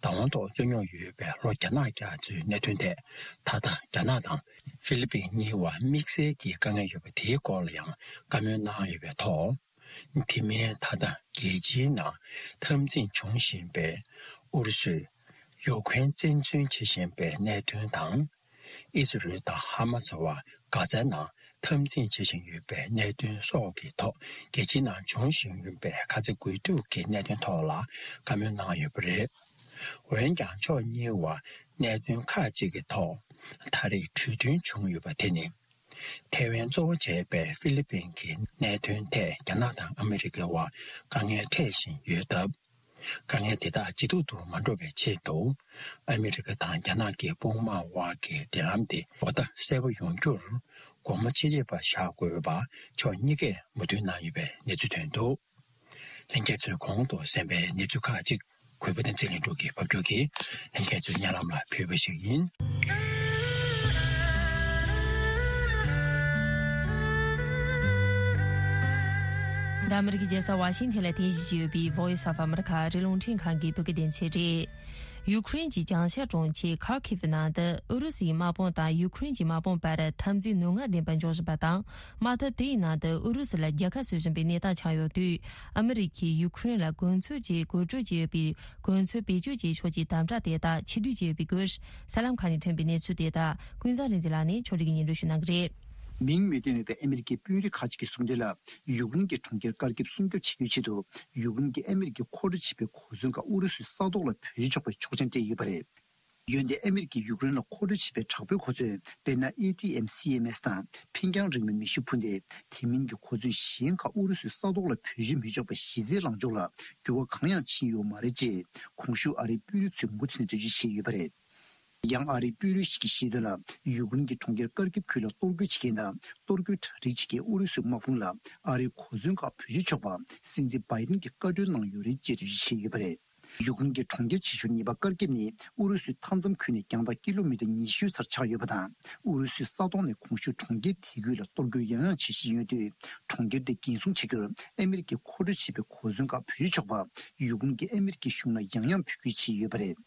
བདག་དབང་ཐོག་རྩོད་རྙོག་ཡོད་པའི་ལྷོ་རྒྱ་ནག་རྒྱ་མཚོའི་གནད་དོན་ཐད། ད་ལྟ་རྒྱ་ནག་དང་ཧྥི་ལི་པིན་གཉིས་བར་དམིགས་བསལ་གྱི་དཀའ་ངལ་ཡོད་པ་དེའི་སྐོར་ལ་ཡང་བཀའ་མོལ་གནང་ཡོད་པའི་ཐོག་དེ་མིན་ད་ལྟ་རྒྱལ་སྤྱིའི་ནང་འཐབ་འཛིང་འབྱུང་བཞིན་པའི་ཨུ་རུ་སུས་ཡུ་ཁུ་རེན་བཙན་འཛུལ་བྱེད་བཞིན་པའི་གནད་དོན་དང་། ཨི་སི་རེལ་དང་ཧ་མ་སི་བར་གྷ་ཛའི་ནང་འཐབ་འཛིང་བྱེད་བཞིན་ཡོད་པའི་གནད་དོན་སོགས་ཀྱི་ཐོག་རྒྱལ་སྤྱིའི་ནང་འབྱུང་བཞིན་ཡོད་པའི་ཁ་ཚ་དགོས་གཏུག་གི་གནད་དོན་ཐོག་ལ་བཀའ་མོལ་གནང་ཡོད་པ་རེད། འོན་ཀྱང་ཕྱོགས་གཉིས་བར་གནད་དོན་ཁག་ཅིག་གི་ཐོག་ད་རེས་གྲོས་མཐུན་བྱུང་ཡོད་པ་དེ་ནི། ཐའེ་ཝན་གཙོ་བོ་བྱས་པའི་ཧྥི་ལི་པིན་གྱི་གནད་དོན་ཐད་རྒྱ་ནག་དང་ཨ་མི་རི་ཀའི་བར་དཀའ་ངལ་འཕྲད་བཞིན་ཡོད་སྟབས། དཀའ་ངལ་དེ་དག་ཇེ་སྡུག་ཏུ་མ་འགྲོ་བའི་ཆེད་དུ། ཨ་མི་རི་ཀ་དང་རྒྱ་ནག་གི་དཔུང་དམག་དབར་གྱི་འབྲེལ་ལམ་དེ་གོ་བརྡ་གསལ་པོ་ཡོང་རྒྱུར་སྒོ་མོ་ཕྱེ་བྱེད་པ་བཞག་དགོས་པ་ཕྱོགས་གཉིས་ཀས་མོས་མཐུན་གནང་ཡོད་པའི་གནས་ཚུལ་ཐོན་འདུག་ལྷན་རྒྱས་ཚོས་གོང་དུ་གསན་པའི་གནས་ཚུལ་ཁག་ཅིག་གུས་པ་བསྟན་འཛིན་ལྷུན་གྲུབ་ཀྱིས་ཕབ་སྒྱུར་གྱིས་ལྷན་རྒྱས་ཚོའི་སྙན་ལམ་ལ་ཕུལ་བ་ཞིག་ཡིན། འདི་ཨ་མི་རི་ཀའི་རྒྱལ་ས་ཝ་ཤིང་ཐན་ལ་རྟེན་གཞི་བྱས་ཡོད་པའི་Voice of America ཨ་རིའི་རླུང་འཕྲིན་ཁང་གི་བོད་སྐད་སྡེ་ཚན་རེད། ཡུ་ཀེ་རེན་གྱི་བྱང་ཤར་གྲོང་ཁྱེར་ཁར་ཁིབ་ནང་དུ་ཨུ་རུ་སུའི་དམག་དཔུང་དང་ཡུ་ཀེ་རེན་གྱི་དམག་དཔུང་བར་འཐབ་འཛིང་ནུས་ངག་ལྡན་པ་འབྱུང་བཞིན་པ་དང་། དམག་འཐབ་དེའི་ནང་དུ་ཨུ་རུ་སུ་ལ་རྒྱལ་ཁ་གསོ་བཞིན་པའི་གནས་སྟངས་ཆགས་ཡོད་དུས། ཨ་མི་རི་ཀས་ཡུ་ཀེ་རེན་ལ་གོ་མཚོན་གྱི་གོ་སྒྲིག་བྱས་ཡོད་པའི་གོ་མཚོན་བེད་སྤྱོད་བྱེད་ཕྱོགས་ཀྱི་དམ་བསྒྲགས་དེ་དག་ཕྱིར་བསྡུ་བྱས་ཡོད་པའི་སྐོར། གསར་ལམ་ཁག་ནས་ཐོན་པའི་གནས་ཚུལ་དེ་དག་ཀུན་བཟང་རིག་འཛིན་ལགས་ནས་ཕྱོགས་སྒྲིག་གིས་སྙན་སྒྲོན་ཞུ་གནང་གི་རེད། མིང་མི་བཏོན་པའི་ཨ་མི་རི་ཀའི་དཔོན་རིགས་ཁག་ཅིག་གིས་གསུངས་དོན་ལ། ཡུཀ་རེན་གྱི་གྲོང་ཁྱེར་དཀར་ཁེབ་སྲུང་སྐྱོབ་བྱེད་རྒྱུའི་ཆེད་དུ། ཡུཀ་རེན་གྱིས་ཨ་མི་རི་ཀས་མཁོ་སྤྲོད་བྱས་པའི་གོ་མཚོན་ཁག་ཨུ་རུ་སུའི་ས་ཐོག་ལ་བེད་སྤྱོད་ཆོག་པའི་ཆོག་མཆན་སྤྲད་ཡོད་པ་རེད། འོན་ཏེ་ཨ་མི་རི་ཀས་ཡུཀ་རེན་ལ་མཁོ་སྤྲོད་བྱས་པའི་དྲག་པོའི་གོ་མཚོན། དཔེར་ན། ཨེ་ཊི་ཨེམ་སི་ཨེམ་ཨེས་དང་། འཕེན་རྒྱང་རིང་བའི་མེ་ཤུགས་འཕུར་མདེལ། དེ་མིན་གྱི་གོ་མཚོན་གཞན་ཁག་ཨུ་རུ་སུའི་ས་ཐོག་ལ་བེད་སྤྱོད་མི་ཆོག་པའི་གཞི་རྩའི་ལངས་ཕྱོགས་ལ་འགྱུར་བ་གང་ཡང་ཕྱིན་ཡོད་མ་རེད་ཅེས། གོང་ཞུས་ཨ་རིའི་དཔོན་རིགས་ཚོས་མུ་མཐུད་ནས་འགྲེལ་བརྗོད་བྱས་ཡོད་པ་རེད། ཡང་ཨ་རིའི་དཔོན་རིགས་ཤིག་གིས་བཤད་དོན་ལ། ཡུཀ་རེན་གྱི་གྲོང་ཁྱེར་ཀར་ཀིབ་ཁུལ་ལ་གཏོར་རྒོལ་བྱེད་མཁན་དང་གཏོར་རྒོལ་གྲ་སྒྲིག་བྱེད་མཁན་ཨུ་རུ་སུའི་དམག་དཔུང་ལ་ཨ་རིའི་གོ་མཚོན་ཁག་བེད་སྤྱོད་ཆོག་པ་སྲིད་འཛིན་བྷའི་ཌེན་གྱིས་བཀའ་འཁྲོལ་གནང་ཡོད་རེད་ཅེས་འགྲེལ་བརྗོད་བྱས་ཡོད་པ་རེད། ཡུཀ་རེན་གྱི་གྲོང་ཁྱེར་ཆེ་ཤོས་གཉིས་པ་ཀར་ཀིབ་ནི་ཨུ་རུ་སུའི་མཐའ་མཚམས་ཁུལ་ནས་རྒྱང་ཐག་ཀི་ལོ་མི་ཊར་ཉི་ཤུའི་སར་ཆགས་ཡོད་པ་དང་། ཨུ་རུ་སུའི་ས་ཐོག་ནས་གོང་ཞུས་གྲོང་ཁྱེར་དེ་ཁུལ་ལ་གཏོར་རྒོལ་ཡང་ཡང་བྱེད་བཞིན་ཡོད་དུས། གྲོང་ཁྱེར་དེ་འགན་སྲུང་བྱེད་རྒྱུར་ཨ་མི་རི་ཀས་མཁོ་སྤྲོད་བྱས་པའི་གོ་མཚོན་ཁག་བེད་སྤྱོད་ཆོག་པ་ཡུཀ་རེན་གྱིས་ཨ་མི་རི་ཀའི་གཞུང་ལ་ཡང་ཡང་འབོད་སྐུལ་བྱས་ཡོད་པ་རེད།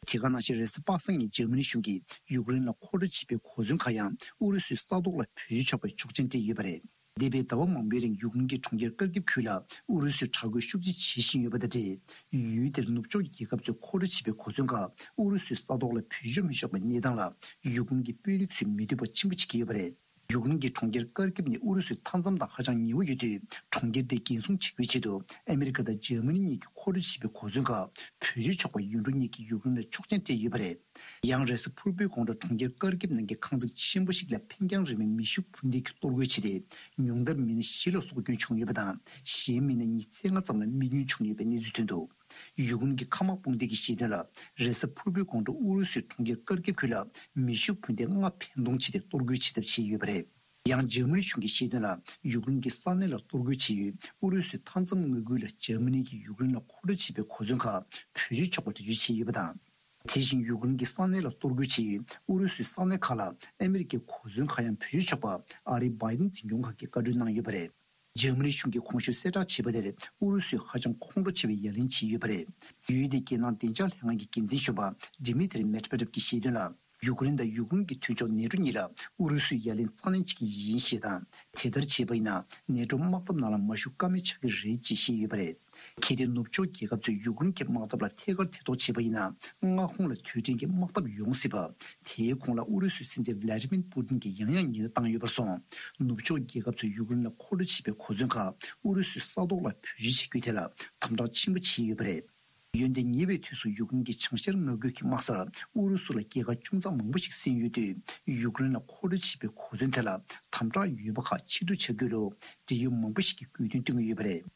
དེ་ག་ནང་བཞིན་རེས་གཟའ་པ་སངས་ཉིན་འཇར་མ་ནི་གཞུང་གིས་ཡུཀ་རེན་ལ་མཁོ་སྤྲོད་བྱས་པའི་གོ་མཚོན་ཁག་ཡང་ཨུ་རུ་སུའི་ས་ཐོག་ལ་བེད་སྤྱོད་ཆོག་པའི་ཆོག་མཆན་སྤྲད་ཡོད་པ་རེད། འདས་པའི་ཟླ་བ་མང་པོའི་རིང་ཡུཀ་རེན་གྱི་གྲོང་ཁྱེར་ཀར་ཀིབ་ཁུལ་ལ་ཨུ་རུ་སུས་དྲག་རྒོལ་ཤུགས་ཆེ་བྱེད་བཞིན་ཡོད་པ་དང་འབྲེལ། ཡུལ་དེར་ནུབ་ཕྱོགས་རྒྱལ་ཁབ་ཚོས་མཁོ་སྤྲོད་བྱས་པའི་གོ་མཚོན་ཁག་ཨུ་རུ་སུའི་ས་ཐོག་ལ་བེད་སྤྱོད་མི་ཆོག་པའི་གནས་སྟངས་ལ་ཡུཀ་རེན་གྱི་དཔོན་རིགས་ཚོས་མི་འདོད་པ་ཆེན་པོ་བྱེད་ཀྱི་ཡོད་པ་རེད། ཡུཀ་རེན་གྱི་གྲོང་ཁྱེར་ཀར་ཀིབ་ནི་ཨུ་རུ་སུའི་མཐའ་མཚམས་དང་ཧ་ཅང་ཉེ་བོ་ཡོད་དུས། གྲོང་ཁྱེར་དེ་འགན་སྲུང་བྱེད་རྒྱུའི་ཆེད་དུ་ཨ་མི་རི་ཀ་དང་འཇར་མ་ནི་གཉིས་ཀྱིས་མཁོ་སྤྲོད་བྱས་པའི་གོ་མཚོན་ཁག་བེད་སྤྱོད་ཆོག་པ་ཡུལ་གྲུ་གཉིས་ཀྱིས་ཡུཀ་རེན་ལ་ཆོག་མཆན་སྤྲད་ཡོད་པ་རེད། ཡང་རེས་གཟའ་ཕུར་བུའི་དགོང་དྲོ་གྲོང་ཁྱེར་ཀར་ཀིབ་ནང་གི་ཁང་བརྩེགས་ཆེན་པོ་ཞིག་ལ་འཕེན་རྒྱང་རིང་བའི་མེ་ཤུགས་འཕུར་མདེལ་གྱིས་གཏོར་རྒོལ་བྱས་ཏེ། ཉུང་མཐར་མི་སྣ་བཞི་ལ་སྲོག་སྐྱོན་བྱུང་ཡོད་པ་དང་། གཞན་མི་སྣ་ཉི་ཤུ་རྩ་ལྔ་ཙམ་ལ་རྨས་སྐྱོན་བྱུང་ཡོད་པའི་གནས་ཚུལ་ཐོན་འདུག་ཡུཀ་རེན་གྱི་མཁའ་དམག་དཔུང་སྡེ་གིས་བཤད་དོན་ལ། རེས་གཟའ་ཕུར་བུའི་དགོང་དྲོ་ཨུ་རུ་སུས་གྲོང་ཁྱེར་ཀར་ཀིབ་ཁུལ་ལ་མེ་ཤུགས་འཕུར་མདེལ་ལྔ་འཕེན་གཏོང་བྱས་ཏེ་གཏོར་རྒོལ་བྱེད་ཐབས་བྱས་ཡོད་པ་རེད། ཡང་འཇར་མ་ནི་གཞུང་གིས་བཤད་དོན་ལ། ཡུཀ་རེན་གྱི་ས་གནས་ལ་གཏོར་རྒོལ་བྱས་ཡུལ་ཨུ་རུ་སུའི་མཐའ་མཚམས་མངའ་ཁུལ་ལ་འཇར་མ་ནི་གིས་ཡུཀ་རེན་ལ་མཁོ་སྤྲོད་བྱས་པའི་གོ་མཚོན་ཁག་བེད་སྤྱོད་ཆོག་པ་འགྲེལ་བརྗོད་བྱས་ཡོད་པ་དང་། དེ་བཞིན་ཡུཀ་རེན་གྱི་ས་གནས་ལ་གཏོར་རྒོལ་བྱས་ཡུལ་ཨུ་རུ་སུའི་ས་གནས་ཁག་ལ་ཨ་མི་རི་ཀའི་གོ་མཚོན་ཁག་ཡང་བེད་སྤྱོད་ཆོག་པ་ཨ་རིའི་བྷའི་ཌེན་འཛིན་སྐྱོང་ཁང་གིས་བཀའ་འཁྲོལ་གནང་ཡོད་པ་རེད། འཇར་མ་ནི་གཞུང་གིས་གོང་ཞུས་གསལ་བསྒྲགས་བྱས་པ་དེར་ཨུ་རུ་སུས་ཧ་ཅང་ཁོང་ཁྲོ་ཆེ་བའི་ཡ་ལན་བྱས་ཡོད་པ་རེད། ཡུལ་དེའི་རྒྱལ་ནང་བདེ་འཇགས་ལྷན་ཁང་གི་འགན་འཛིན་གཞོན་པ་Dmitry Medvedev གྱིས་བཤད་དོན་ལ། ཡུཀ་རེན་དང་ཡུཀ་རེན་གྱི་མཐུན་ཕྱོགས་ནེ་ཊོ་གཉིས་ལ་ཨུ་རུ་སུས་ཡ་ལན་རྩ་ལེན་བྱེད་ཀྱི་ཡིན་ཞེས་དང་། དེ་ལྟར་བྱས་པ་ཡིན་ན་ནེ་ཊོ་དམག་འཐབ་ནང་ལ་མ་ཞུགས་ཀ་མེད་ཆགས་ཀྱི་རེད་ཅེས་བཤད་ཡོད་པ་རེད། གལ་ཏེ་ནུབ་ཕྱོགས་རྒྱལ་ཁབ་ཚོས་ཡུཀ་རེན་གྱི་དམག་འཐབ་ལ་ཐད་ཀར་ཐེ་གཏོགས་བྱས་པ་ཡིན་ན། མངའ་ཁོངས་ལ་དུས་དྲན་གྱི་དམག་འཐབ་ཡོང་སྲིད་པ། དེའི་གོང་ལ་ཨུ་རུ་སུའི་སྲིད་འཛིན་Vladimir Putin གྱིས་ཡང་ཡང་ཉེན་བརྡ་བཏང་ཡོད་པར་སོང་། ནུབ་ཕྱོགས་རྒྱལ་ཁབ་ཚོས་ཡུཀ་རེན་ལ་མཁོ་སྤྲོད་བྱས་པའི་གོ་མཚོན་ཁག་ཨུ་རུ་སུའི་ས་ཐོག་ལ་བེད་སྤྱོད་བྱེད་རྒྱུའི་ཐད་ལ་དམ་དྲག་ཆེན་པོ་བྱས་ཡོད་པ་རེད། འོན་ཏེ་ཉེ་བའི་དུས་སུ་ཡུཀ་རེན་གྱི་བྱང་ཤར་མངའ་ཁུལ་གྱི་དམག་སར་ཨུ་རུ་སུ་ལ་རྒྱལ་ཁ་ཅུང་ཙམ་མང་པོ་ཞིག་སེང་ཡོད་དུས། ཡུཀ་རེན་ལ་མཁོ་སྤྲོད་བྱེད་པའི་གོ་མཚོན་དེ་ལ་དམ་དྲག་ཡོད་པ་ཁག་ཕྱིར་བསྡུ་བྱ་རྒྱུའི་ལོ། འབྲེལ་ཡོད་མང་པོ་ཞིག་གིས་དགོས་འདུན་བཏོན་གྱི་ཡོད་པ་རེད།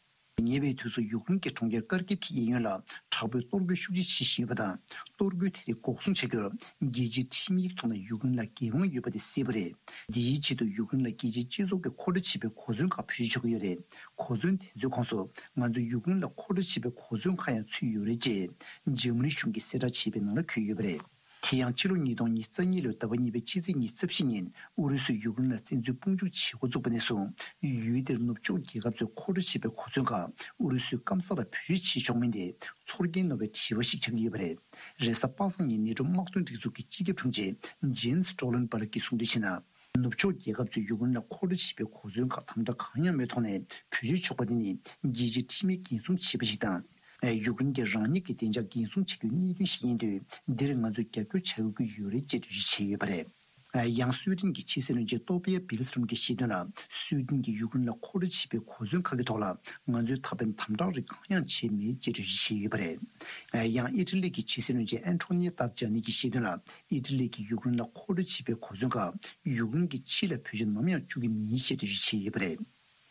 ཉེ་བའི་དུས་སུ་ཡུཀ་རེན་གྱི་གྲོང་ཁྱེར་ཀར་ཀིབ་ཀྱི་གཡས་གཡོན་ལ་དྲག་པོའི་གཏོར་རྒོལ་ཤུགས་ཆེ་བྱེད་བཞིན་ཡོད་པ་དང་། གཏོར་རྒོལ་དེ་རིགས་འགོག་སྲུང་བྱ་རྒྱུར་རྒྱལ་སྤྱིའི་ཁྲིམས་ཡིག་ཐོག་ནས་ཡུཀ་རེན་ལ་འགན་དབང་ཡོད་པ་དེ་གསལ་པོ་རེད། འདིའི་ཆེད་དུ་ཡུཀ་རེན་ལ་རྒྱལ་སྤྱིའི་སྤྱི་ཚོགས་ཀྱིས་མཁོ་སྤྲོད་བྱེད་པའི་གོ་མཚོན་ཁག་བེད་སྤྱོད་བྱེད་ཀྱི་ཡོད་རེད། གོ་མཚོན་དེ་ཚོའི་ཁོངས་སུ་ང་ཚོས་ཡུཀ་རེན་ལ་མཁོ་སྤྲོད་བྱེད་པའི་གོ་མཚོན་ཁག་ཡང་ཚུད་ཡོད་རེད་ཅེས་འཇར་མ་ནི་གཞུང་གིས་གསལ་བསྒྲགས་བྱས་པའི་ནང་ལ་འཁོད་ཡོད་པ་རེད། དེ་ཡང་ཕྱི་ལོ་ཉིས་སྟོང་ཉི་ཤུ་རྩ་གཉིས་ལོའི་ཟླ་བ་གཉིས་པའི་ཕྱི་ཚེས་ཉི་ཤུ་རྩ་བཞི་ཉིན་ཨུ་རུ་སུས་ཡུཀ་རེན་ལ་བཙན་འཛུལ་དཔུང་འཇུག་བྱེད་འགོ་བཙུགས་པ་ནས་བཟུང་། ཡུལ་དེར་ནུབ་ཕྱོགས་རྒྱལ་ཁབ་ཚོས་མཁོ་སྤྲོད་བྱས་པའི་གོ་མཚོན་ཁག་ཨུ་རུ་སུའི་སྐམ་ས་ལ་བེད་སྤྱོད་བྱེད་ཆོག་མིན་དེ་ཚོར་སྐྱེན་ནོར་བའི་དྲི་བ་ཞིག་ཆགས་ཀྱི་ཡོད་པ་རེད། རེས་གཟའ་པ་སངས་ཉིན་ནེ་ཊོ་དམག་དོན་སྒྲིག་འཛུགས་ཀྱི་སྤྱི་ཁྱབ་དྲུང་ཆེ་Jens Stoltenberg གྱིས་གསུངས་དོན་བྱས་ན། ནུབ་ཕྱོགས་རྒྱལ་ཁབ་ཚོས་ཡུཀ་རེན་ལ་མཁོ་སྤྲོད་བྱེད་པའི་གོ་མཚོན་ཁག་དམ་དྲག་གང་ཡང་མེད་ཐོག་ནས་བེད་སྤྱོད་ཆོག་པ་དེ་ནི་རྒྱལ་སྤྱིའི་ཁྲིམས་ཡིག་འགན་སྲུང་བྱས་པ་ཞིག་དང་། ཡུཀ་རེན་གྱིས་རང་ཉིད་ཀྱི་བདེ་འཇགས་འགན་སྲུང་བྱ་རྒྱུའི་གནད་དོན་ཞིག་ཡིན་དུས། འདིར་ང་ཚོས་རྒྱབ་སྐྱོར་བྱ་དགོས་ཀྱི་ཡོད་རེད་ཅེས་འགྲེལ་བརྗོད་བྱས་ཡོད་པ་རེད། ཡང་སུའེ་ཏེན་གྱི་ཕྱི་སྲིད་བློན་ཆེན་ཏོ་པི་ཡ་བིལ་སི་ཀྲོམ་གྱིས་བཤད་དོན་ལ། སུའེ་ཏེན་གྱིས་ཡུཀ་རེན་ལ་མཁོ་སྤྲོད་བྱེད་པའི་གོ་མཚོན་ཁག་གི་ཐོག་ལ་ང་ཚོས་ད་ཕན་དམ་དྲག་རིགས་གང་ཡང་བྱས་མེད་ཅེས་འགྲེལ་བརྗོད་བྱས་ཡོད་པ་རེད། ཡང་ཨི་ཊ་ལི་གྱི་ཕྱི་སྲིད་བློན་ཆེན་ཨན་ཊོ་ནི་ཏཱ་ཇཱ་ནི་གྱིས་བཤད་དོན་ལ། ཨི་ཊ་ལི་གིས་ཡུཀ་རེན་ལ་མཁོ་སྤྲོད་བྱེད་པའི་གོ་མཚོན་ཁག་ཡུཀ་རེན་གྱི་ཕྱི་ལ་བེད་སྤྱོད་ནམ་ཡང་བཅུག་གི་མིན་ཞེས་འགྲེལ་བརྗོད་བྱས་ཡོད་པ་རེད།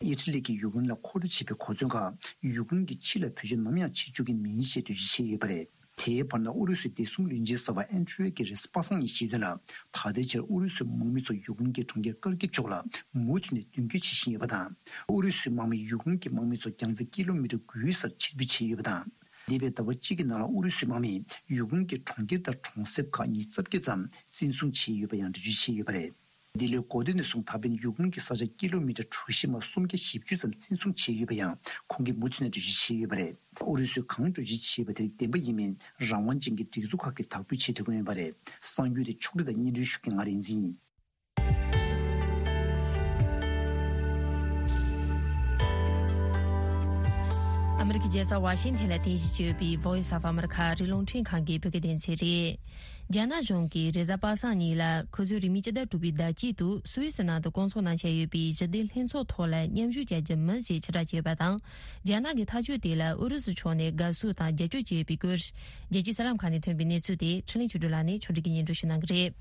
ཨི་ཊ་ལི་གིས་ཡུཀ་རེན་ལ་མཁོ་སྤྲོད་བྱེད་པའི་གོ་མཚོན་ཁག་ཡུཀ་རེན་གྱི་ཕྱི་ལ་བེད་སྤྱོད་ནམ་ཡང་བྱེད་བཅུག་གི་མིན་ཞེས་འགྲེལ་བརྗོད་བྱས་ཡོད་པ་རེད། དེའི་བར་ན་ཨུ་རུ་སུའི་བདེ་སྲུང་བློན་ཆེན་གསར་པ་ཨན་ཌྲི་ཡེ་གིས་རེས་གཟའ་པ་སངས་ཉིན་བཤད་དོན་ལ། ད་ལྟའི་ཆར་ཨུ་རུ་སུའི་དམག་མི་ཚོ་ཡུཀ་རེན་གྱི་གྲོང་ཁྱེར་ཀར་ཀིབ་ཕྱོགས་ལ་མུ་མཐུད་ནས་མདུན་སྐྱོད་བྱེད་བཞིན་ཡོད་པ་དང་། ཨུ་རུ་སུའི་དམག་མིས་ཡུཀ་རེན་གྱི་དམག་མི་ཚོ་རྒྱང་ཚད་ཀི་ལོ་མི་ཊར་དགུའི་སར་ཕྱིར་འབུད་བྱས་ཡོད་པ་དང་། འདས་པའི་ཟླ་བ་གཅིག་གི་ནང་ལ་ཨུ་རུ་སུའི་དམག་མིས་ཡུཀ་རེན་གྱི་གྲོང་ཁྱེར་དང་གྲོང་གསེབ་ཁག་ཉིས་རྩ་བརྒྱད་ཙམ་བཙན་བཟུང་བྱས་ཡོད་པ་ཡང་འགྲེལ་བརྗོད་བྱས་ཡོད་པ་རེད། འདི་ལོའི་འགོ་སྟོད་ནས་བཟུང་ད་ཕན་ཡུཀ་རེན་གྱི་ས་ཆ་ཀི་ལོ་མི་ཊར་གྲུ་བཞི་མ་སུམ་བརྒྱ་བཞི་བཅུ་ཙམ་བཙན་བཟུང་བྱས་ཡོད་པ་ཡང་ཁོང་གིས་མུ་མཐུད་ནས་འགྲེལ་བརྗོད་བྱས་ཡོད་པ་རེད། ཨུ་རུ་སུས་གང་འགྲེལ་བརྗོད་བྱས་ཡོད་པ་དེ་བདེན་པ་ཡིན་མིན་རང་དབང་ཅན་གྱི་སྒྲིག་འཛུགས་ཁག་གིས་དག་ཐེར་བྱེད་ཐུབ་ཀྱི་ཡོད་པ་རེད། གསར་འགྱུར་དེ་ཕྱོགས་བསྒྲིགས་དང་སྙན་སྒྲོན་ཞུ་མཁན་ང་རིག་འཛིན་ཡིན། ཨ་མི་རི་ཀའི་རྒྱལ་ས་ཝ་ཤིང་ཐན་ལ་རྟེན་གཞི་བྱས་ཡོད་པའི་Voice of America ཨ་རིའི་རླུང་འཕྲིན་ཁང་གི་བོད་སྐད་སྡེ་ཚན་རེད། རྒྱ་ནག་གཞུང་གིས་རེས་གཟའ་པ་སངས་ཉིན་ལ་ཁོ་ཚོའི་རིན་མེད་སྤྱི་ཟླ་དྲུག་པའི་ཟླ་དཀྱིལ་དུ་སུད་སི་ནང་དུ་བསྐོང་ཚོགས་གནང་འཆར་ཡོད་པའི་ཞི་བདེ་ལྷན་ཚོགས་ཐོག་ལ་མཉམ་ཞུགས་བྱ་རྒྱུ་མིན་ཞེས་ཕྱིར་བསྒྲགས་བྱས་ཡོད་པ་དང་། རྒྱ་ནག་གི་ཐག་གཅོད་དེ་ལ་ཨུ་རུ་སུ་ཕྱོགས་ནས་དགའ་བསུ་དང་རྒྱབ་སྐྱོར་བྱས་ཡོད་པའི་སྐོར། རྒྱལ་སྤྱིའི་གསར་ལམ་ཁག་ནས་ཐོན་པའི་གནས་ཚུལ་དེ་འཕྲིན་ལས་ཆོས་སྒྲོན་ལགས་ནས་ཕྱོགས་སྒྲིག་གིས་སྙན་སྒྲོན་ཞུ་གནང་གི་རེད།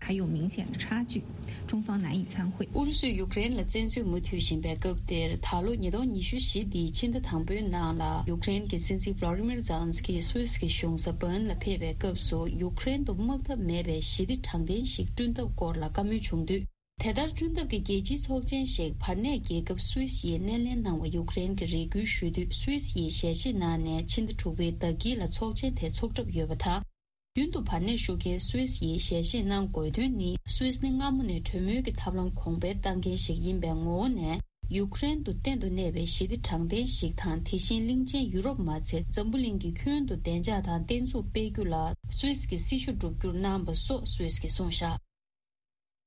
还有明显的差距，中方难以参会。 ཨུ་རུ་སུས་ཡུཀ་རེན་ལ་བཙན་འཛུལ་མུ་མཐུད་བཞིན་པའི་སྐབས་དེར། ད་ལོ་ཉིས་སྟོང་ཉི་ཤུ་བཞི་འདིའི་ཕྱི་ཟླ་དང་པོའི་ནང་ལ་ཡུཀ་རེན་གྱི་སྲིད་འཛིན་Volodymyr Zelensky སུད་སི་གི་གཞུང་ས་Bern ལ་ཕེབས་པའི་སྐབས་སུ། ཡུཀ་རེན་དུ་དམག་འཐབ་མེད་པའི་ཞི་བདེ་དྲང་བདེན་ཞིག་བསྐྲུན་ཐབས་སྐོར་ལ་བཀའ་མོལ་བྱུང་དུས། དེ་ལྟར་བསྐྲུན་ཐབས་ཀྱི་རྒྱལ་སྤྱིའི་ཚོགས་ཆེན་ཞིག་བར་གནས་རྒྱལ་ཁབ་སུད་སི་ཡིས་སྣེ་ལེན་གནང་བ་ཡུཀ་རེན་གྱིས་རེ་སྐུལ་ཞུས་དུས། སུད་སི་ཡིས་ཞལ་བཞེས་གནང་ནས་ཕྱི་ཟླ་དྲུག་པའི་ཟླ་དཀྱིལ་ལ་ཚོགས་ཆེན་དེ་འཚོགས་གྲབས་ཡོད་པ་དང་། རྒྱུན་དུ་བར་གནས་བཞུགས་མཁན་སུད་སི་ཡིས་ཞལ་བཞེས་གནང་དགོས་དོན་ནི། སུད་སི་ནི་སྔ་མོ་ནས་གྲོས་མོལ་གྱི་ཐབས་ལམ་གོང་འཕེལ་བཏང་མཁན་ཞིག་ཡིན་པའི་ངོ་བོ་ནས། ཡུཀ་རེན་དུ་གཏན་དུ་གནས་པའི་ཞི་བདེ་དྲང་བདེན་ཞིག་དང་། དེ་བཞིན་གླིང་ཆེན་ཡུ་རོབ་མ་ཚད་འཛམ་བུ་གླིང་གི་ཁྱོན་དུ་བདེ་འཇགས་དང་བརྟན་ཚུགས་སྤེལ་རྒྱུ་ལ་སུད་སི་གི་སྲི་ཞུ་བསྒྲུབ་རྒྱུར་གནང་པ་སོགས་སུད་སི་གིས་གསུངས་བཞག་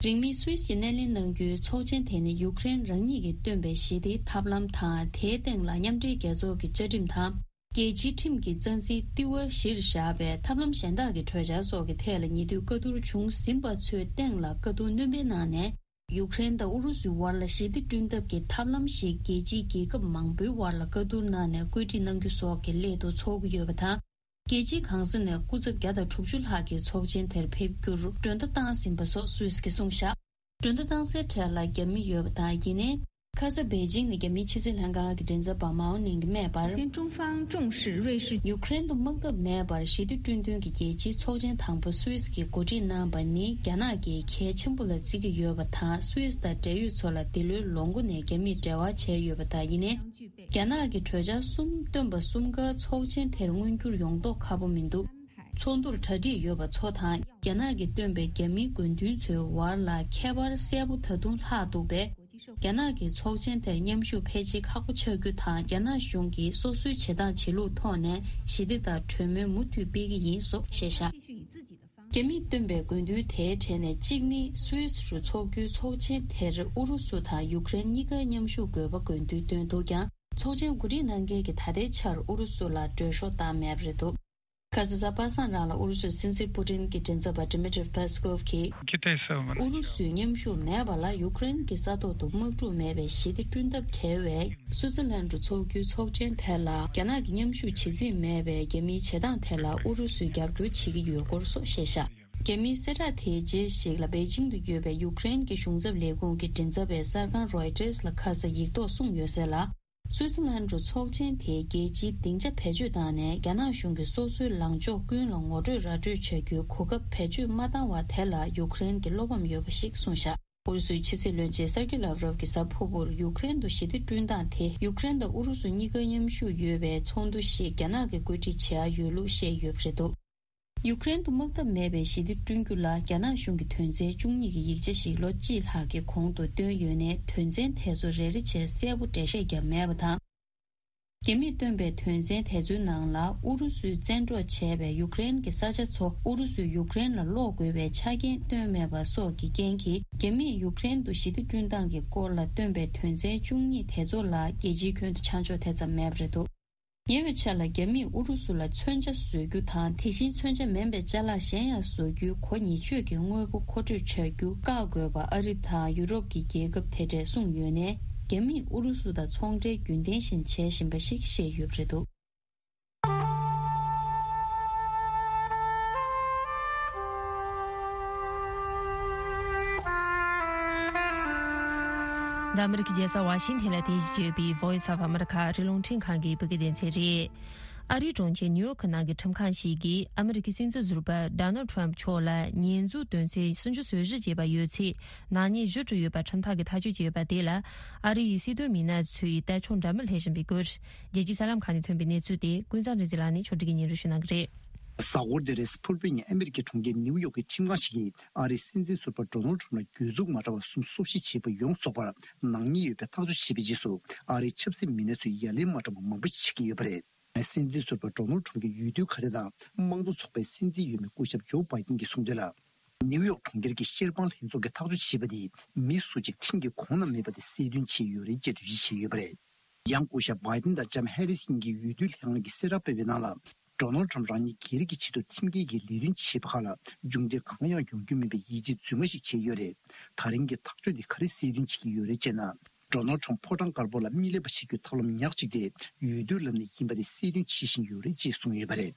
རིང་མིན་སུད་སིས་སྣེ་ལེན་གནང་རྒྱུའི་ཚོགས་ཆེན་དེ་ནི་ཡུཀ་རེན་རང་ཉིད་ཀྱིས་བཏོན་པའི་ཞི་བདེའི་ཐབས་ལམ་དང་། དེའི་སྟེང་ལ་མཉམ་འབྲེལ་རྒྱལ་ཚོགས་ཀྱི་བཅའ་ཁྲིམས་དང་། རྒྱལ་སྤྱིའི་ཁྲིམས་ཀྱི་རྩ་འཛིན་ལྟེ་བ་གཞིར་བཞག་པའི་ཐབས་ལམ་གཞན་དག་གི་གྲོས་འཆར་སོགས་ཀྱི་ཐད་ལ་ཉེ་དུས་བཀའ་བསྡུར་བྱུང་ཟིན་པ་ཚོའི་སྟེང་ལ་བཀའ་བསྡུར་སྣོན་སྤེལ་གནང་ནས། ཡུཀ་རེན་དང་ཨུ་རུ་སུའི་བར་ལ་ཞི་བདེ་བསྐྲུན་ཐབས་ཀྱི་ཐབས་ལམ་ཞིག་རྒྱལ་སྤྱིའི་རྒྱལ་ཁབ་མང་པོའི་བར་ལ་བཀའ་བསྡུར་གནང་ནས་བཀོད་སྒྲིག་གནང་རྒྱུ་སོགས་ཀྱི་སླད་དུ་འཚོགས་ཀྱི་ཡོད་པ་དང་། རྒྱལ་སྤྱིའི་གང་ས་ནས་སྐུ་ཚབ་བརྒྱ་དང་དྲུག་ཅུ་ལྷག་གིས་ཚོགས་ཆེན་དེར་ཕེབས་རྒྱུར་མགྲོན་བརྡ་བཏང་ཟིན་པ་སོགས་སུད་སི་གིས་གསུངས་བཞག་མགྲོན་བརྡ་བཏང་སའི་གྲས་ལ་རྒྱ་མི་ཡོད་པ་དང་། ཡིན་ནའི། ཁ་ས་པེ་ཅིང་ནས་རྒྱ་མིའི་ཕྱི་སྲིད་ལྷན་ཁང་གི་མགྲིན་ཚབ་པ་མའོ་ནིང་གིས་སྨྲས་པར། 中方重视瑞士 ཡུཀ་རེན་དུ་དམག་འཐབ་མེད་པར་ཞི་བདེ་བསྐྲུན་དོན་གྱི་རྒྱལ་སྤྱིའི་ཚོགས་ཆེན་དང་པོ་སུད་སི་གིས་གོ་སྒྲིག་གནང་པ་ནི་རྒྱ་ནག་གིས་གལ་ཆེན་པོ་ལ་བརྩི་གི་ཡོད་པ་དང་། སུད་སི་དང་འབྲེལ་ཡོད་ཚོ་ལ་འདི་ལོའི་ལོ་མགོ་ནས་རྒྱ་མིས་འབྲེལ་བ་བྱས་ཡོད་པ་དང་། ཡིན་ནའི། རྒྱ་ནག་གིས་གྲོས་འཆར་གསུམ་བཏོན་པ་གསུམ་ཀ་ཚོགས་ཆེན་དེར་མངོན་འགྱུར་ཡོང་མདོག་ཁ་པོ་མི་འདུག་ཚོགས་འདུར་གྲ་སྒྲིག་ཡོད་པ་ཚོ་དང་། རྒྱ་ནག་གིས་བཏོན་པའི་རྒྱ་མིའི་དགོས་འདུན་ཚོའི་བར་ལ་ཁྱད་པར་གསལ་པོ་ད་དུང་ལྷག་འདུག་པས། རྒྱ་ནག་གིས་ཚོགས་ཆེན་དེར་མཉམ་ཞུགས་ཕལ་ཆེར་ཁག་པོ་ཆགས་རྒྱུ་དང་། རྒྱ་ནག་གཞུང་གིས་སོ་སོའི་བྱེད་སྟངས་བྱེད་ལུགས་ཐོག་ནས་ཞི་བདེ་དང་གྲོས་མོལ་མུ་མཐུད་སྤེལ་གྱི་ཡིན་སོགས་བཤད་བཞག་རྒྱ་མིས་བཏོན་པའི་དགོས་འདུན་དེའི་གྲས་ནས་གཅིག་ནི། སུད་སི་རུ་འཚོགས་རྒྱུའི་ཚོགས་ཆེན་དེར་ཨུ་རུ་སུ་དང་ཡུཀ་རེན་གཉིས་ཀ་མཉམ་ཞུགས་དགོས་པ་དགོས་འདུན་བཏོན་འདུག་ཀྱང་། ཚོགས་ཆེན་གོ་སྒྲིག་གནང་མཁན་གྱིས་ད་ལྟའི་ཆར་ཨུ་རུ་སུ་ལ་མགྲོན་ཤོག་བཏང་མེད་པ་རེད་འདུག་ཁ་ས་གཟའ་པ་སངས་རང་ལ་ཨུ་རུ་སུའི་སྲིད་འཛིན་པུ་ཏིན་གྱི་མགྲིན་ཚབ་པ་Dmitry Peskov གིས། ཨུ་རུ་སུས་མཉམ་ཞུགས་མེད་པ་ལ་ཡུཀ་རེན་གྱི་ས་ཐོག་ཏུ་དམག་འཁྲུག་མེད་པའི་ཞི་བདེ་བསྐྲུན་ཐབས་བྲལ་བའི་སུད་སི་ལན་དུ་འཚོགས་རྒྱུའི་ཚོགས་ཆེན་དེ་ལ་རྒྱ་ནག་གིས་མཉམ་ཞུགས་བྱེད་རྩིས་མེད་པའི་རྒྱ་མིའི་བྱེད་སྟངས་དེ་ལ་ཨུ་རུ་སུས་རྒྱབ་སྐྱོར་བྱེད་ཀྱི་ཡོད་སྐོར་སོགས་བཤད་བཞག་རྒྱ་མིའི་གསལ་བསྒྲགས་དེའི་རྗེས་ཤིག་ལ་པེ་ཅིང་དུ་ཡོད་པའི་ཡུཀ་རེན་གྱི་གཞུང་ཚབ་ལས་ཁུངས་ཀྱི་མགྲིན་ཚབ་པས་གསར་ཁང་Reuters ལ་ཁ་ས་ཡིག་ཐོག་གསུངས་ཡོད་གསལ་ལ། སུད་སི་ལན་དུ་ཚོགས་ཆེན་དེའི་རྒྱལ་སྤྱིའི་སྡིངས་ཆ་བེད་སྤྱོད་བཏང་ནས་རྒྱ་ནག་གཞུང་གིས་སོ་སོའི་ལངས་ཕྱོགས་ཀུན་ལ་ངོ་སྤྲོད་ར་སྤྲོད་བྱ་རྒྱུའི་གོ་སྐབས་བེད་སྤྱོད་མ་བཏང་བ་དེ་ལ་ཡུཀ་རེན་གྱིས་བློ་ཕམ་ཡོད་པ་ཞིག་གསུངས་བཞག་ཨུ་རུ་སུའི་ཕྱི་སྲིད་བློན་ཆེན་སར་ཀི་ལབ་རོབ་ཀྱིས་གཟའ་ཕུར་བུར་ཡུཀ་རེན་དུ་ཞི་བདེ་བསྐྲུན་སྟངས་དེ་ཡུཀ་རེན་དང་ཨུ་རུ་སུ་གཉིས་ཀ་མཉམ་ཞུགས་ཡོད་པའི་ཚོགས་འདུ་ཞིག་རྒྱ་ནག་གིས་བཀོད་སྒྲིག་བྱེད་ཡ་ཡོད་ལུགས་བཤད་ཡོད་པ་རེད་འདུག་ཡུཀ་རེན་དུ་དམག་འཐབ་མེད་པའི་ཞི་བདེ་བསྐྲུན་རྒྱུ་ལ་རྒྱ་ནག་གཞུང་གིས་དོན་ཚན་བཅུ་གཉིས་ཀྱི་ཡིག་ཆ་ཞིག་ལོ་གཅིག་ལྷག་གི་གོང་དུ་བཏོན་ཡོད་ནའི། དོན་ཚན་དེ་ཚོ་རེ་རེ་བྱས་གསལ་པོ་འགྲེལ་བཤད་བརྒྱབ་མེད་པ་དང་། རྒྱ་མིས་བཏོན་པའི་དོན་ཚན་དེ་ཚོའི་ནང་ལ་ཨུ་རུ་སུས་བཙན་འཕྲོག་བྱས་པའི་ཡུཀ་རེན་གྱི་ས་ཆ་ཚོ་ཨུ་རུ་སུས་ཡུཀ་རེན་ལ་སློག་དགོས་པའི་ཆ་རྐྱེན་བཏོན་མེད་པ་སོགས་ཀྱི་རྐྱེན་གྱིས། རྒྱ་མིས་ཡུཀ་རེན་དུ་ཞི་བདེ་བསྐྲུན་སྟངས་ཀྱི་སྐོར་ལ་བཏོན་པའི་དོན་ཚན་བཅུ་གཉིས་དེ་ཚོ་ལ་རྒྱལ་སྤྱིའི་ཁྱོན་དུ་ཆ་འཇོག་དེ་ཙམ་མེད་པ་རེད་འདུག་ཉེ་བའི་ཆར་ལ་རྒྱ་མིས་ཨུ་རུ་སུ་ལ་མཚོན་ཆ་བཟོ་རྒྱུ་དང་། དེ་བཞིན་མཚོན་ཆ་མིན་པའི་ཅ་ལག་གཞན་ཡང་བཟོ་རྒྱུའི་གོ་ཉེས་སྤྱོད་ཀྱི་དངོས་པོ་མཁོ་སྤྲོད་བྱ་རྒྱུ་བཀག་དགོས་པ་ཨ་རི་དང་ཡུ་རོབ་ཀྱི་རྒྱལ་ཁབ་དེ་གྲས་གསུངས་ཡོད་ནའི། རྒྱ་མིས་ཨུ་རུ་སུ་དང་ཚོང་འབྲེལ་རྒྱུན་ལྡན་བཞིན་བྱེད་བཞིན་པ་ཞིག་བཤད་ཡོད་པ་རེད་འདུག་འདི་ཨ་མི་རི་ཀའི་རྒྱལ་ས་ཝ་ཤིང་ཐན་ལ་རྟེན་གཞི་བྱས་ཡོད་པའི་Voice of America ཨ་རིའི་རླུང་འཕྲིན་ཁང་གི་བོད་སྐད་སྡེ་ཚན་རེད། ཨ་རིའི་གྲོང་ཁྱེར་ནིའུ་ཡོག་ནང་གི་ཁྲིམས་ཁང་ཞིག་གིས་ཨ་མི་རི་ཀའི་སྲིད་འཛིན་ཟུར་པ་Donald Trump མཆོག་ལ་ཉེས་འཛུགས་དོན་ཚན་སུམ་ཅུ་སོ་བཞི་བཅས་པ་ཡོད་ཚེ་ནག་ཉེས་ཞུ་འབྲུ་ཡོད་པ་ཁྲིམས་ཐག་གིས་ཐག་གཅོད་བྱས་ཡོད་པ་དེ་ལ་ཨ་རི་ཡི་སྲིད་དོན་མི་སྣ་ཚོས་ལྟ་ཕྱོགས་འདྲ་མིན་སླེབས་བཞིན་པའི་སྐོར། རྒྱལ་སྤྱིའི་གསར་ལམ་ཁག་ནས་ཐོན་པའི་གནས་ཚུལ་དེ་ཀུན་བཟང་རིག་འཛིན་ལགས་ནས་ཕྱོགས་སྒྲིག་གིས་སྙན་སྒྲོན་ཞུ་གནང་གི་རེད། གཟའ་འཁོར་འདིར་སྤུར་པེ་ཉིན་ཨ་མེ་རི་ཀའི་གྲོང་ཁྱེར་ནིའུ་ཡོག་གི་ཁྲིམས་ཁང་ཞིག་གིས་ཨ་རིའི་སྲིད་འཛིན་ཟུར་པ་ཌོ་ནལ་ཁྲམ་ལ་གྱོད་འཛུགས་མ་འདྲ་བ་གསུམ་སོ་བཞི་བྱས་པ་ཡོངས་རྫོགས་པར་ནག་ཉེས་ཡོད་པའི་ཐག་གཅོད་བྱས་པའི་རྗེས་སུ། ཨ་རིའི་ཆབ་སྲིད་མི་སྣ་ཚོས་ཡ་ལན་མ་འདྲ་བ་མང་པོ་ཞིག་བྱེད་ཀྱི་ཡོད་པ་རེད། སྲིད་འཛིན་ཟུར་པ་ཌོ་ནལ་ཁྲམ་གྱི་འོས་བསྡུའི་ཁ་བརྡ་དང་། དམངས་གཙོ་ཚོགས་པའི་སྲིད་འཛིན་འོས་མི་སྐུ་ཞབས་ཇོ་བྷའི་ཏིན་གྱིས་གསུངས་དོན་ལ། ནིའུ་ཡོག་གྲོང་ཁྱེར་གྱི་ཤེར་དཔང་ལྷན་ཚོགས་ཀྱིས་ཐག་གཅོད་བྱས་པ་དེ། མི་སུ་གཅིག་ཁྲིམས་ཀྱི་ཁོངས་ན་མེད་པ་དེ་གསལ་སྟོན་བྱས་ཡོད་རེད་ཅེས་འགྲེལ་བརྗོད་བྱས་ཡོད་པ་རེད། ཡང་སྐུ་ཞབས་བྷའི་ཏིན་དང་ལྕམ་ཧེ་རིས་གཉིས་ཀྱི་འོས་བསྡུ་ལྷན་ཁང་གིས་གསལ་བསྒྲགས་སྤེལ་བའི་ནང་ལ། ཌོ་ནལ་ཁྲམ་རང་ཉིད་སྒེར་གྱི་ཆེད་དུ་ཁྲིམས་འགལ་གྱི་ལས་དོན་བྱས་པ་ཁག་ལ་མཇུག་འབྲས་གང་ཡང་ཡོང་རྒྱུ་མིན་པའི་ཡིད་ཆེས་རྫུན་མ་ཞིག་བྱས་ཡོད་རེད། ད་རིང་གི་ཐག་གཅོད་འདི་ག་རེ་གསལ་སྟོན་བྱེད་ཀྱི་ཡོད་རེད་ཅེ་ན། ཌོ་ནལ་ཁྲམ་ཕོ་བྲང་དཀར་པོ་ལ་མི་གླེན་པ་བྱེད་རྒྱུའི་ཐབས་ལམ་ཉག་གཅིག་དེ་འོས་བསྡུ་ལམ་ནས་ཡིན་པ་དེ་གསལ་སྟོན་བྱེད་བཞིན་ཡོད་རེད་ཅེས་གསུངས་ཡོད་པ་རེད།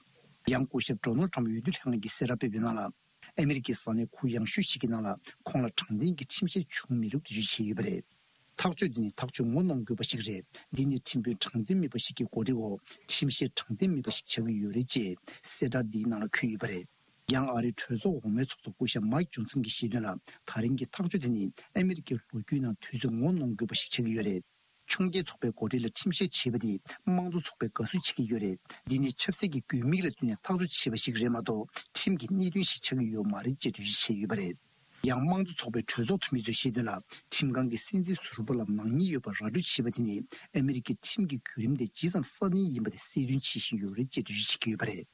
ཡང་སྐུ་ཞབས་ཌོ་ནལ་ཁྲམ་འོས་བསྡུ་ལྷན་ཁང་གིས་གསལ་བསྒྲགས་སྤེལ་བའི་ནང་ལ། ཨ་མེ་རི་ཁའི་ས་གནས་ཁུལ་ཡང་ཤོས་ཤིག་གི་ནང་ལ་ཁོང་ལ་དྲང་བདེན་གྱི་ཁྲིམས་བཤེར་བྱུང་མེད་ལུགས་འགྲེལ་བརྗོད་བྱས་ཡོད་པ་རེད། ཐག་གཅོད་འདི་ནི་ཐག་གཅོད་ངོ་གནོང་དགོས་པ་ཞིག་རེད། འདི་ནི་ཁྲིམས་དཔོན་དྲང་བདེན་མེད་པ་ཞིག་གི་འགོ་ཁྲིད་འོག་ཁྲིམས་བཤེར་དྲང་བདེན་མེད་པ་ཞིག་ཆགས་ཀྱི་ཡོད་རེད་ཅེས་གསལ་བསྒྲགས་འདིའི་ནང་ལ་འཁོད་ཡོད་པ་རེད། ཡང་ཨ་རིའི་གྲོས་ཚོགས་འོག་མའི་ཚོགས་གཙོ་སྐུ་ཞབས་མའིག་ཇོན་སན་གྱིས་བཤད་དོན་ལ། ད་རིང་གི་ཐག་གཅོད་དེ་ནི་ཨ་མེ་རི་ཀའི་ལོ་རྒྱུས་ནང་དུས་ཚོད་ངོ་གནོང་དགོས་པ་ཞིག་ཆགས་ཀྱི་ཡོད་རེད། ཆུང་སྐྱེས་ཚོགས་པའི་འགོ་ཁྲིད་ལ་ཁྲིམས་བཤེར་བྱས་པ་དེ་དམངས་གཙོ་ཚོགས་པས་དགའ་བསུ་བྱེད་ཀྱི་ཡོད་རེད། འདི་ནི་ཆབ་སྲིད་ཀྱི་དགོས་དམིགས་ལ་བསྟུན་ནས་ཐག་གཅོད་བྱས་པ་ཞིག་རེད་མ་གཏོགས་ཁྲིམས་ཀྱི་གནད་དོན་ཞིག་ཆགས་ཀྱི་ཡོད་མ་རེད་ཅེས་འགྲེལ་བརྗོད་བྱས་ཡོད་པ་རེད། ཡང་དམངས་གཙོ་ཚོགས་པའི་གྲོས་ཚོགས་འཐུས་མི་ཚོས་བཤད་དོན་ལ། ཁྲིམས་ཁང་གིས་སྲིད་འཛིན་ཟུར་པ་ལ་ནག་ཉེས་ཡོད་པ་ར་སྤྲོད་བྱས་པ་དེ་ནི་ཨ་མེ་རི་ཀའི་ཁྲིམས་ཀྱི་བརྒྱུད་རིམ་དེ་ཇི་ཙམ་སྲ་བརྟན་ཡིན་པ་དེ་གསལ་སྟོན་བྱེད་བཞིན་ཡོད་རེད་ཅེས་འགྲེལ་བརྗོད་བྱེད་ཀྱི་ཡོད་པ་རེད།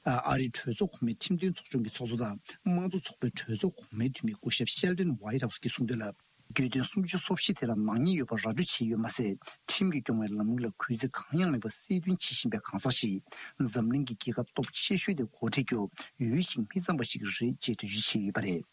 ཨ་རིའི་གྲོས་ཚོགས་གོང་མའི་ཁྲིམས་དོན་ཚོགས་ཆུང་གི་ཚོགས་གཙོ་དང་དམངས་གཙོ་ཚོགས་པའི་གྲོས་ཚོགས་གོང་མའི་འཐུས་མི་སྐུ་ཞབས་ཤེལ་ཏན་ཝའི་ཊ་ཧའུ་སི་གིས་གསུངས་དོན་ལ། གྱོད་དོན་སུམ་ཅུ་སོ་བཞི་དེ་ལ་ནག་ཉེས་ཡོད་པ་ར་སྤྲོད་བྱས་ཡོད་མ་ཟད། ཁྲིམས་ཀྱིས་སྐྱོང་བའི་ལམ་ལུགས་ལ་གུས་བརྩི་གང་ཡང་མེད་པ་གསལ་སྟོན་བྱེད་བཞིན་པའི་གང་ཟག་ཞིག་འཛམ་གླིང་གི་རྒྱལ་ཁབ་སྟོབས་ཆེ་ཤོས་དེ་འགོ་ཁྲིད་རྒྱུ་འོས་ཤིང་མི་འཚམ་པ་ཞིག་རེད་ཅེས་འགྲེལ་བརྗོད་བྱས་ཡོད་པ་རེད།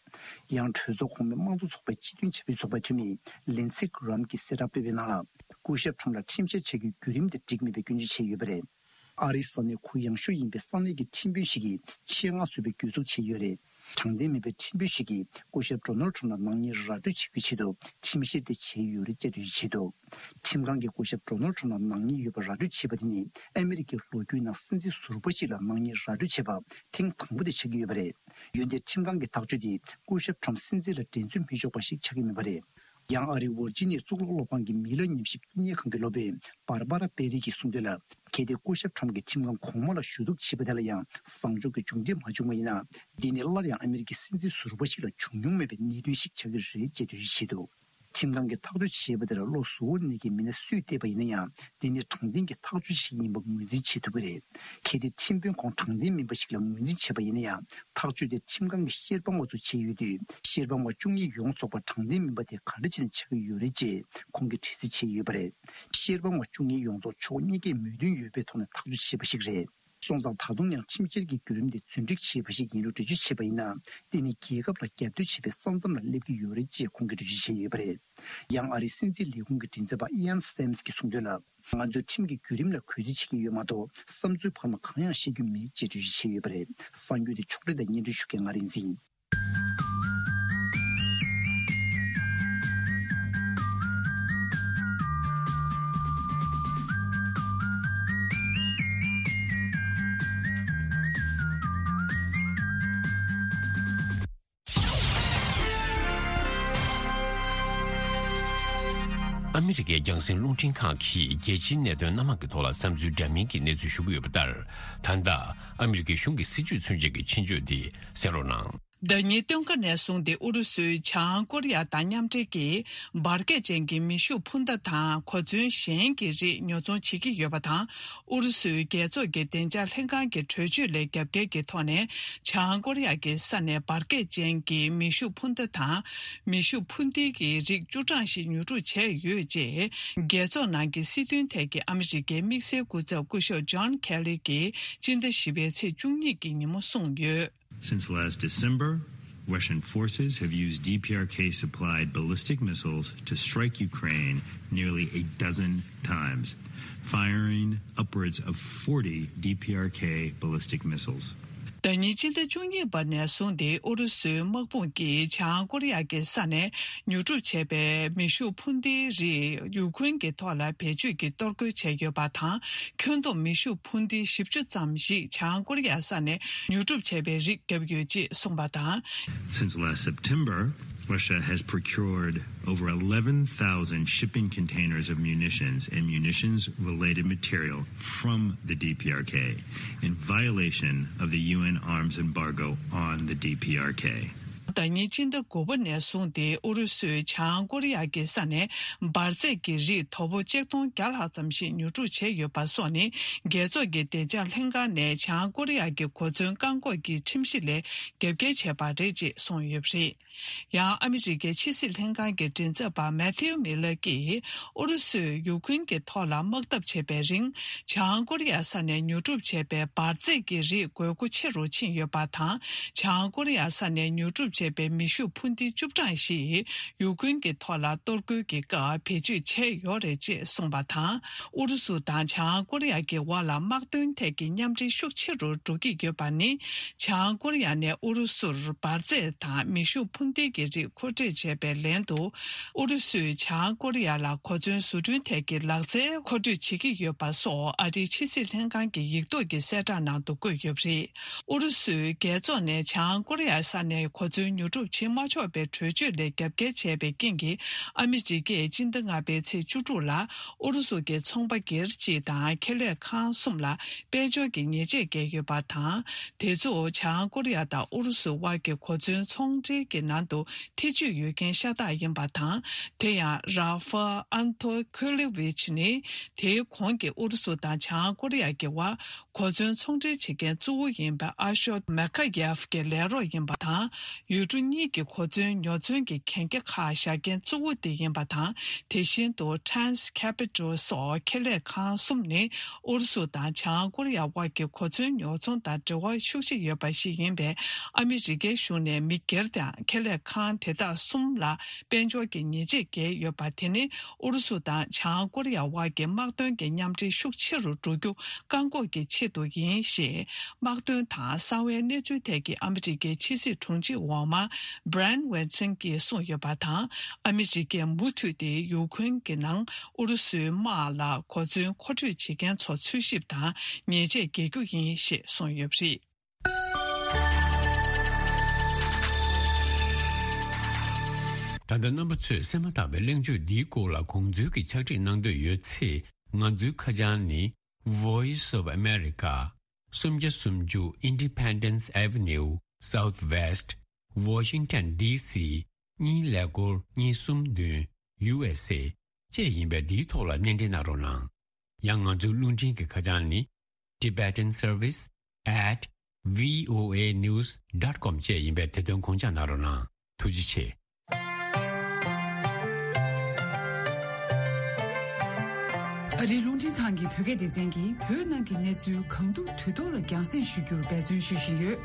ཡང་གྲོས་ཚོགས་གོང་མའི་དམངས་གཙོ་ཚོགས་པའི་སྤྱི་མཐུན་བྱ་བའི་ཚོགས་པའི་འཐུས་མི་ལིན་སི་གྷི་རམ་གྱིས་གསལ་བསྒྲགས་སྤེལ་བའི་ནང་ལ། སྐུ་ཞབས་ཁྲོམ་ལ་ཁྲིམས་བཤེར་བྱ་རྒྱུའི་བརྒྱུད་རིམ་དེ་འགྲིག་མེད་པའི་སྐྱོན་བརྗོད་བྱས་ཡོད་པ་རེད། ཨ་རིའི་ས་གནས་ཁུལ་ཡངས་ཤོས་ཡིན་པའི་ས་གནས་ཀྱི་ཁྲིམས་དཔོན་ཞིག་གིས་ཆེད་མངགས་བཟོས་པའི་གྱོད་འཛུགས་བྱས་ཡོད་རེད། དྲང་བདེན་མེད་པའི་ཁྲིམས་དཔོན་ཞིག་གིས་སྐུ་ཞབས་ཌོ་ནལ་ཁྲོམ་ལ་ནག་ཉེས་ར་སྤྲོད་བྱེད་རྒྱུའི་ཆེད་དུ་ཁྲིམས་བཤེར་དེ་བྱས་ཡོད་རེད་ཅེས་འགྲེལ་བརྗོད་བྱས་འདུག་ཁྲིམས་ཁང་གིས་སྐུ་ཞབས་ཌོ་ནལ་ཁྲོམ་ལ་ནག་ཉེས་ཡོད་པ་ར་སྤྲོད་བྱས་པ་དེ་ནི་ཨ་མེ་རི་ཀའི་ལོ་རྒྱུས་ནང་སྲིད་འཛིན་ཟུར་པ་ཞིག་ལ་ནག་ཉེས་ར་སྤྲོད་བྱས་པ་ཐེངས་དང་པོ་དེ་ཆགས་ཀྱི་ཡོད་པ་རེད། འོན་ཏེ་ཁྲིམས་ཁང་གི་ཐག་གཅོད་དེས་སྐུ་ཞབས་ཁྲོམ་སྲིད་འཛིན་ལ་འགྲན་རྩོད་མི་ཆོག་པ་ཞིག་ཆགས་ཀྱི་མེད་པ་རེད། ཡང་ཨ་རིའི་ཝར་ཇི་ནི་ཡའི་གཙུག་ལག་སློབ་ཁང་གི་མི་ལ་ཉམས་ཞིབ་བསྟི་གནས་ཁང་གི་སློབ་དཔོན་བར་བ་ར་པེ་རི་གིས་གསུངས་དོན་ལ། གལ་ཏེ་སྐུ་ཞབས་ཁྲོམ་གྱིས་ཁྲིམས་ཁང་གོང་མ་ལ་ཞུ་གཏུག་བྱས་པ་དེ་ལ་ཡང་བཟང་ཕྱོགས་ཀྱི་མཇུག་འབྲས་མ་བྱུང་བ་ཡིན་ན། འདི་ནི་སླར་ཡང་ཨ་མེ་རི་ཀའི་སྲིད་འཛིན་ཟུར་པ་ཞིག་ལ་བྱུང་མྱོང་མེད་པའི་གནད་དོན་ཞིག་ཆགས་ཀྱི་རེད་ཅེས་འགྲེལ་བརྗོད་བྱས་འདུག་ཁྲིམས་ཁང་གིས་ཐག་གཅོད་བྱས་པ་དེར་བློ་གཟུ་བོར་གནས་ཀྱི་མི་སྣ་སུས་བལྟས་པ་ཡིན་ན་ཡང་། འདི་ནི་དྲང་བདེན་གྱི་ཐག་གཅོད་ཞིག་ཡིན་པ་ངོས་འཛིན་བྱེད་ཐུབ་ཀྱི་རེད། གལ་ཏེ་ཁྲིམས་དཔོན་ཁོང་དྲང་བདེན་མིན་པ་ཞིག་ལ་ངོས་འཛིན་བྱས་པ་ཡིན་ན་ཡང་། ཐག་གཅོད་དེ་ཁྲིམས་ཁང་གི་ཤེར་དཔང་བ་ཚོས་བྱས་ཡོད་དུས། ཤེར་དཔང་བ་བཅུ་གཉིས་ཡོངས་རྫོགས་པ་དྲང་བདེན་མིན་པ་དེ་ག་འདྲ་བྱས་ནས་ཆགས་ཀྱི་ཡོད་རེད་ཅེས་ཁོང་གིས་དྲི་རྩད་བྱས་ཡོད་པ་རེད། ཤེར་དཔང་བ་བཅུ་གཉིས་ཡོངས་རྫོགས་ཕྱོགས་གཉིས་ཀས་མོས་མཐུན་ཡོད་པའི་ཐོག་ནས་ཐག་གཅོད་བྱས་པ་ཞིག་རེད། སོང་ཙང་ད་དུང་ཡང་ཁྲིམས་བཤེར་གྱི་བརྒྱུད་རིམ་དེ་རྫུན་སྒྲིག་བྱས་པ་ཞིག་ཡིན་ལུགས་འགྲེལ་བརྗོད་བྱས་པ་ཡིན་ན། དེ་ནི་རྒྱལ་ཁབ་ལ་རྒྱབ་གཏོད་བྱེད་པའི་ས་མཚམས་ལ་སླེབས་ཀྱི་ཡོད་རེད་ཅེས་ཁོང་གིས་འགྲེལ་བརྗོད་བྱས་ཡོད་པ་རེད། ཡང་ཨ་རིའི་སྲིད་འཛིན་ལས་ཁུངས་ཀྱི་མགྲིན་ཚབ་པ་ཨི་ཡན་སེམས་ཀྱིས་གསུངས་དོན་ལ། ང་ཚོས་ཁྲིམས་ཀྱི་བརྒྱུད་རིམ་ལ་གུས་བརྩི་བྱེད་ཀྱི་ཡོད་མ་གཏོགས་བསམ་ཚུལ་བར་མ་གང་ཡང་བཤད་རྒྱུ་མེད་ཅེས་འགྲེལ་བརྗོད་བྱས་ཡོད་པ་རེད། གསར་འགྱུར་དེ་ཕྱོགས་སྒྲིག་དང་སྙན་སྒྲོན་ཞུ་མཁན་ང་རིག་འཛིན། ཨ་མི་རི་ཀའི་རྒྱང་སྲིང་རླུང་འཕྲིན་ཁང་གིས་རྒྱལ་སྤྱིའི་གནད་དོན་སྣ་མང་གི་ཐོག་ལ་བསམ་ཚུལ་འདྲ་མིན་གྱི་གནས་ཚུལ་ཞུ་གི་ཡོད་པ་ལྟར། ད་ལྟ་ཨ་མི་རི་ཀའི་གཞུང་གི་སྲིད་བྱུས་མཚོན་བྱེད་ཀྱི་ཆེད་བརྗོད་འདི་གསན་རོགས་གནང་། ཟླ་ཉིན་སྟོན་ཁ་ནས་བཟུང་སྟེ་ཨུ་རུ་སུས་བྱང་ཧང་ཀོ་རི་ཡ་དང་མཉམ་འབྲེལ་གྱིས་འབར་གས་ཅན་གྱི་མེ་ཤུགས་འཕུར་མདའ་དང་གོ་མཚོན་གཞན་གྱི་རིགས་ཉོ་ཚོང་བྱེད་ཀྱི་ཡོད་པ་དང་། ཨུ་རུ་སུའི་རྒྱལ་ཚོགས་ཀྱི་བདེ་འཇགས་ལྷན་ཁང་གི་གྲོས་ཆོད་ལས་རྒྱབ་འགལ་གྱི་ཐོག་ནས་བྱང་ཀོ་རི་ཡ་གི་ས་ནས་འབར་གས་ཅན་གྱི་མེ་ཤུགས་འཕུར་མདའ་དང་མེ་ཤུགས་འཕུར་མདེལ་གྱི་རིགས་བཅུ་གྲངས་ཤིག་ཉོ་སྒྲུབ་བྱས་ཡོད་ཅེས། རྒྱལ་ཚོགས་ནང་གི་སྲིད་དོན་ཐད་ཀྱི་ཨ་མི་རི་ཀའི་དམིགས་བསལ་སྐུ་ཚབ་སྐུ་ཞབས་ཇོན་ཁེ་ལི་གིས་སྤྱི་ཟླ་བཞི་པའི་ཚེས་བཅུ་གཉིས་ཀྱི་ཉིན་མོ་གསུངས་ཡོད། Since last December, Russian forces have used D P R K supplied ballistic missiles to strike Ukraine nearly a dozen times, firing upwards of forty D P R K ballistic missiles. ཟླ་ཉིན་སྤྱི་ཟླ་བཅུ་གཉིས་པ་ནས་བཟུང་སྟེ་ཨུ་རུ་སུའི་དམག་དཔུང་གིས་བྱང་ཀོ་རི་ཡ་གི་ས་ནས་ཉོ་སྒྲུབ་བྱས་པའི་མེ་ཤུགས་འཕུར་མདེལ་རིགས་ཡུ་ཁུན་གྱི་ཐོག་ལ་བེད་སྤྱོད་ཀྱིས་གཏོར་རྒོལ་བྱས་ཡོད་པ་དང་། ཁྱོན་བསྡོམས་མེ་ཤུགས་འཕུར་མདེལ་བཞི་བཅུ་ཙམ་ཞིག་བྱང་ཀོ་རི་ཡ་ས་ནས་ཉོ་སྒྲུབ་བྱས་པའི་རིགས་བརྒྱབ་ཡོད་ཅེས་གསུངས་པ་དང་། Since last September, Russia has procured over eleven thousand shipping containers of munitions and munitions related material from the D P R K in violation of the U N arms embargo on the D P R K. ཟླ་ཉིན་སྤྱི་ཟླ་དགུ་པ་ནས་བཟུང་སྟེ་ཨུ་རུ་སུས་བྱང་ཀོ་རི་ཡ་གི་ས་ནས་འབར་རྫས་ཀྱི་རིགས་དོ་པོ་ཆིག་སྟོང་བརྒྱ་ལྷག་ཙམ་ཞིག་ཉོ་སྒྲུབ་བྱས་ཡོད་པ་སོགས་ནི་རྒྱལ་ཚོགས་ཀྱི་བདེ་འཇགས་ལྷན་ཁང་ནས་བྱང་ཀོ་རི་ཡ་གི་གོ་མཚོན་བཀག་འགོག་གི་ཁྲིམས་གཞི་ལས་རྒྱབ་འགལ་བྱས་པ་རེད་ཅེས་གསུངས་ཡོད་པ་རེད། ཡང་ཨ་མི་རི་ཀའི་ཕྱི་སྲིད་ལྷན་ཁང་གི་མགྲིན་ཚབ་པ་མེ་ཐིའུ་མི་ལར་གྱིས་ཨུ་རུ་སུས་ཡུ་ཁུན་གྱི་ཐོག་ལ་དམག་འཐབ་བྱེད་པའི་རིང་བྱང་ཀོ་རི་ཡ་ས་ནས་ཉོ་སྒྲུབ་བྱས་པའི་འབར་རྫས་ཀྱི་རིགས་དགོས་མཁོ་ཆེ་རུ་ཕྱིན་ཡོད་པ་དང་། བྱང་ཀོ་རི་ཡ་ས་ནས་ཉོ་སྒྲུབ་བྱས་པའི་མེ་ཤུགས་འཕུར་མདེལ་བཅུ་གྲངས་ཤིག་ཡུ་ཁུན་གྱི་ཐོག་ལ་གཏོར་རྒོལ་གྱི་སྐབས་བེད་སྤྱོད་བྱས་ཡོད་རེད་ཅེས་གསུངས་པ་དང་། ཨུ་རུ་སུ་དང་བྱང་ཀོ་རི་ཡ་གི་དབར་ལ་དམག་དོན་ཐད་ཀྱི་མཉམ་འབྲེལ་ཤུགས་ཆེ་རུ་འགྲོ་གི་ཡོད་པ་ནི། བྱང་ཀོ་རི་ཡ་ནས་ཨུ་རུ་སུར་འབར་རྫས་དང་མེ་ཤུགས་འཕུར་མདེལ་གྱི་རིགས་མཁོ་སྤྲོད་བྱས་པའི་ལན་དུ། ཨུ་རུ་སུས་བྱང་ཀོ་རི་ཡ་ལ་གོ་མཚོན་བཟོ་སྐྲུན་ཐད་ཀྱི་ལག་རྩལ་མཁོ་སྤྲོད་བྱེད་ཀྱི་ཡོད་པ་སོགས་ཨ་རིའི་ཕྱི་སྲིད་ལྷན་ཁང་གི་ཡིག་ཐོག་གི་གསལ་བསྒྲགས་ནང་དུ་བཀོད་ཡོད་པ་རེད། ཨུ་རུ་སུས་རྒྱལ་ཚོགས་ནས་བྱང་ཀོ་རི་ཡ་ས་ནས་གོ་མཚོན་ཉོ་སྒྲུབ་བྱེད་མ་ཆོག་པའི་གྲོས་ཆོད་ལས་རྒྱབ་འགལ་བྱས་པའི་རྐྱེན་གྱིས། ཨ་མི་རི་ཀས་སྤྱི་ཟླ་ལྔ་པའི་ཚེས་བཅུ་དྲུག་ལ་ཨུ་རུ་སུ་གྱི་ཚོང་པ་སྒེར་གཅིག་དང་ཁེ་ལས་ཁང་གསུམ་ལ་དཔལ་འབྱོར་གྱི་ཉེས་ཆད་བཀལ་ཡོད་པ་དང་། དེ་ཚོ་བྱང་ཀོ་རི་ཡ་དང་ཨུ་རུ་སུ་དབར་གྱི་གོ་མཚོན་ཚོང་འབྲེལ་གྱི་ནང་དུ་ཐེ་ཇུས་ཡོད་མཁན་ཤ་སྟག་ཡིན་པ་དང་། དེ་ཡང་ར་ཧྥ་ཨན་ཐོ་ཁོ་ལེ་ཝིཆ་ནི་དེའི་གོང་གི་ཨུ་རུ་སུ་དང་བྱང་ཀོ་རི་ཡ་གྱི་དབར། གོ་མཚོན་ཚོང་འབྲེལ་བྱེད་མཁན་གཙོ་བོ་ཡིན་པའི་ཨ་ཤོད་མེ་ཁ་ཡེབ་ཀྱི་ལས་རོགས་ཡིན་པ་དང་། ཡུལ་གྲུ་གཉིས་ཀྱི་གོ་མཚོན་ཉོ་ཚོང་གི་གན་རྒྱ་ཁག་བཞག་མཁན་གཙོ་བོ་དེ་ཡིན་པ་དང་། དེ་བཞིན་དུ་Trans Capital སོགས་ཁེ་ལས་ཁང་གསུམ་ནི་ཨུ་རུ་སུ་དང་བྱང་ཀོ་རི་ཡ་དབར་གྱི་གོ་མཚོན་ཉོ་ཚོང་དང་འབྲེལ་བ་ཤུགས་ཆེ་ཡོད་པ་ཞིག་ཡིན་པས། ཨ་མི་རི་ཀའི་གཞུང་ནས་མི་སྒེར་དང་ཁེ་ལས་ཁང་དེ་དག་གསུམ་ལ་དཔལ་འབྱོར་གྱི་ཉེས་ཆད་བཀལ་ཡོད་པ་དེ་ནི། ཨུ་རུ་སུ་དང་བྱང་ཀོ་རི་ཡ་དབར་གྱི་དམག་དོན་གྱི་མཉམ་འབྲེལ་ཤུགས་ཆེ་རུ་འགྲོ་རྒྱུ་བཀག་འགོག་གི་ཆེད་དུ་ཡིན་ཞེས། དམག་དོན་དང་གསང་བའི་གནས་ཚུལ་ཐད་ཀྱི་ཨ་མི་རི་ཀའི་ཕྱི་སྲིད་དྲུང་ཆེ་འོག་མ་Brian Wilson གྱིས་གསུངས་ཡོད་པ་དང་། ཨ་མི་རི་ཀས་མུ་མཐུད་དེ་ཡུ་ཁུན་གྱི་ནང་ཨུ་རུ་སུའི་དམག་ལ་གོ་མཚོན་མཁོ་སྤྲོད་བྱེད་མཁན་ཚོ་འཚོལ་ཞིབ་དང་ཉེས་ཆད་འགེལ་རྒྱུ་ཡིན་ཞེས་གསུངས་ཡོད་པ་རེད། ད་ལྟ་རྣམ་པ་ཚོས་གསན་མ་ཐག་པའི་གླེང་བརྗོད་འདིའི་སྐོར་ལ་དགོངས་ཚུལ་གྱི་ཕྱག་བྲིས་གནང་འདོད་ཡོད་ཚེ། ང་ཚོའི་ཁ་བྱང་ནི། Voice of America། སུམ་བརྒྱ་སུམ་ཅུ་Independence Avenue Southwest Washington D C གཉིས་ཀླད་ཀོར་གཉིས་གསུམ་བདུན་U S A བཅས་ཡིན་པས། འདིའི་ཐོག་ལ་སྣེ་འདྲེན་གནང་རོགས་གནང་། ཡང་ང་ཚོའི་རླུང་འཕྲིན་གྱི་ཁ་བྱང་ནི། Tibetan Service at V O A news dot com བཅས་ཡིན་པས། དེ་དོན་དགོངས་འཇགས་གནང་རོགས་གནང་། ཐུགས་རྗེ་ཆེ། ཨ་རིའི་རླུང་འཕྲིན་ཁང་གི་བོད་སྐད་སྡེ་ཚན་གྱིས་བོད་ནང་གི་གནས་ཚུལ་གང་ཐུབ་དུས་ཐོག་ལ་རྒྱང་སྲིང་ཞུ་རྒྱུར་འབད་བརྩོན་ཞུ་བཞིན་ཡོད།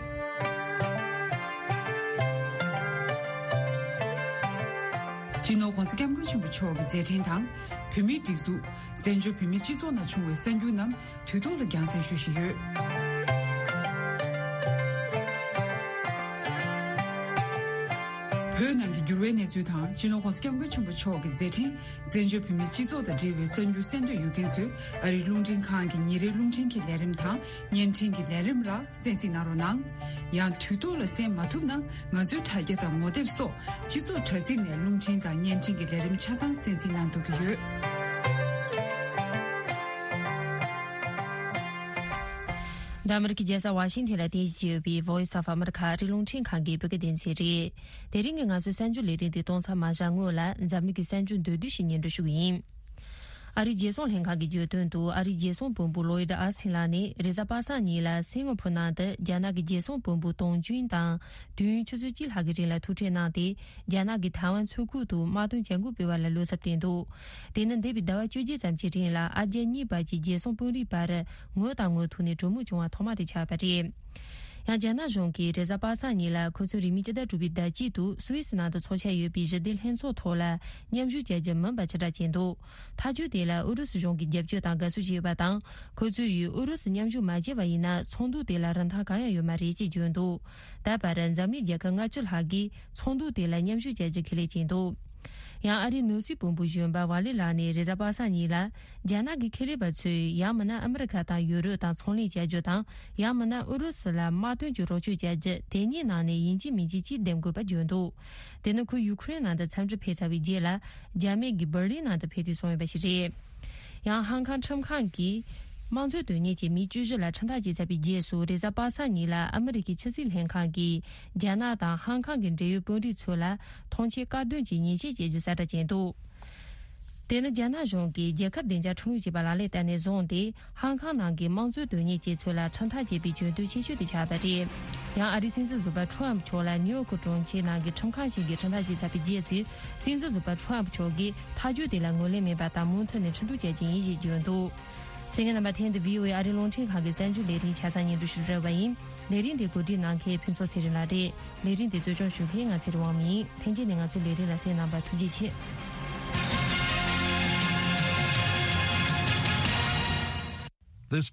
སྤྱི་ནོར་༧གོང་ས་༧སྐྱབས་མགོན་ཆེན་པོ་མཆོག་གི་མཛད་འཕྲིན་དང་། བོད་མིའི་སྒྲིག་འཛུགས། བཙན་བྱོལ་བོད་མིའི་སྤྱི་ཚོགས་ནང་བྱུང་བའི་གསར་འགྱུར་རྣམས་དུས་ཐོག་ལ་རྒྱང་སྲིང་ཞུ་བཞིན་ཡོད། བོད་ནང་གི་འགྱུར་བའི་གནས་ཚུལ་དང་། སྤྱི་ནོར་༧གོང་ས་༧སྐྱབས་མགོན་ཆེན་པོ་མཆོག་གི་མཛད་འཕྲིན། བཙན་བྱོལ་བོད་མིའི་སྤྱི་ཚོགས་དང་འབྲེལ་བའི་གསར་འགྱུར་གསན་འདོད་ཡོད་མཁན་ཚོས། ཨ་རིའི་རླུང་འཕྲིན་ཁང་གི་ཉིན་རེའི་རླུང་འཕྲིན་གྱི་ལས་རིམ་དང་། བརྙན་འཕྲིན་གྱི་ལས་རིམ་ལ་གསན་གཟིགས་གནང་རོགས་གནང་། ཡང་དུས་ཐོག་ལ་གསན་མ་ཐུབ་ན། ང་ཚོའི་དྲ་རྒྱ་དང་ངོ་དེབ་སོགས་སྤྱི་ཚོགས་དྲ་ཚིགས་ནས་རླུང་འཕྲིན་དང་བརྙན་འཕྲིན་གྱི་ལས་རིམ་ཆ་ཚང་གསན་གཟིགས་གནང་ཐུབ་ཀྱི་ཡོད། འདི་ཨ་མི་རི་ཀའི་རྒྱལ་ས་ཝ་ཤིང་ཐན་ལ་རྟེན་གཞི་བྱས་ཡོད་པའི་Voice of America ཨ་རིའི་རླུང་འཕྲིན་ཁང་གི་བོད་སྐད་སྡེ་ཚན་རེད། དེ་རིང་གི་ང་ཚོའི་གསར་འགྱུར་ལས་རིམ་དེ་གཏོང་ཚར་མ་བཞག་སྔོན་ལ། འཛམ་གླིང་གི་གསར་འགྱུར་མདོར་བསྡུས་ཤིག་སྙན་སྒྲོན་ཞུ་གི་ཡིན། ཨ་རིའི་རྒྱལ་སྲུང་ལྷན་ཁང་གིས་བརྗོད་དོན་དུ། ཨ་རིའི་རྒྱལ་སྲུང་བློན་པོ་ལོ་ཡིད་ཨ་སིན་ལགས་ནི་རེས་གཟའ་པ་སངས་ཉིན་ལ་སིང་ག་ཕོར་ནང་དུ་རྒྱ་ནག་གི་རྒྱལ་སྲུང་བློན་པོ་ཏོང་ཅུན་དང་དུས་ཡུན་ཆུ་ཚོད་གཅིག་ལྷག་གི་རིང་ལ་ཐུག་འཕྲད་གནང་སྟེ། རྒྱ་ནག་གིས་ཐའེ་ཝན་མཚོ་ཁུལ་དུ་དམག་དོན་བྱ་འགུལ་སྤེལ་བ་ལ་བློ་འཚབ་བསྟན་འདུག་དེ་ནི་འདས་པའི་ཟླ་བ་བཅོ་བརྒྱད་ཙམ་གྱི་རིང་ལ་ཨ་རྒྱ་གཉིས་བར་གྱི་རྒྱལ་སྲུང་དཔོན་རིགས་བར་ངོ་དང་ངོ་ཐུག་ནས་གྲོས་མོལ་བྱུང་བ་ཐོག་མ་དེ་ཆགས་པ་རེད། ཡང་རྒྱ་ནག་གཞུང་གིས་རེས་གཟའ་པ་སངས་ཉིན་ལ་ཁོ་ཚོའི་རིང་མིན་སྤྱི་ཟླ་དྲུག་པའི་ཟླ་དཀྱིལ་དུ་སུད་སི་ནང་དུ་འཚོགས་འཆར་ཡོད་པའི་ཞི་བདེ་ལྷན་ཚོགས་ཐོག་ལ་མཉམ་ཞུགས་བྱ་རྒྱུ་མིན་པ་ཕྱིར་བསྒྲགས་བྱས་འདུག་ཐག་གཅོད་དེ་ལ་ཨུ་རུ་སུ་གཞུང་གིས་རྒྱབ་སྐྱོར་དང་དགའ་བསུ་བྱས་ཡོད་པ་དང་། ཁོ་ཚོས་ཡུལ་ཨུ་རུ་སུ་མཉམ་ཞུགས་མ་བྱས་པ་ཡིན་ན། ཚོགས་འདུ་དེ་ལ་རིན་ཐང་གང་ཡང་ཡོད་མ་རེད་ཅེས་བརྗོད་འདུག་ད་བར་འཛམ་གླིང་རྒྱལ་ཁབ་ལྔ་བཅུ་ལྷག་གིས་ཚོགས་འདུ་དེ་ལ་མཉམ་ཞུགས་བྱ་རྒྱུ་ཁས་ལེན་བྱས་འདུག་ཡང་ཨ་རིའི་ནོར་སྲིད་དཔོན་པོ་གཞོན་པ་ཝ་ལི་ལགས་ནས་རེས་གཟའ་པ་སངས་ཉིན་ལ། རྒྱ་ནག་གི་ཁེ་ལས་པ་ཚོས་ཡང་མིན་ན་ཨ་མི་རི་ཁ་དང་ཡུ་རོབ་དང་ཚོང་ལས་བྱ་རྒྱུ་དང་། ཡང་མིན་ན་ཨུ་རུ་སུ་ལ་དམག་དོན་གྱི་རོགས་སྐྱོར་བྱ་རྒྱུ་དེ་གཉིས་ནང་ནས་ཡིན་གཅིག་མིན་གཅིག་གཅིག་འདེམས་དགོས་པ་བརྗོད་འདུག་དེ་ནི་ཁོས་ཡུ་ཁུ་རེན་ནང་དུ་འཚམས་འདྲི་ཕེབས་ཚར་བའི་རྗེས་ལ། རྒྱ་མི་གིས་འབར་ལིན་ནང་དུ་ཕེབས་དུས་གསུངས་ཡོད་པ་ཞིག་རེད། ཡང་ཧང་ཀང་ཁྲིམས་ཁང་གིས་དམངས་གཙོའི་དོན་གཉེར་གྱི་མི་བཅུ་བཞི་ལ་ཁྲིམས་ཐག་བཅད་ཚར་བའི་རྗེས་སུ། རེས་གཟའ་པ་སངས་ཉིན་ལ་ཨ་མི་རི་ཀའི་ཕྱི་སྲིད་ལྷན་ཁང་གིས་རྒྱ་ནག་དང་ཧང་ཀང་གི་འབྲེལ་ཡོད་དཔོན་རིགས་ཚོ་ལ་ཐོངས་མཆན་བཀག་སྡོམ་གྱི་ཉེས་ཆད་བཅད་རྒྱུ་གསལ་བསྒྲགས་བྱས་འདུག་དེ་ནི་རྒྱ་ནག་གཞུང་གིས་རྒྱལ་ཁབ་བདེ་འཇགས་ཁྲིམས་ལུགས་ཅེས་པ་ལག་ལེན་བསྟར་ནས་བཟུང་སྟེ། ཧང་ཀང་ནང་གི་དམངས་གཙོའི་དོན་གཉེར་ཅན་ཚོ་ལ་ཁྲིམས་ཐག་བཅད་པའི་གྱོད་དོན་ཆེ་ཤོས་དེ་ཆགས་པ་རེད། ཡང་ཨ་རིའི་སྲིད་འཛིན་ཟུར་པ་ཁྲོམ་མཆོག་ལ་ནིའུ་ཡོག་གྲོང་ཁྱེར་ནང་གི་ཁྲིམས་ཁང་ཞིག་གིས་ཁྲིམས་ཐག་བཅད་ཚར་བའི་རྗེས་སུ། སྲིད་འཛིན་ཟུར་པ་ཁྲོམ་མཆོག་གིས་ཐག་གཅོད་དེ་ལ་ངོས་ལེན་མེད་པ་དང་། མུ་མཐུད་ནས་ཁྲིམས་གཏུག་བྱ་རྒྱུ་ཡིན་ཞེས་བརྗོད་འདུག་གསན་མཁན་རྣམ་པ། ཐེངས་འདི་བྷི་ཨོ་ཨེ་ཨ་རིའི་རླུང་འཕྲིན་ཁང་གི་གསར་འགྱུར་ལས་རིམ་ཆ་ཚང་སྙན་སྒྲོན་ཞུ་རན་པ་ཡིན། ལས་རིམ་འདི་གོ་སྒྲིག་གནང་མཁན་ཕུན་ཚོགས་ཚེ་རིང་ལགས་རེད། ལས་རིམ་འདི་གཙོ་སྐྱོང་ཞུ་མཁན་ང་ཚེ་རིང་དབང་མོ་ཡིན། ལྷན་རྒྱས་ནས་ང་ཚོའི་ལས་རིམ་ལ་གསན་གནང་བར་ཐུགས་རྗེ་ཆེ།